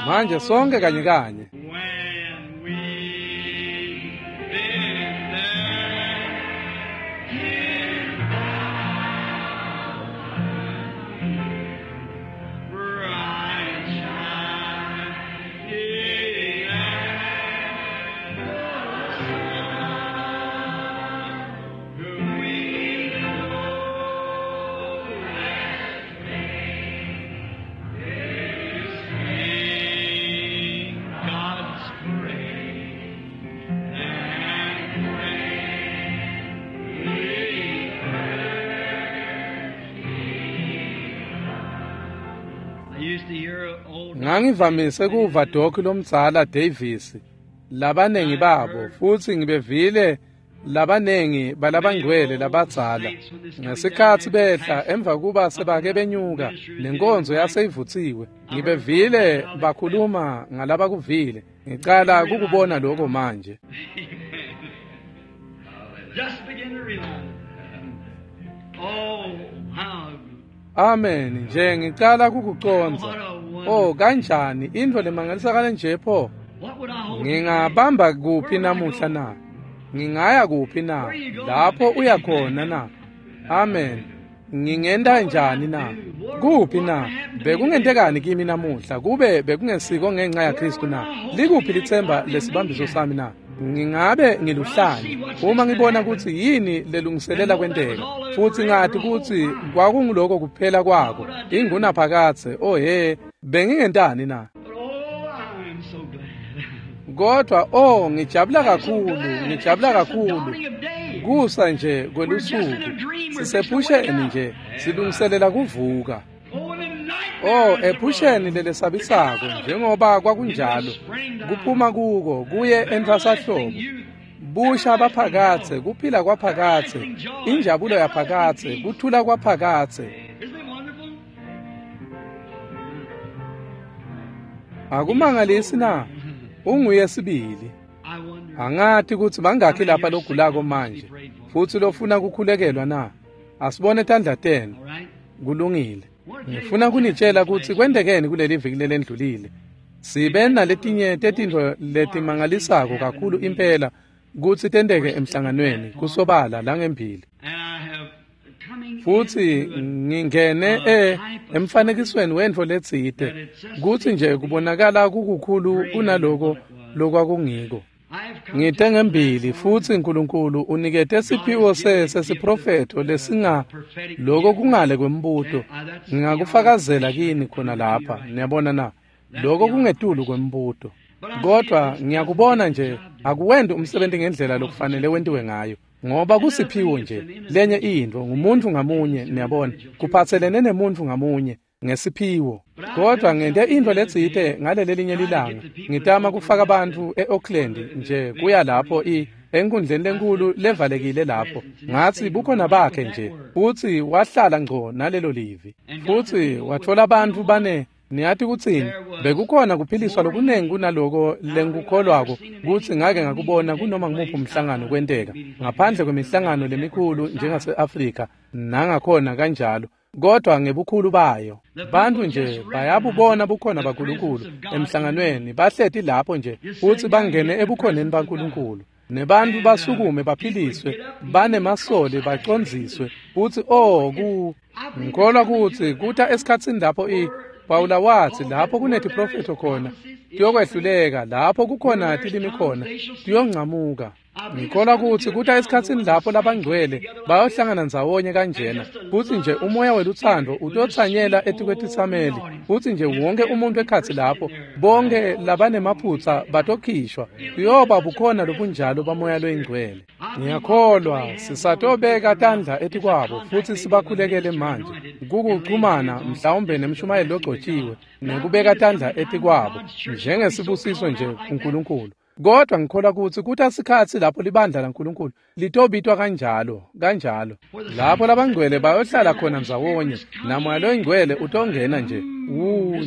Manje sonke kanye kanye. Ngangivamise kuva Doc lomdzala Davis labanengi babo, futsi ngibevile labanengi balabangcwele labadzala ngesikhatsi behla emva kuba sebake benyuka nenkonzo yaseyivutsiwe. Ngibevile bakhuluma ngalabakuvile. Ngicala kukubona lokho manje. Amen. Nje ngicala kukucondza. Oh, kanjani intfo lemangalisa kanje pho? Ngingabamba kuphi namuhla na? Ngingaya kuphi na? Lapho uyakhona na? Amen. Ngingenta njani na? Kuphi na? Bekungentekani kimi namuhla kube bekungesiko ngenxa yaKristu na? Likuphi litsemba lesibambiso sami na? Ngingabe ngiluhlanya uma ngibona kutsi yini lelungiselela kwenteka, futsi ngati kutsi kwakunguloko kuphela kwako ingunaphakadze. Oh he, bengingentani na? Kodwa oh, ngijabula kakhulu, ngijabula kakhulu. Kusa nje kwelusuku sisephusheni nje, silungiselela kuvuka. Oh, ephusheni lelesabisako njengoba kwakunjalo, kuphuma kuko kuye entfwasahlobo, busha baphakadze, kuphila kwaphakadze, injabulo yaphakadze, kuthula kwaphakadze. Akumangalisi na? Unguye sibili. Angati kutsi bangakhi lapha logulako manje futsi lofuna kukhulekelwa na? Asibone tandla tenu. Kulungile. Ngifuna kunitshela kutsi kwentekeni kuleli viki lelendlulile. Sibe naletinye tetintfo letimangalisako kakhulu impela kutsi tenteke emhlanganweni kusobala langembili. Futsi ngingene emfanekisweni wentfo letsite kutsi nje kubonakala kukukhulu kunaloko lokwakungiko. Ngite ngembili futsi uNkulunkulu unikete siphiwo sesiprofetho lesinga lokho kungale kwembuto. Ngingakufakazela kini khona lapha, niyabona na? Lokho kungetulu kwembuto. Kodwa ngiyakubona nje akuwendi umsebenzi ngendlela lokufanele wentiwe ngayo, ngoba kusiphiwo nje lenye intfo ngumuntu ngamunye, niyabona, kuphatselene nemuntu ngamunye ngesiphiwo. Kodwa ngente intfo letsite ngalelelinye lilanga, ngitama kufaka bantfu eOakland nje kuya lapho enkundleni lenkulu levalekile lapho. Ngatsi bukhona bakhe nje, futsi wahlala ngco nalelo livi, futsi watfola bantfu bane. Niyati kutsini? Bekukhona kuphiliswa lokunengi kunaloko lengikukholwako kutsi ngake ngakubona kunoma ngumuphi umhlangano kwenteka, ngaphandle kwemihlangano lemikhulu njengase-Afrika nangakhona kanjalo, kodwa ngebukhulu bayo. Bantfu nje bayabubona bukhona baNkulunkulu emhlanganweni, bahleti lapho nje futsi bangene ebukhoneni baNkulunkulu. Nebantfu basukume baphiliswe, banemasoli bacondziswe, futsi ngikholwa kutsi kuta esikhatsini lapho Pawula watsi lapho kunetiprofetho khona tiyokwehluleka, lapho kukhona tilimi khona tiyoncamuka. Ngikholwa kutsi kuta esikhatsini lapho labangcwele bayohlangana ndzawonye kanjena, futsi nje umoya welutsandvo utotsanyela etikwetitsameli, futsi nje wonke umuntu ekhatsi lapho, bonke labanemaphutsa batokhishwa. Kuyoba bukhona lobunjalo bamoya loyingcwele. Ngiyakholwa sisatobeka tandla etikwabo futsi sibakhulekele manje kukuchumana mhlawumbe nemshumayeli logcotshiwe nekubeka tandla etikwabo njengesibusiso nje kuNkulunkulu. Kodwa ngikholwa kutsi kuta sikhatsi lapho libandla laNkulunkulu litobitwa kanjalo kanjalo, lapho labangcwele bayohlala khona ndzawonye, namoya loyingcwele utongena nje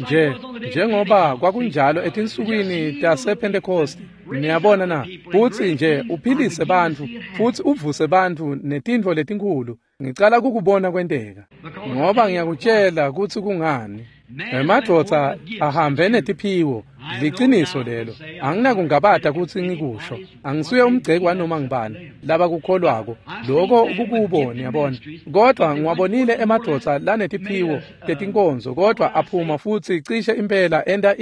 nje njengoba kwakunjalo etinsukwini tasePhentekosti. Niyabona na? Futsi nje uphilise bantfu futsi uvuse bantfu netintfo letinkhulu. Ngicala kukubona kwenteka, ngoba ngiyakutshela kutsi kungani. Emadvodza ahambe netiphiwo, liciniso lelo. Anginakungabata kutsi ngikusho. Angisuye umgceki wanoma ngibani labakukholwako, lokho kukubo, niyabona. Kodwa ngiwabonile emadvodza lanetiphiwo tetinkonzo, kodwa aphuma futsi cishe impela enta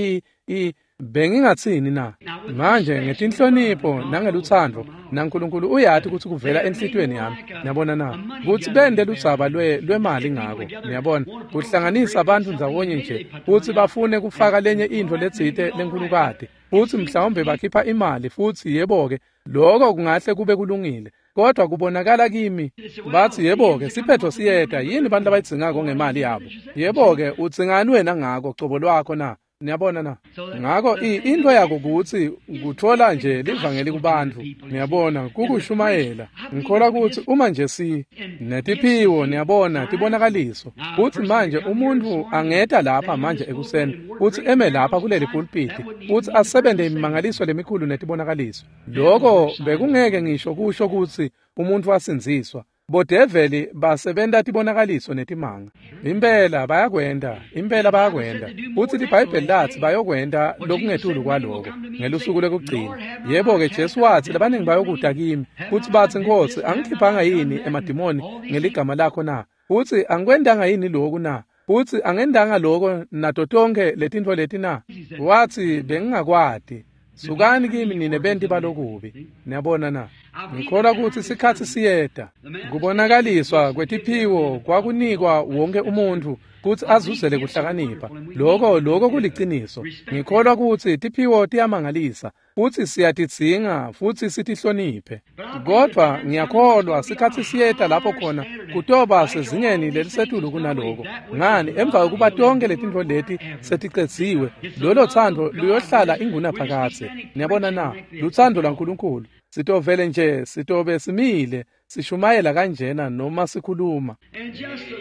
bengingatsini na? Manje ngetinhlonipho nangelutsandvo, naNkulunkulu uyati kutsi kuvela enhlitiyweni yami, niyabona na, kutsi bente ludzaba lwemali ngako, niyabona, kuhlanganisa abantu ndzawonye nje futsi bafune kufaka lenye intfo letsite lenkulukati, futsi mhlawumbe bakhipha imali, futsi yebo-ke lokho kungahle kube kulungile, kodwa kubonakala kimi batsi yebo-ke siphetho siyeta. Yini bantu labayidzingako ngemali yabo? Yebo-ke udzingani wena ngako cobo lwakho na? Niyabona na? Ngako into yako kutsi kutfola nje livangeli kubantfu, niyabona, kukushumayela. Ngikholwa kutsi uma nje si netiphiwo, niyabona, tibonakaliso, kutsi manje umuntfu angeta lapha manje ekuseni futsi eme lapha kuleli pulpiti futsi asebente imimangaliso lemikhulu netibonakaliso, lokho bekungeke ngisho kusho kutsi umuntfu asindziswa. Bodeveli basebenta tibonakaliso netimanga. Impela bayakwenta, impela bayakwenta. Futsi liBhayibheli latsi bayokwenta lokungetulu kwaloko ngelusuku lwekugcina. Yebo-ke Jesu watsi labaningi bayokuta kimi futsi batsi, Nkhosi, angikhiphanga yini emadimoni ngeligama lakho na? Futsi angikwentanga yini loku na? Futsi angendanga loko nato tonkhe letintfo leti na? Watsi bengingakwati. Sukani kimi nine benti balokubi. Niyabona na? Ngikholwa kutsi sikhatsi siyeta. Kubonakaliswa kwetiphiwo kwakunikwa wonke umuntfu kutsi azuzele kuhlakanipha. Lokho kuliciniso. Ngikholwa kutsi tiphiwo tiyamangalisa futsi siyatidzinga futsi sitihloniphe. Kodwa ngiyakholwa sikhatsi siyeta lapho khona kutoba sezingeni lelisetulu kunaloko. Ngani, emva kokuba tonke letintfo leti seticedziwe, lolo thando luyohlala ingunaphakadze. Niyabona na? Luthando lwaNkulunkulu. Sitovele nje sitobe simile sishumayela kanjena noma sikhuluma,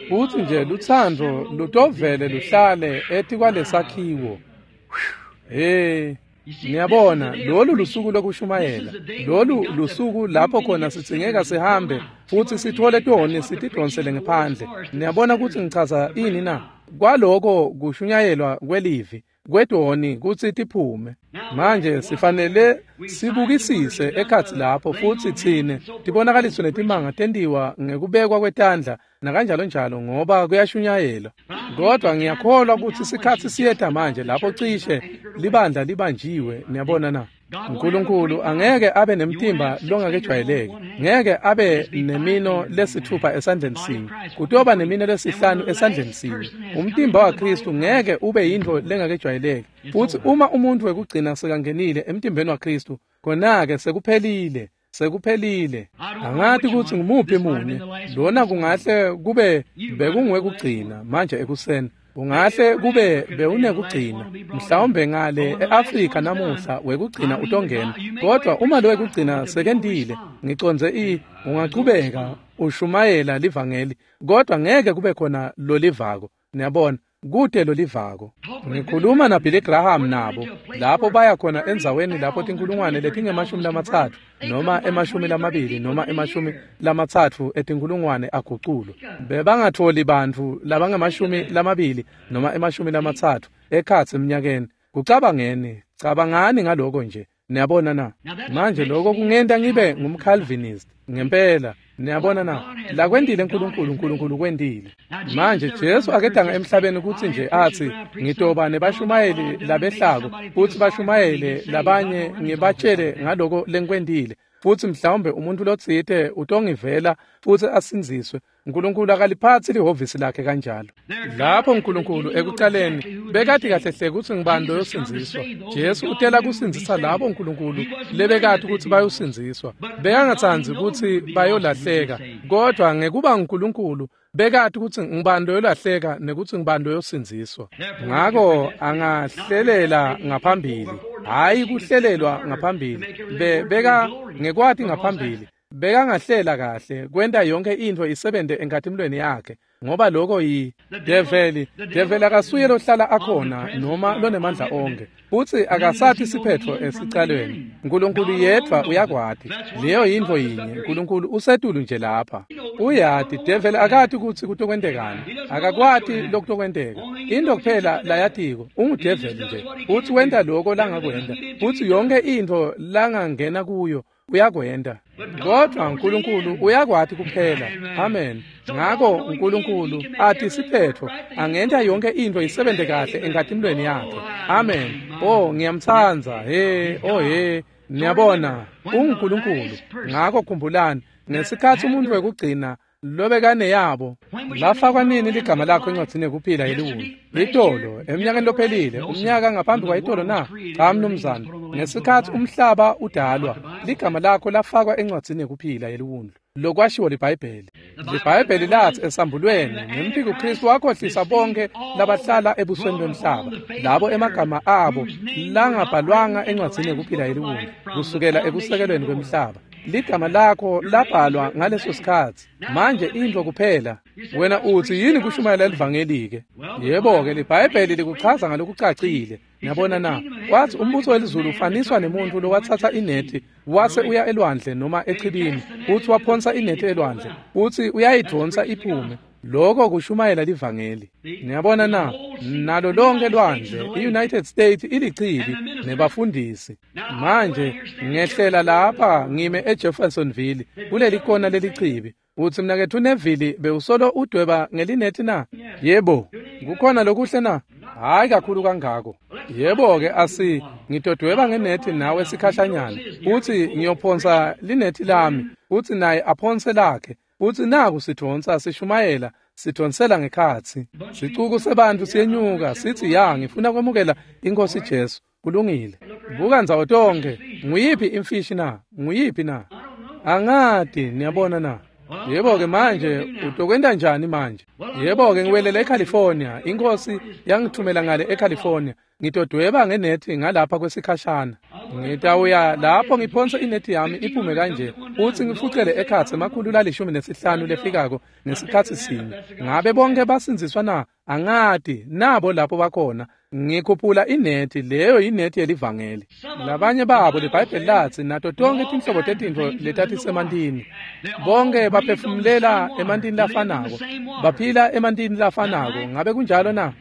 futsi nje luthando lutovele luhlale etikwalesakhiwo. Hey, niyabona, lolu lusuku lokushumayela, lolu lusuku lapho khona sidzingeka sihambe futsi sitfole toni sitidonsele ngephandle. Niyabona kutsi ngichaza ini na? Kwaloko kushunyayelwa kwelivi. kwetoni kutsi tiphume. Manje sifanele sibukisise ekhatsi lapho futsi tsine tibonakaliso netimanga tentiwa ngekubekwa kwetandla nakanjalo njalo ngoba kuyashunyayelwa. Kodwa ngiyakholwa kutsi sikhatsi siyeta manje lapho cishe libandla libanjiwe. Niyabona na? uNkulunkulu angeke abe nemtimba longakejwayeleki, ngeke abe nemino lesithupha esandleni sinye, kutoba nemino lesihlanu esandleni sinye. Umtimba waKristu ngeke ube yintfo lengakejwayeleki. Futsi uma umuntu wekugcina sekangenile emtimbeni waKristu, khona-ke sekuphelile. Sekuphelile. Angati kutsi ngumuphi munye. Lona kungahle kube bekungwekugcina manje ekuseni. Ungahle kube bewunekugcina mhlawumbe ngale eAfrika namuhla wekugcina utongena. Kodwa uma lo wekugcina sekendile, ngicondze ungachubeka ushumayela livangeli, kodwa ngeke kube khona lolivako. Niyabona, kute lolivako. Ngikhuluma na Billy Graham nabo lapho baya khona endzaweni lapho tinkulungwane letinge-30 noma 20 noma 30 etinkulungwane aguculwa. Bebangatholi bantfu labangama-20 noma 30 ekhatsi eminyakeni. Kucabangeni, cabangani ngaloko nje. Niyabona na? Manje lokho kungenta ngibe ngumCalvinist ngempela. Niyabona na? Lakwentile uNkulunkulu, uNkulunkulu kwentile. Manje Jesu akedanga emhlabeni kutsi nje athi ngitoba nebashumayeli labehlako futsi bashumayele labanye ngibatshele ngaloko lengikwentile, futsi mhlawumbe umuntu lotsite utongivela futsi asindziswe. uNkulunkulu akaliphatsi lihhovisi lakhe kanjalo. Lapho uNkulunkulu ekucaleni bekati kahle hle kutsi ngubani loyosindziswa. Jesu utela kusindzisa labo uNkulunkulu lebekati kutsi bayosindziswa. Bekangatsandzi kutsi bayolahleka, kodwa ngekuba uNkulunkulu bekati kutsi ngubani loyolahleka nekutsi ngubani loyosindziswa. Ngako angahlelela ngaphambili, hhayi kuhlelelwa ngaphambili. Beka ngekwati ngaphambili. Bekangahlela kahle kwenta yonke intfo isebente enkatimulweni yakhe, ngoba lokho yi develi. Develi akasuye lohlala akhona noma lonemandla onke, futsi akasathi siphetfo esicalweni. uNkulunkulu yedvwa uyakwati. Leyo yintfo yinye. uNkulunkulu usetulu nje lapha. Uyati. Develi akati kutsi kutokwentekani, akakwati lokutokwenteka. Into kuphela layatiko ungudeveli nje, futsi wenta loko langakwenta, futsi yonke intfo langangena kuyo uyakwenta. Kodwa uNkulunkulu uyakwati kuphela. Amen. Ngako uNkulunkulu athi siphetfo angenta yonke intfo isebente kahle enkatimulweni yakhe. Amen. Oh, ngiyamtsandza. He, oh he. Niyabona, unguNkulunkulu. Ngako khumbulani, ngesikhatsi umuntu wekugcina lobekaneyabo lafakwa nini ligama lakho encwadzini yekuphila yeliwundlu? Itolo, eminyakeni lophelile, umnyaka ngaphambi kwayitolo na? Cha mnumzane. Ngesikhatsi umhlaba udalwa, ligama lakho lafakwa encwadzini yekuphila yeliwundlu. Lokwashiwo liBhayibheli. LiBhayibheli lathi esambulweni ngemphiko Kristu wakhohlisa bonke labahlala ebusweni bemhlaba, labo emagama abo langabhalwanga encwadzini yekuphila yeliwundlu kusukela ekusekelweni kwemhlaba. Ligama lakho labhalwa ngaleso sikhatsi. Manje intfo kuphela wena utsi yini kushumayela livangeli-ke? Yebo-ke, liBhayibheli likuchaza ngalokucacile. Niyabona na? Wathi umbuso welizulu ufaniswa nemuntu lowatsatsa inethi wase uya elwandle noma echibini, uthi waphonsa inethi elwandle, uthi uyayidvonsa iphume. Lokho kushumayela livangeli. Niyabona na? Nalo lonke lwandle, i-United States ilichibi nebafundisi. Manje ngehlela lapha ngime eJeffersonville kuleli kona lelichibi. Uthi mnaketfu Neville bewusolo udweba ngelinethi na? Yebo. Kukhona lokuhle na? Hayi kakhulu kangako. Yebo-ke, asi ngitodweba ngenethi nawe sikhashanyana. Uthi ngiyophonsa linethi lami, uthi naye aphonse lakhe. Uthi naku sidvonsa sishumayela, sidvonsela ngekhatsi. Sicuku sebantu siyenyuka sithi ya ngifuna kwemukela iNkosi Jesu. Kulungile. Buka ndzawo tonkhe. Nguyiphi imfishi na? Nguyiphi na? Angati, niyabona na? Yebo-ke manje utokwenta njani manje? Yebo-ke ngiwelela eCalifornia. Inkosi yangithumela ngale eCalifornia. Ngitodweba ngenethi ngalapha kwesikhashana. Ngitawuya lapho ngiphonse inethi yami iphume kanje, uthi ngifucele ekhatsi 115 lefikako ngesikhatsi sinye. Ngabe bonke basindziswa na? Angati, nabo lapho bakhona. Ngikhuphula inethi, leyo inethi yelivangeli. Labanye babo liBhayibheli lathi nato tonke tinhlobo tetintfo letatisemantini. Bonke baphefumulela emantini lafanako, baphila emantini lafanako. Ngabe kunjalo na?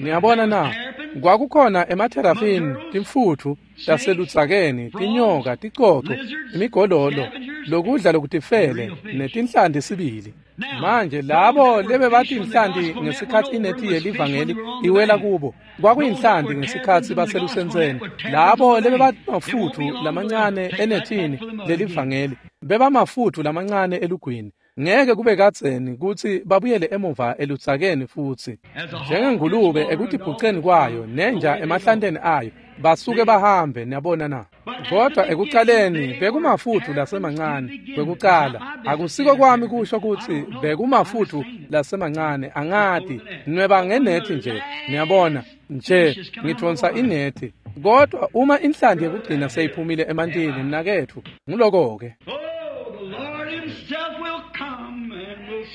Niyabona na? Kwakukhona ematerafini, timfutfu taseludzakeni, tinyoka, ticoco, imigololo, lokudla lokutifele netinhlanti sibili. Manje labo lebebatinhlanti ngesikhatsi inethi yelivangeli iwela kubo, kwakuyinhlanti ngesikhatsi baselusentseni. Labo lebebamafutfu lamancane enethini lelivangeli bebamafutfu lamancane elugwini. Ngeke kube kadzeni kutsi babuyele emuva eludzakeni futsi. Njengengulube ekutibhuceni kwayo nenja emahlanteni ayo, basuke bahambe, niyabona na. Kodwa ekucaleni bekumafutfu lasemancane kwekucala. Akusiko kwami kusho kutsi bekumafutfu lasemancane, angati, nweba ngenethi nje, niyabona, nje ngidvonsa inethi. Kodwa uma inhlanti yekugcina seyiphumile emantini, mnaketfu, nguloko-ke.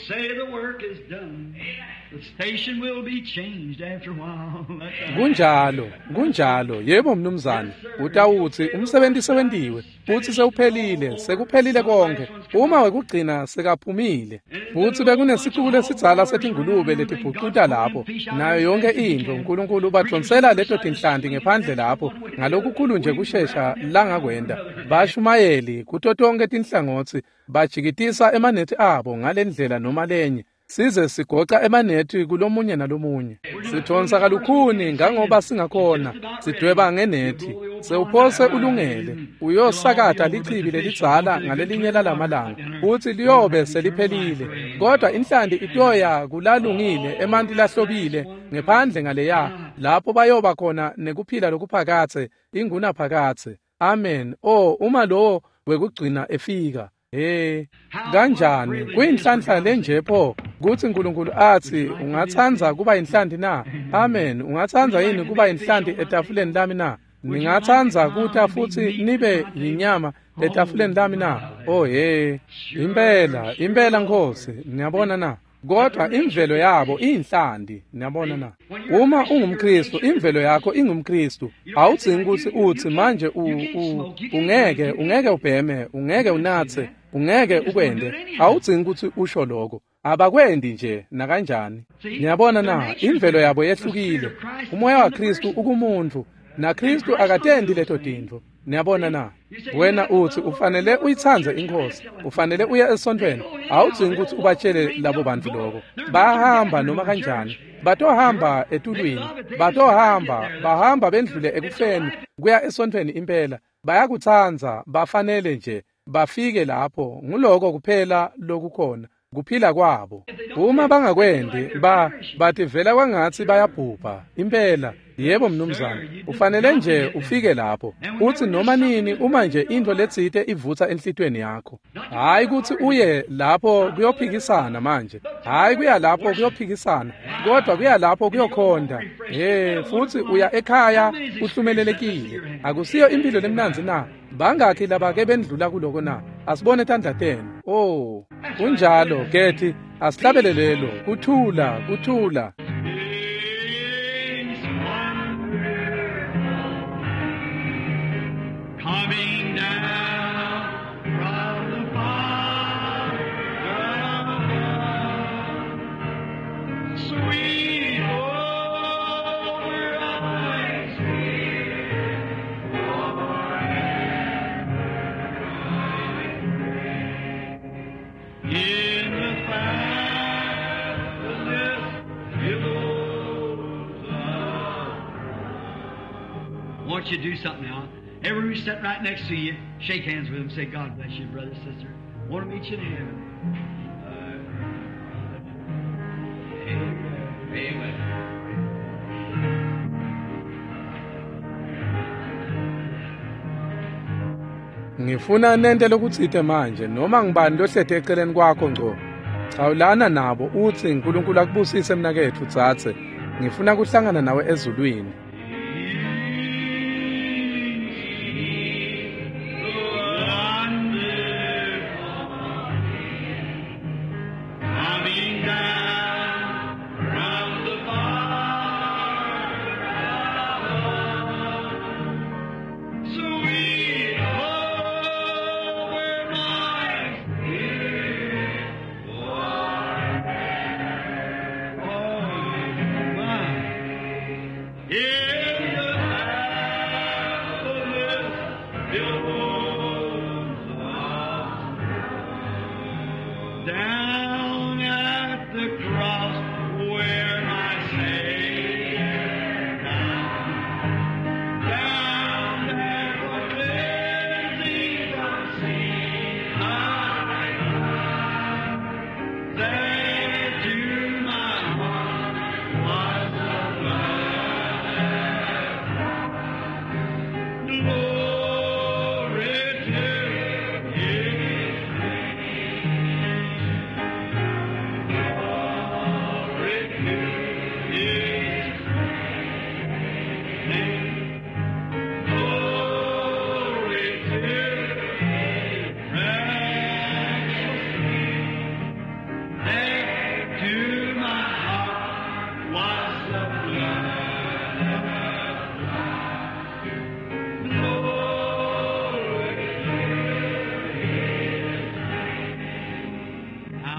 Say the work is done. The station will be changed after a while. Kunjalo, kunjalo. Yebo mnumzane, utawutsi umsebenzi sewentiwe, futsi sewuphelile, sekuphelile konke. Uma wekugcina sekaphumile, futsi bekunesicuku lesidzala setingulube letibhucuta lapho, nayo yonke intfo. uNkulunkulu ubadvonsela leto tinhlanti ngephandle lapho ngalokukhulu nje kushesha langakwenta. Bashumayeli kuto tonkhe tinhlangotsi bajikitisa emanethi abo ngalendlela noma lenye, size sigoca emanethi kulomunye nalomunye. Sidvonsa kalukhuni ngangoba singakhona, sidweba ngenethi. Sewuphose ulungele, uyosakata lichibi lelidzala ngalelinye lalamalanga, futsi liyobe seliphelile. Kodwa inhlanti itoya kulalungile emanti lahlobile ngephandle ngaleya, lapho bayoba khona nekuphila lokuphakatse, ingunaphakatse. Amen. Oh, uma lowo wekugcina efika. Hey, kanjani kuyinhlanhla lenje pho kutsi uNkulunkulu atsi ungatsandza kuba inhlanti na? Amen. Ungatsandza yini kuba inhlanti etafuleni lami na? Ningatsandza kuta futsi nibe yinyama etafuleni lami na? Oh hey, impela, impela Nkosi, niyabona na? Kodwa imvelo yabo iyinhlanti, niyabona na? Uma ungumKristu, imvelo yakho ingumKristu. Awudzingi kutsi utsi manje ungeke ubheme, ungeke unatse, ungeke ukwende. Awudzingi kutsi usho lokho. Abakwendi nje nakanjani. Niyabona na? Imvelo yabo yehlukile. Umoya waKristu ukumuntu, naKristu akatendi leto tintfo. Niyabona na? Wena utsi ufanele uyitsandze iNkhosi, ufanele uye esontweni. Awudzingi kutsi ubatshele labo bantu lokho. Bahamba noma kanjani, batohamba etulwini, batohamba, bahamba bendlule ekufeni kuya esontweni impela. Bayakutsandza, bafanele nje bafike lapho. Nguloko kuphela lokukhona, kuphila kwabo. Uma bangakwendi, bativela kwangatsi bayabhubha impela. Yebo mnumzane, ufanele nje ufike lapho. Utsi noma nini uma nje intfo letsite ivutsa enhlitiyweni yakho. Hayi kutsi uye lapho kuyophikisana manje. Hayi kuya lapho kuyophikisana, kodwa kuya lapho kuyokhonda. Hey, futsi uya ekhaya uhlumelelekile. Akusiyo impilo lemnandzi na? Bangakhi labake bendlula kuloko na? Asibone tandla tenu. Oh, kunjalo Gethi, asihlabele lelo. Kuthula, kuthula. Coming down from the Father above, sweet over my spirit forever in the fastness billows of. I want you to do something now. Everyone who's sitting right next to you, shake hands with them. Say, God bless you, brother, sister. Want to meet you in heaven. Amen. Amen. Ngifuna nente lokutsite manje, noma ngibani lohlete eceleni kwakho ngco. Chawulana nabo utsi uNkulunkulu akubusise mnaketfu dzadze. Ngifuna kuhlangana nawe ezulwini. Coming down from the Father above, sweet over my spirit forever. Oh, my.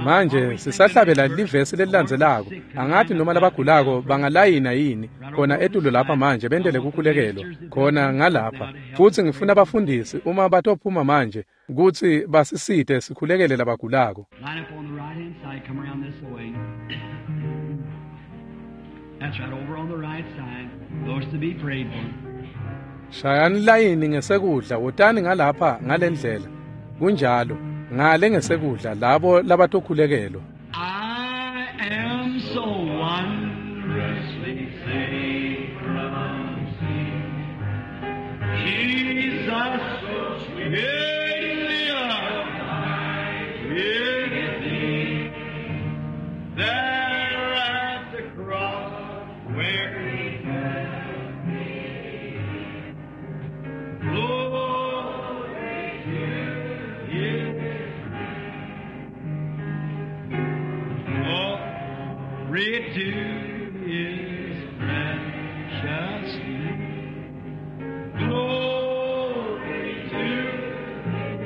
Manje sisahlabela livesi lelilandzelako. Angathi noma labagulako bangalayina yini khona etulo lapha manje bentele kukhulekelwa khona ngalapha. Futhi ngifuna abafundisi uma batophuma manje kutsi basisite sikhulekele labagulako. Line up on the right hand side, come around this way. That's right, over on the right side. Those to be prayed for. Shayani layini ngesekudla, wotani ngalapha ngalendlela. Kunjalo, ngale ngesekudla labo labatokhulekelwa. I am so wondrously saved from sin. Jesus made me alive with thee. There at the cross where he had me. Glory to his Glory to his precious name. Glory to his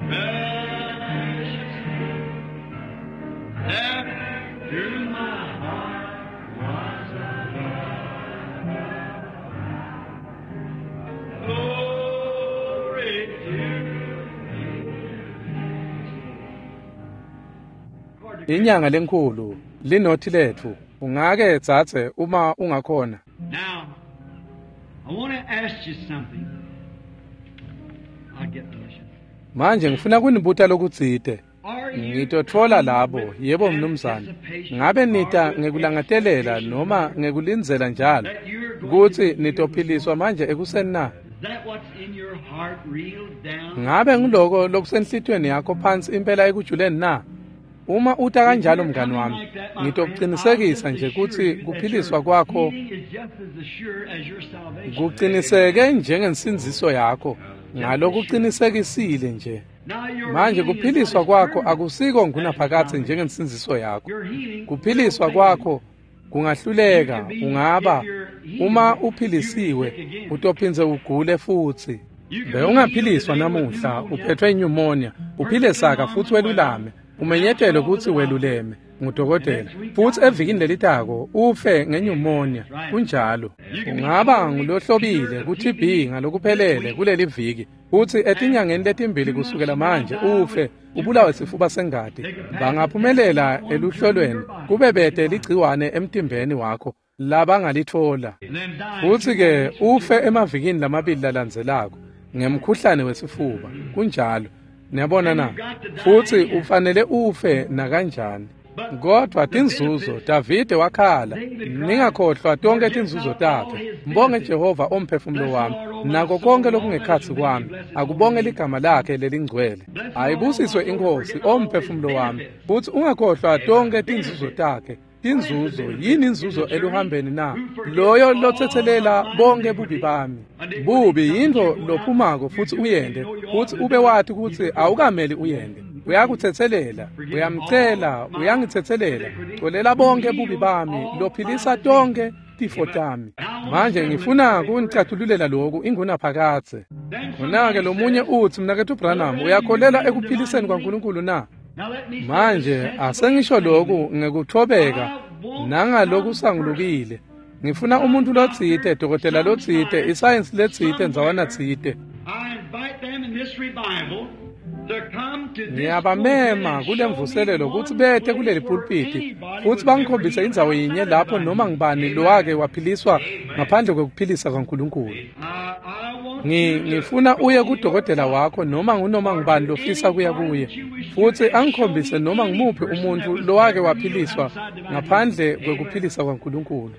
precious name. There through my heart was a Glory to his Inyanga lenkulu linothi lethu. Ungake tsatse uma ungakhona. Now, I want to ask you something. I'll get delicious. Manje ngifuna kunibuta lokutsite. Are you Ngitotfola labo, with yebo mnumzane. anticipation Ngabe nita or with ngekulangadelela noma ngekulindzela njalo that you're going kutsi to be healed nitophiliswa manje ekuseni na? Is that what's in your heart real down? Ngabe ngiloko lokusenhlitiyweni yakho phansi impela ekujuleni na? Uma uta kanjalo mngani wami, ngitokucinisekisa nje kutsi kuphiliswa kwakho kuqiniseke njengensindziso yakho. Ngalokuqinisekisile nje. Manje kuphiliswa kwakho akusiko ngunaphakadze njengensindziso yakho. Kuphiliswa kwakho kungahluleka, ungaba uma uphilisiwe utophindze ugule futsi. Bewungaphiliswa namuhla uphethwe pneumonia, uphile saka futsi welulame, umenyetelwe kutsi weluleme ngudokotela, futsi evikini lelitako ufe ngenyumonia. Kunjalo. Ungaba ngulohlobile ku-TB ngalokuphelele kuleli viki, futsi etinyangeni letimbili kusukela manje ufe ubulawe sifuba sengati. Bangaphumelela eluhlolweni kube bete ligciwane emtimbeni wakho labangalitfola. Futsi-ke ufe emavikini lamabili lalandzelako ngemkhuhlane wesifuba. Kunjalo. Niyabona na? Futsi ufanele ufe nakanjani. Kodwa tinzuzo, Davide wakhala, ningakhohlwa tonke tinzuzo takhe. Mbonge Jehova omphefumulo wami, nako konke lokungekhatsi kwami, akubonge ligama lakhe lelingcwele. Ayibusiswe iNkhosi omphefumulo wami, futsi ungakhohlwa tonke tinzuzo takhe. Tinzuzo, yini inzuzo eluhambeni na? Loyo lotsetselela bonke bubi bami. Bubi yintfo lophumako futsi uyende, futsi ube wati kutsi awukameli uyende. Uyakutsetselela, uyamcela, uyangitsetselela. Colela bonke bubi bami, lophilisa tonke tifo tami. Manje ngifuna kunicatululela loku ingunaphakadze. Khona-ke lomunye utsi, mnaketfu Branham, uyakholelwa ekuphiliseni kwaNkulunkulu na? Manje asengisho loku ngekuthobeka nangalokusangulukile. Ngifuna umuntu lotsite, dokotela lotsite, isayensi letsite, ndzawana tsite. Ngiyabamema kule mvuselelo kutsi bete kuleli pulpiti futsi bangikhombise indzawo yinye lapho noma ngibani lowake waphiliswa ngaphandle kwekuphilisa kwaNkulunkulu. Ngifuna uye kudokotela wakho noma ngunoma ngubani lofisa kuya kuye, futsi angikhombise noma ngumuphi umuntfu lowake waphiliswa ngaphandle kwekuphilisa kwaNkulunkulu.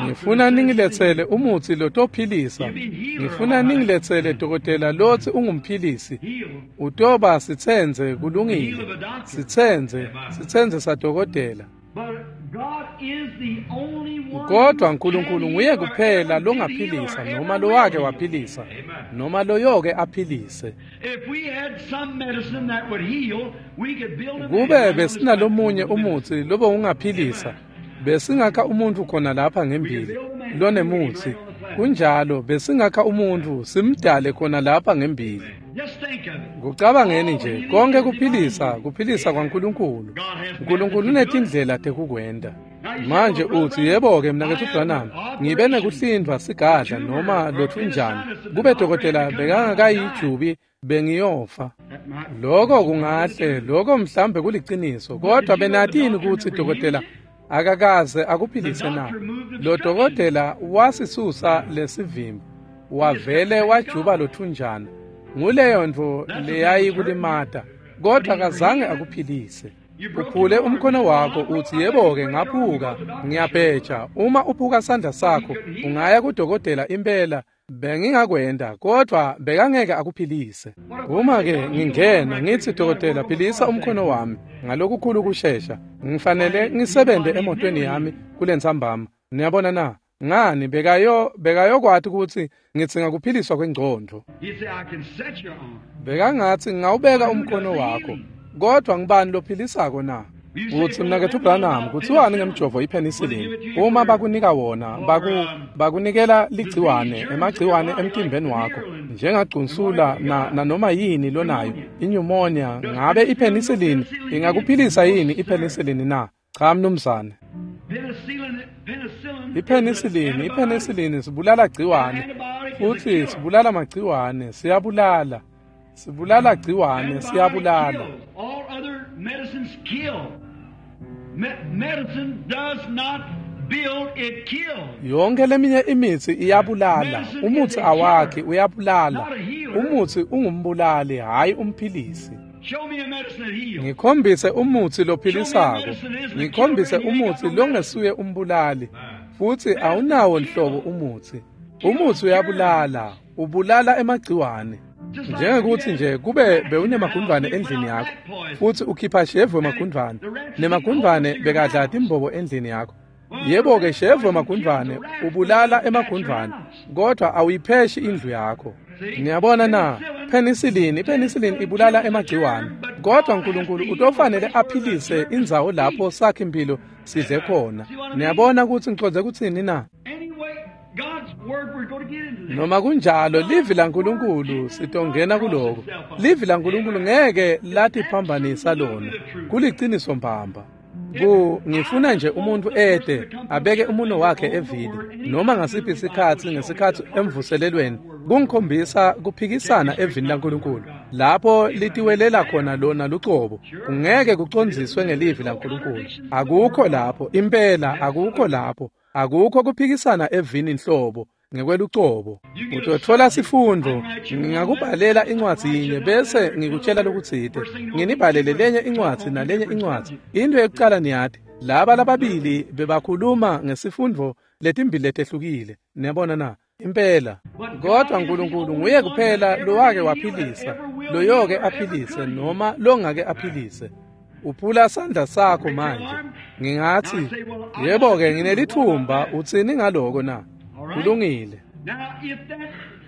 Ngifuna ningiletsele umutsi lotophilisa. Ngifuna ningiletsele dokotela lotsi ungumphilisi. Utoba sitsenze kulungile. Sitsenze, sitsenze sadokotela. Kodwa uNkulunkulu nguye kuphela longaphilisa noma lowake waphilisa noma loyoke aphilise. Kube besinalomunye umutsi lobe ungaphilisa, besingakha umuntu khona lapha ngembili lonemutsi. Kunjalo, besingakha umuntu simdale khona lapha ngembili. Kucabangeni nje, konke kuphilisa, kuphilisa kwaNkulunkulu. Nkulunkulu unetindlela tekukwenta. Manje uthi, yebo-ke mnaketfu Branham, ngibe nekuhlindvwa sigadla noma lotfunjana. Kube dokotela bekangakayijubi bengiyofa. Lokho kungahle, lokho mhlambe kuliciniso, kodwa benatini kutsi dokotela akakaze akuphilise na? Lo dokotela wasisusa lesivimbo, wavele wajuba lothunjana. Nguleyo ntfo leyayikulimata, kodwa akazange akuphilise. Uphule umkhono wakho uthi, yebo-ke ngaphuka, ngiyabheja. Uma uphuka sandla sakho, ungaya kudokotela impela. Bengingakwenda, kodwa bekangeke akuphilise. Uma-ke ngingena ngithi, dokotela, philisa umkhono wami ngalokukhulu kushesha, ngifanele ngisebente emotweni yami kulentsambama. Niyabona na? Ngani bekayokwati kutsi ngidzinga kuphiliswa kwengcondvo. Bekangatsi ngingawubeka umkhono wakho, kodwa ngibani lophilisako na? Utsi, mnaketfu Branham, kutsiwani ngemjovo ipenicillin? Uma bakunika wona, bakunikela ligciwane, emagciwane emtimbeni wakho, njengagcunsula na noma yini lonayo, inyumonia, ngabe ipenicillin ingakuphilisa yini ipenicillin na? Cha mnumzane. Ipenicillin sibulala gciwane, futhi sibulala magciwane, siyabulala. Sibulala gciwane, siyabulala. All other medicines kill. Medicine does not build, it kills. Yonke leminye imitsi iyabulala. Umutsi awakhi, uyabulala. Umutsi ungumbulali, hayi umphilisi. Show me a medicine that heals. Ngikhombise umutsi lophilisako. Ngikhombise umutsi longesuye umbulali. Futsi awunawo nhlobo umutsi. Umutsi uyabulala, ubulala emagciwane. Njengekuthi nje kube bewunemagundvwane endlini yakho, futhi ukhipha shevu emagundvwane, nemagundvwane bekadla timbobo endlini yakho. Yebo-ke, shevu emagundvwane ubulala emagundvwane, kodwa awuyipheshi indlu yakho. Niyabona na? Penicillin ibulala emagciwane, kodwa Nkulunkulu utofanele aphilise indzawo lapho sakhe impilo sidle khona. Niyabona kutsi ngicondze kutsini na? Noma kunjalo, livi laNkulunkulu sitongena kuloko. Livi laNkulunkulu ngeke latiphambanisa lona. Kuliciniso mbamba. Ngifuna nje umuntu ede abeke umuno wakhe evini noma ngasiphi isikhatsi ngesikhatsi emvuselelweni kungikhombisa kuphikisana evini laNkulunkulu lapho litiwelela khona lona lucobo. Kungeke kucondziswe ngelivi laNkulunkulu. Akukho lapho, impela akukho lapho. Akukho kuphikisana evini nhlobo ngekwelucobo. Utotfola sifundvo, ngingakubhalela incwadzi yinye bese ngikutshela lokutsite. Nginibhalele lenye incwadzi nalenye incwadzi. Into yekucala niyati, laba lababili bebakhuluma ngesifundvo letimbili letehlukile. Niyabona na? Impela. Kodwa Nkulunkulu nguye kuphela lowake waphilisa, loyoke aphilise noma longake aphilise. Uphula sandla sakho manje. Ngingathi, yebo-ke nginelithumba, utsini ngaloko na? Kulungile.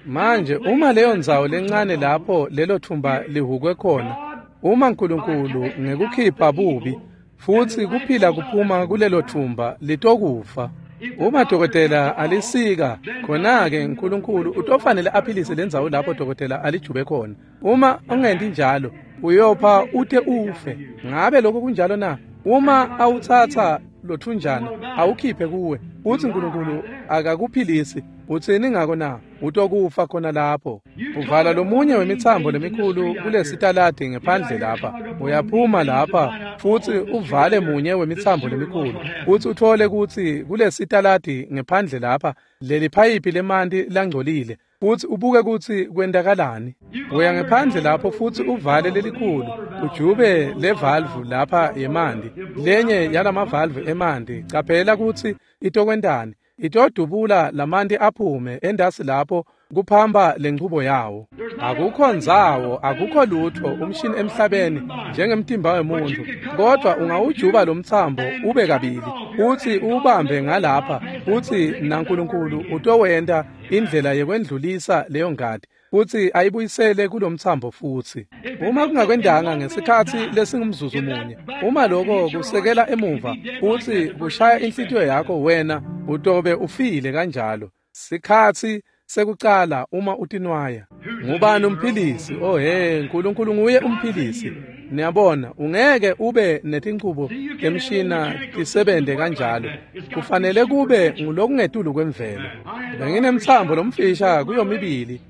Manje uma leyo ndzawo lencane lapho lelo thumba lihukwe khona, uma Nkulunkulu ngekukhipha bubi futhi kuphila kuphuma kulelo thumba litokufa. Uma dokotela alisika, khona-ke Nkulunkulu utofanele aphilise lendzawo lapho dokotela alijube khona. Uma ungenti njalo, uyopha ute ufe. Ngabe lokho kunjalo na? Uma awutsatsa lothunjana awukhiphe kuwe, uthi Nkulunkulu akakuphilisi, utsini ngako na? Utokufa khona lapho. Uvala lomunye wemitsambo lemikhulu kulesitaladi ngephandle lapha. Uyaphuma lapha futhi uvale munye wemitsambo lemikhulu, futhi uthole kutsi kulesitaladi ngephandle lapha leli phayiphi lemanti langcolile, futhi ubuke kutsi kwentakalani. Uya ngephandle lapho futhi uvale lelikhulu, ujube le valve lapha yemanti, lenye yalamavalve emanti. Caphela kutsi itokwentani. Itodubula lamanti aphume endasi lapho kuphamba lenchubo yawo. Akukho ndzawo, akukho lutho umshini emhlabeni njengemtimba wemuntu, kodwa ungawujuba lo mtsambo ube kabili, uthi uwubambe ngalapha, uthi naNkulunkulu utowenta indlela yekwendlulisa leyo ngati futhi ayibuyisele kulomtsambo futhi. Uma kungakwendanga ngesikhatsi lesingumzuzu munye, uma lokho kusekela emuva futhi kushaya inhlitiyo yakho, wena utobe ufile kanjalo. Sikhatsi sekucala uma utinwaya. Ngubani umphilisi? Oh he, uNkulunkulu nguye umphilisi. Niyabona, ungeke ube netinchubo temshina tisebente kanjalo. Kufanele kube ngulokungetulu kwemvelo. Benginemtsambo lomfisha kuyomibili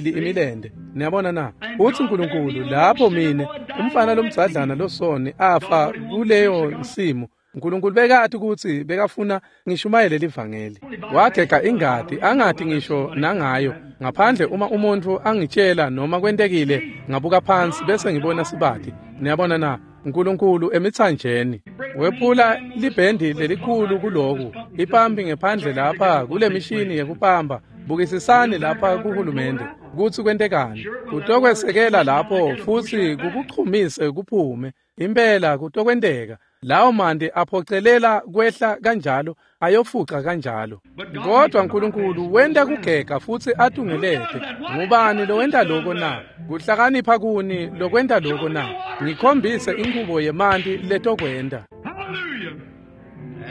imilende. Niyabona na? Uthi uNkulunkulu lapho mine umfana lomdzadlana losoni afa kuleyo nsimu, uNkulunkulu bekati ukuthi bekafuna ngishumayele livangeli. Wagega ingadi angati ngisho nangayo, ngaphandle uma umuntu angitshela noma kwentekile ngabuka phansi bese ngibona sibati. Niyabona na? uNkulunkulu emithanjeni wephula libhendi lelikhulu kuloku ipampi ngephandle lapha kule mishini yekupamba. Bukisisani lapha kuhulumende kutsi kwentekani. Kutokwesekela lapho futsi kukuchumise kuphume. Impela kutokwenteka. Lawo manti aphocelela kwehla kanjalo, ayofuca kanjalo. Kodwa uNkulunkulu wenta kugega futsi atungelete. Ngubani lowenta lokho na? Kuhlakanipha kuni lokwenta lokho na? Ngikhombise inkubo yemanti letokwenta.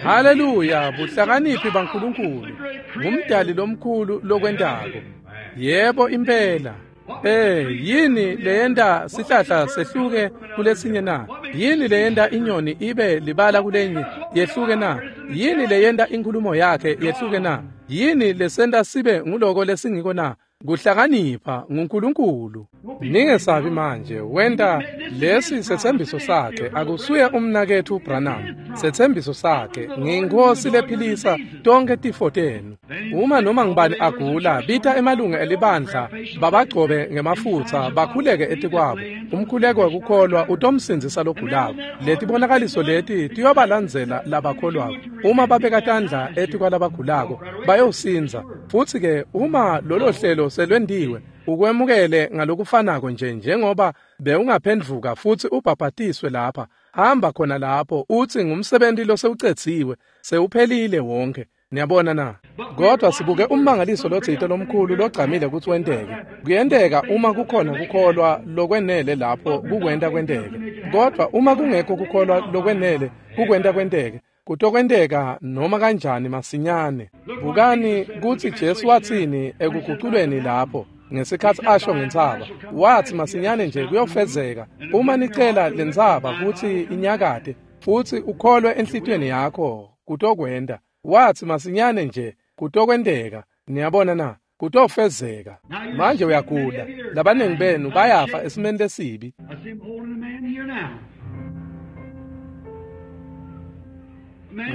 Haleluya, buhlakaniphi baNkulunkulu. Ngumdali lomkhulu lokwentako. Yebo impela. Yini leyenta sihlahla sehluke kulesinye na? Yini leyenta inyoni ibe libala kulenye yehluke na? Yini leyenta inkhulumo yakhe yehluke na? Yini lesenta sibe nguloko lesingiko na? Kuhlakanipha nguNkulunkulu. Ningesabi manje, wenta lesi setsembiso sakhe. Akusuye umnaketfu Branham. Setsembiso sakhe, ngiyinkosi lephilisa tonke tifo tenu. Uma noma ngibani agula, bita emalunga elibandla babagcobe ngemafutsa bakhuleke etikwabo. Umkhuleko wekukholwa utomsindzisa logulako. Letibonakaliso leti tiyobalandzela labakholwako. Uma babeka tandla etikwalabagulako bayosindza. Futsi ke uma lolo hlelo selwentiwe, ukwemukele ngalokufanako nje njengoba bewungaphendvuka futsi ubhabhatiswe lapha. Hamba khona lapho uthi ngumsebenzi losewucedziwe, sewuphelile wonke. Niyabona na? Kodwa sibuke ummangaliso lotsite lomkhulu logcamile ukuthi wenteke. Kuyenteka uma kukhona kukholwa lokwenele lapho kukwenta kwenteke. Kodwa uma kungekho kukholwa lokwenele kukwenta kwenteke, kutokwenteka noma kanjani masinyane. Bukani kutsi Jesu watsini ekuguculweni lapho ngesikhatsi asho ngentsaba. Wathi masinyane nje kuyofezeka uma nicela lentsaba kutsi inyakate futsi ukholwe enhlitiyweni yakho kutokwenta. Wathi masinyane nje kutokwenteka. Niyabona na? Kutofezeka. Manje uyagula. Labaningi benu bayafa esimeni lesibi.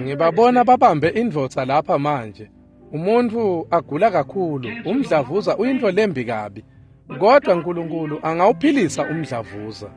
Ngibabona babambe indvodza lapha manje. Umuntu agula kakhulu, umdlavuza uyintfo lembi kabi. Kodwa uNkulunkulu angawuphilisa umdlavuza.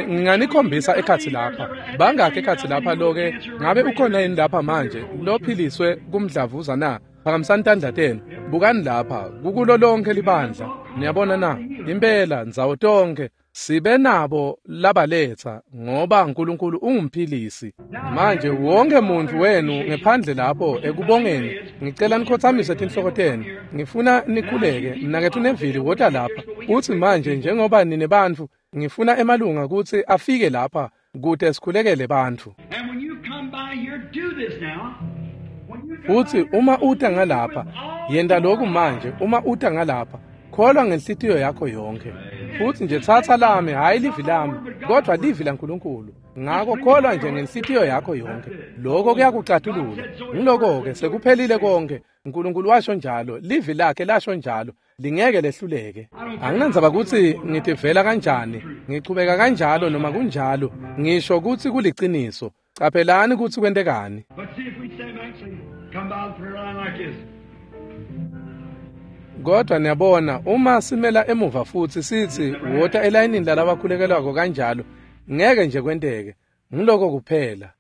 Nginganikhombisa ekhatsi lapha. Bangakhi ekhatsi lapha loke? Ngabe ukhona yini lapha manje lophiliswe kumdlavuza na? Phakamisani tandla tenu. Bukani lapha, kukulo lonke libandla. Niyabona na? Impela ndzawo tonke sibe nabo labaletha ngoba uNkulunkulu ungumphilisi. Manje wonke muntu wenu ngephandle lapho ekubongeni, ngicela nikhothamise tinhloko tenu. Ngifuna nikhuleke. Mnaketfu Neville wota lapha. Uthi manje njengoba nine bantfu, ngifuna emalunga kutsi afike lapha kute sikhulekele bantfu. Uthi uma uta ngalapha, yenta lokhu manje. Uma uta ngalapha, kholwa ngenhlitiyo yakho yonke. Futhi nje thatha lami, hayi livi lami, kodwa livi laNkulunkulu. Ngakho kholwa nje ngenhlitiyo yakho yonke. Lokho kuyakucatulula. Ngiloko-ke sekuphelile konke. uNkulunkulu washo njalo, livi lakhe lasho njalo, lingeke lehluleke. Anginandzaba kutsi ngitivela kanjani, ngichubeka kanjalo noma kunjalo, ngisho kutsi kuliciniso. Caphelani kutsi kwentekani. Kodwa niyabona, uma simela emuva futsi sitsi wota elayinini lalabakhulekelwako kanjalo, ngeke nje kwenteke. Ngiloko kuphela.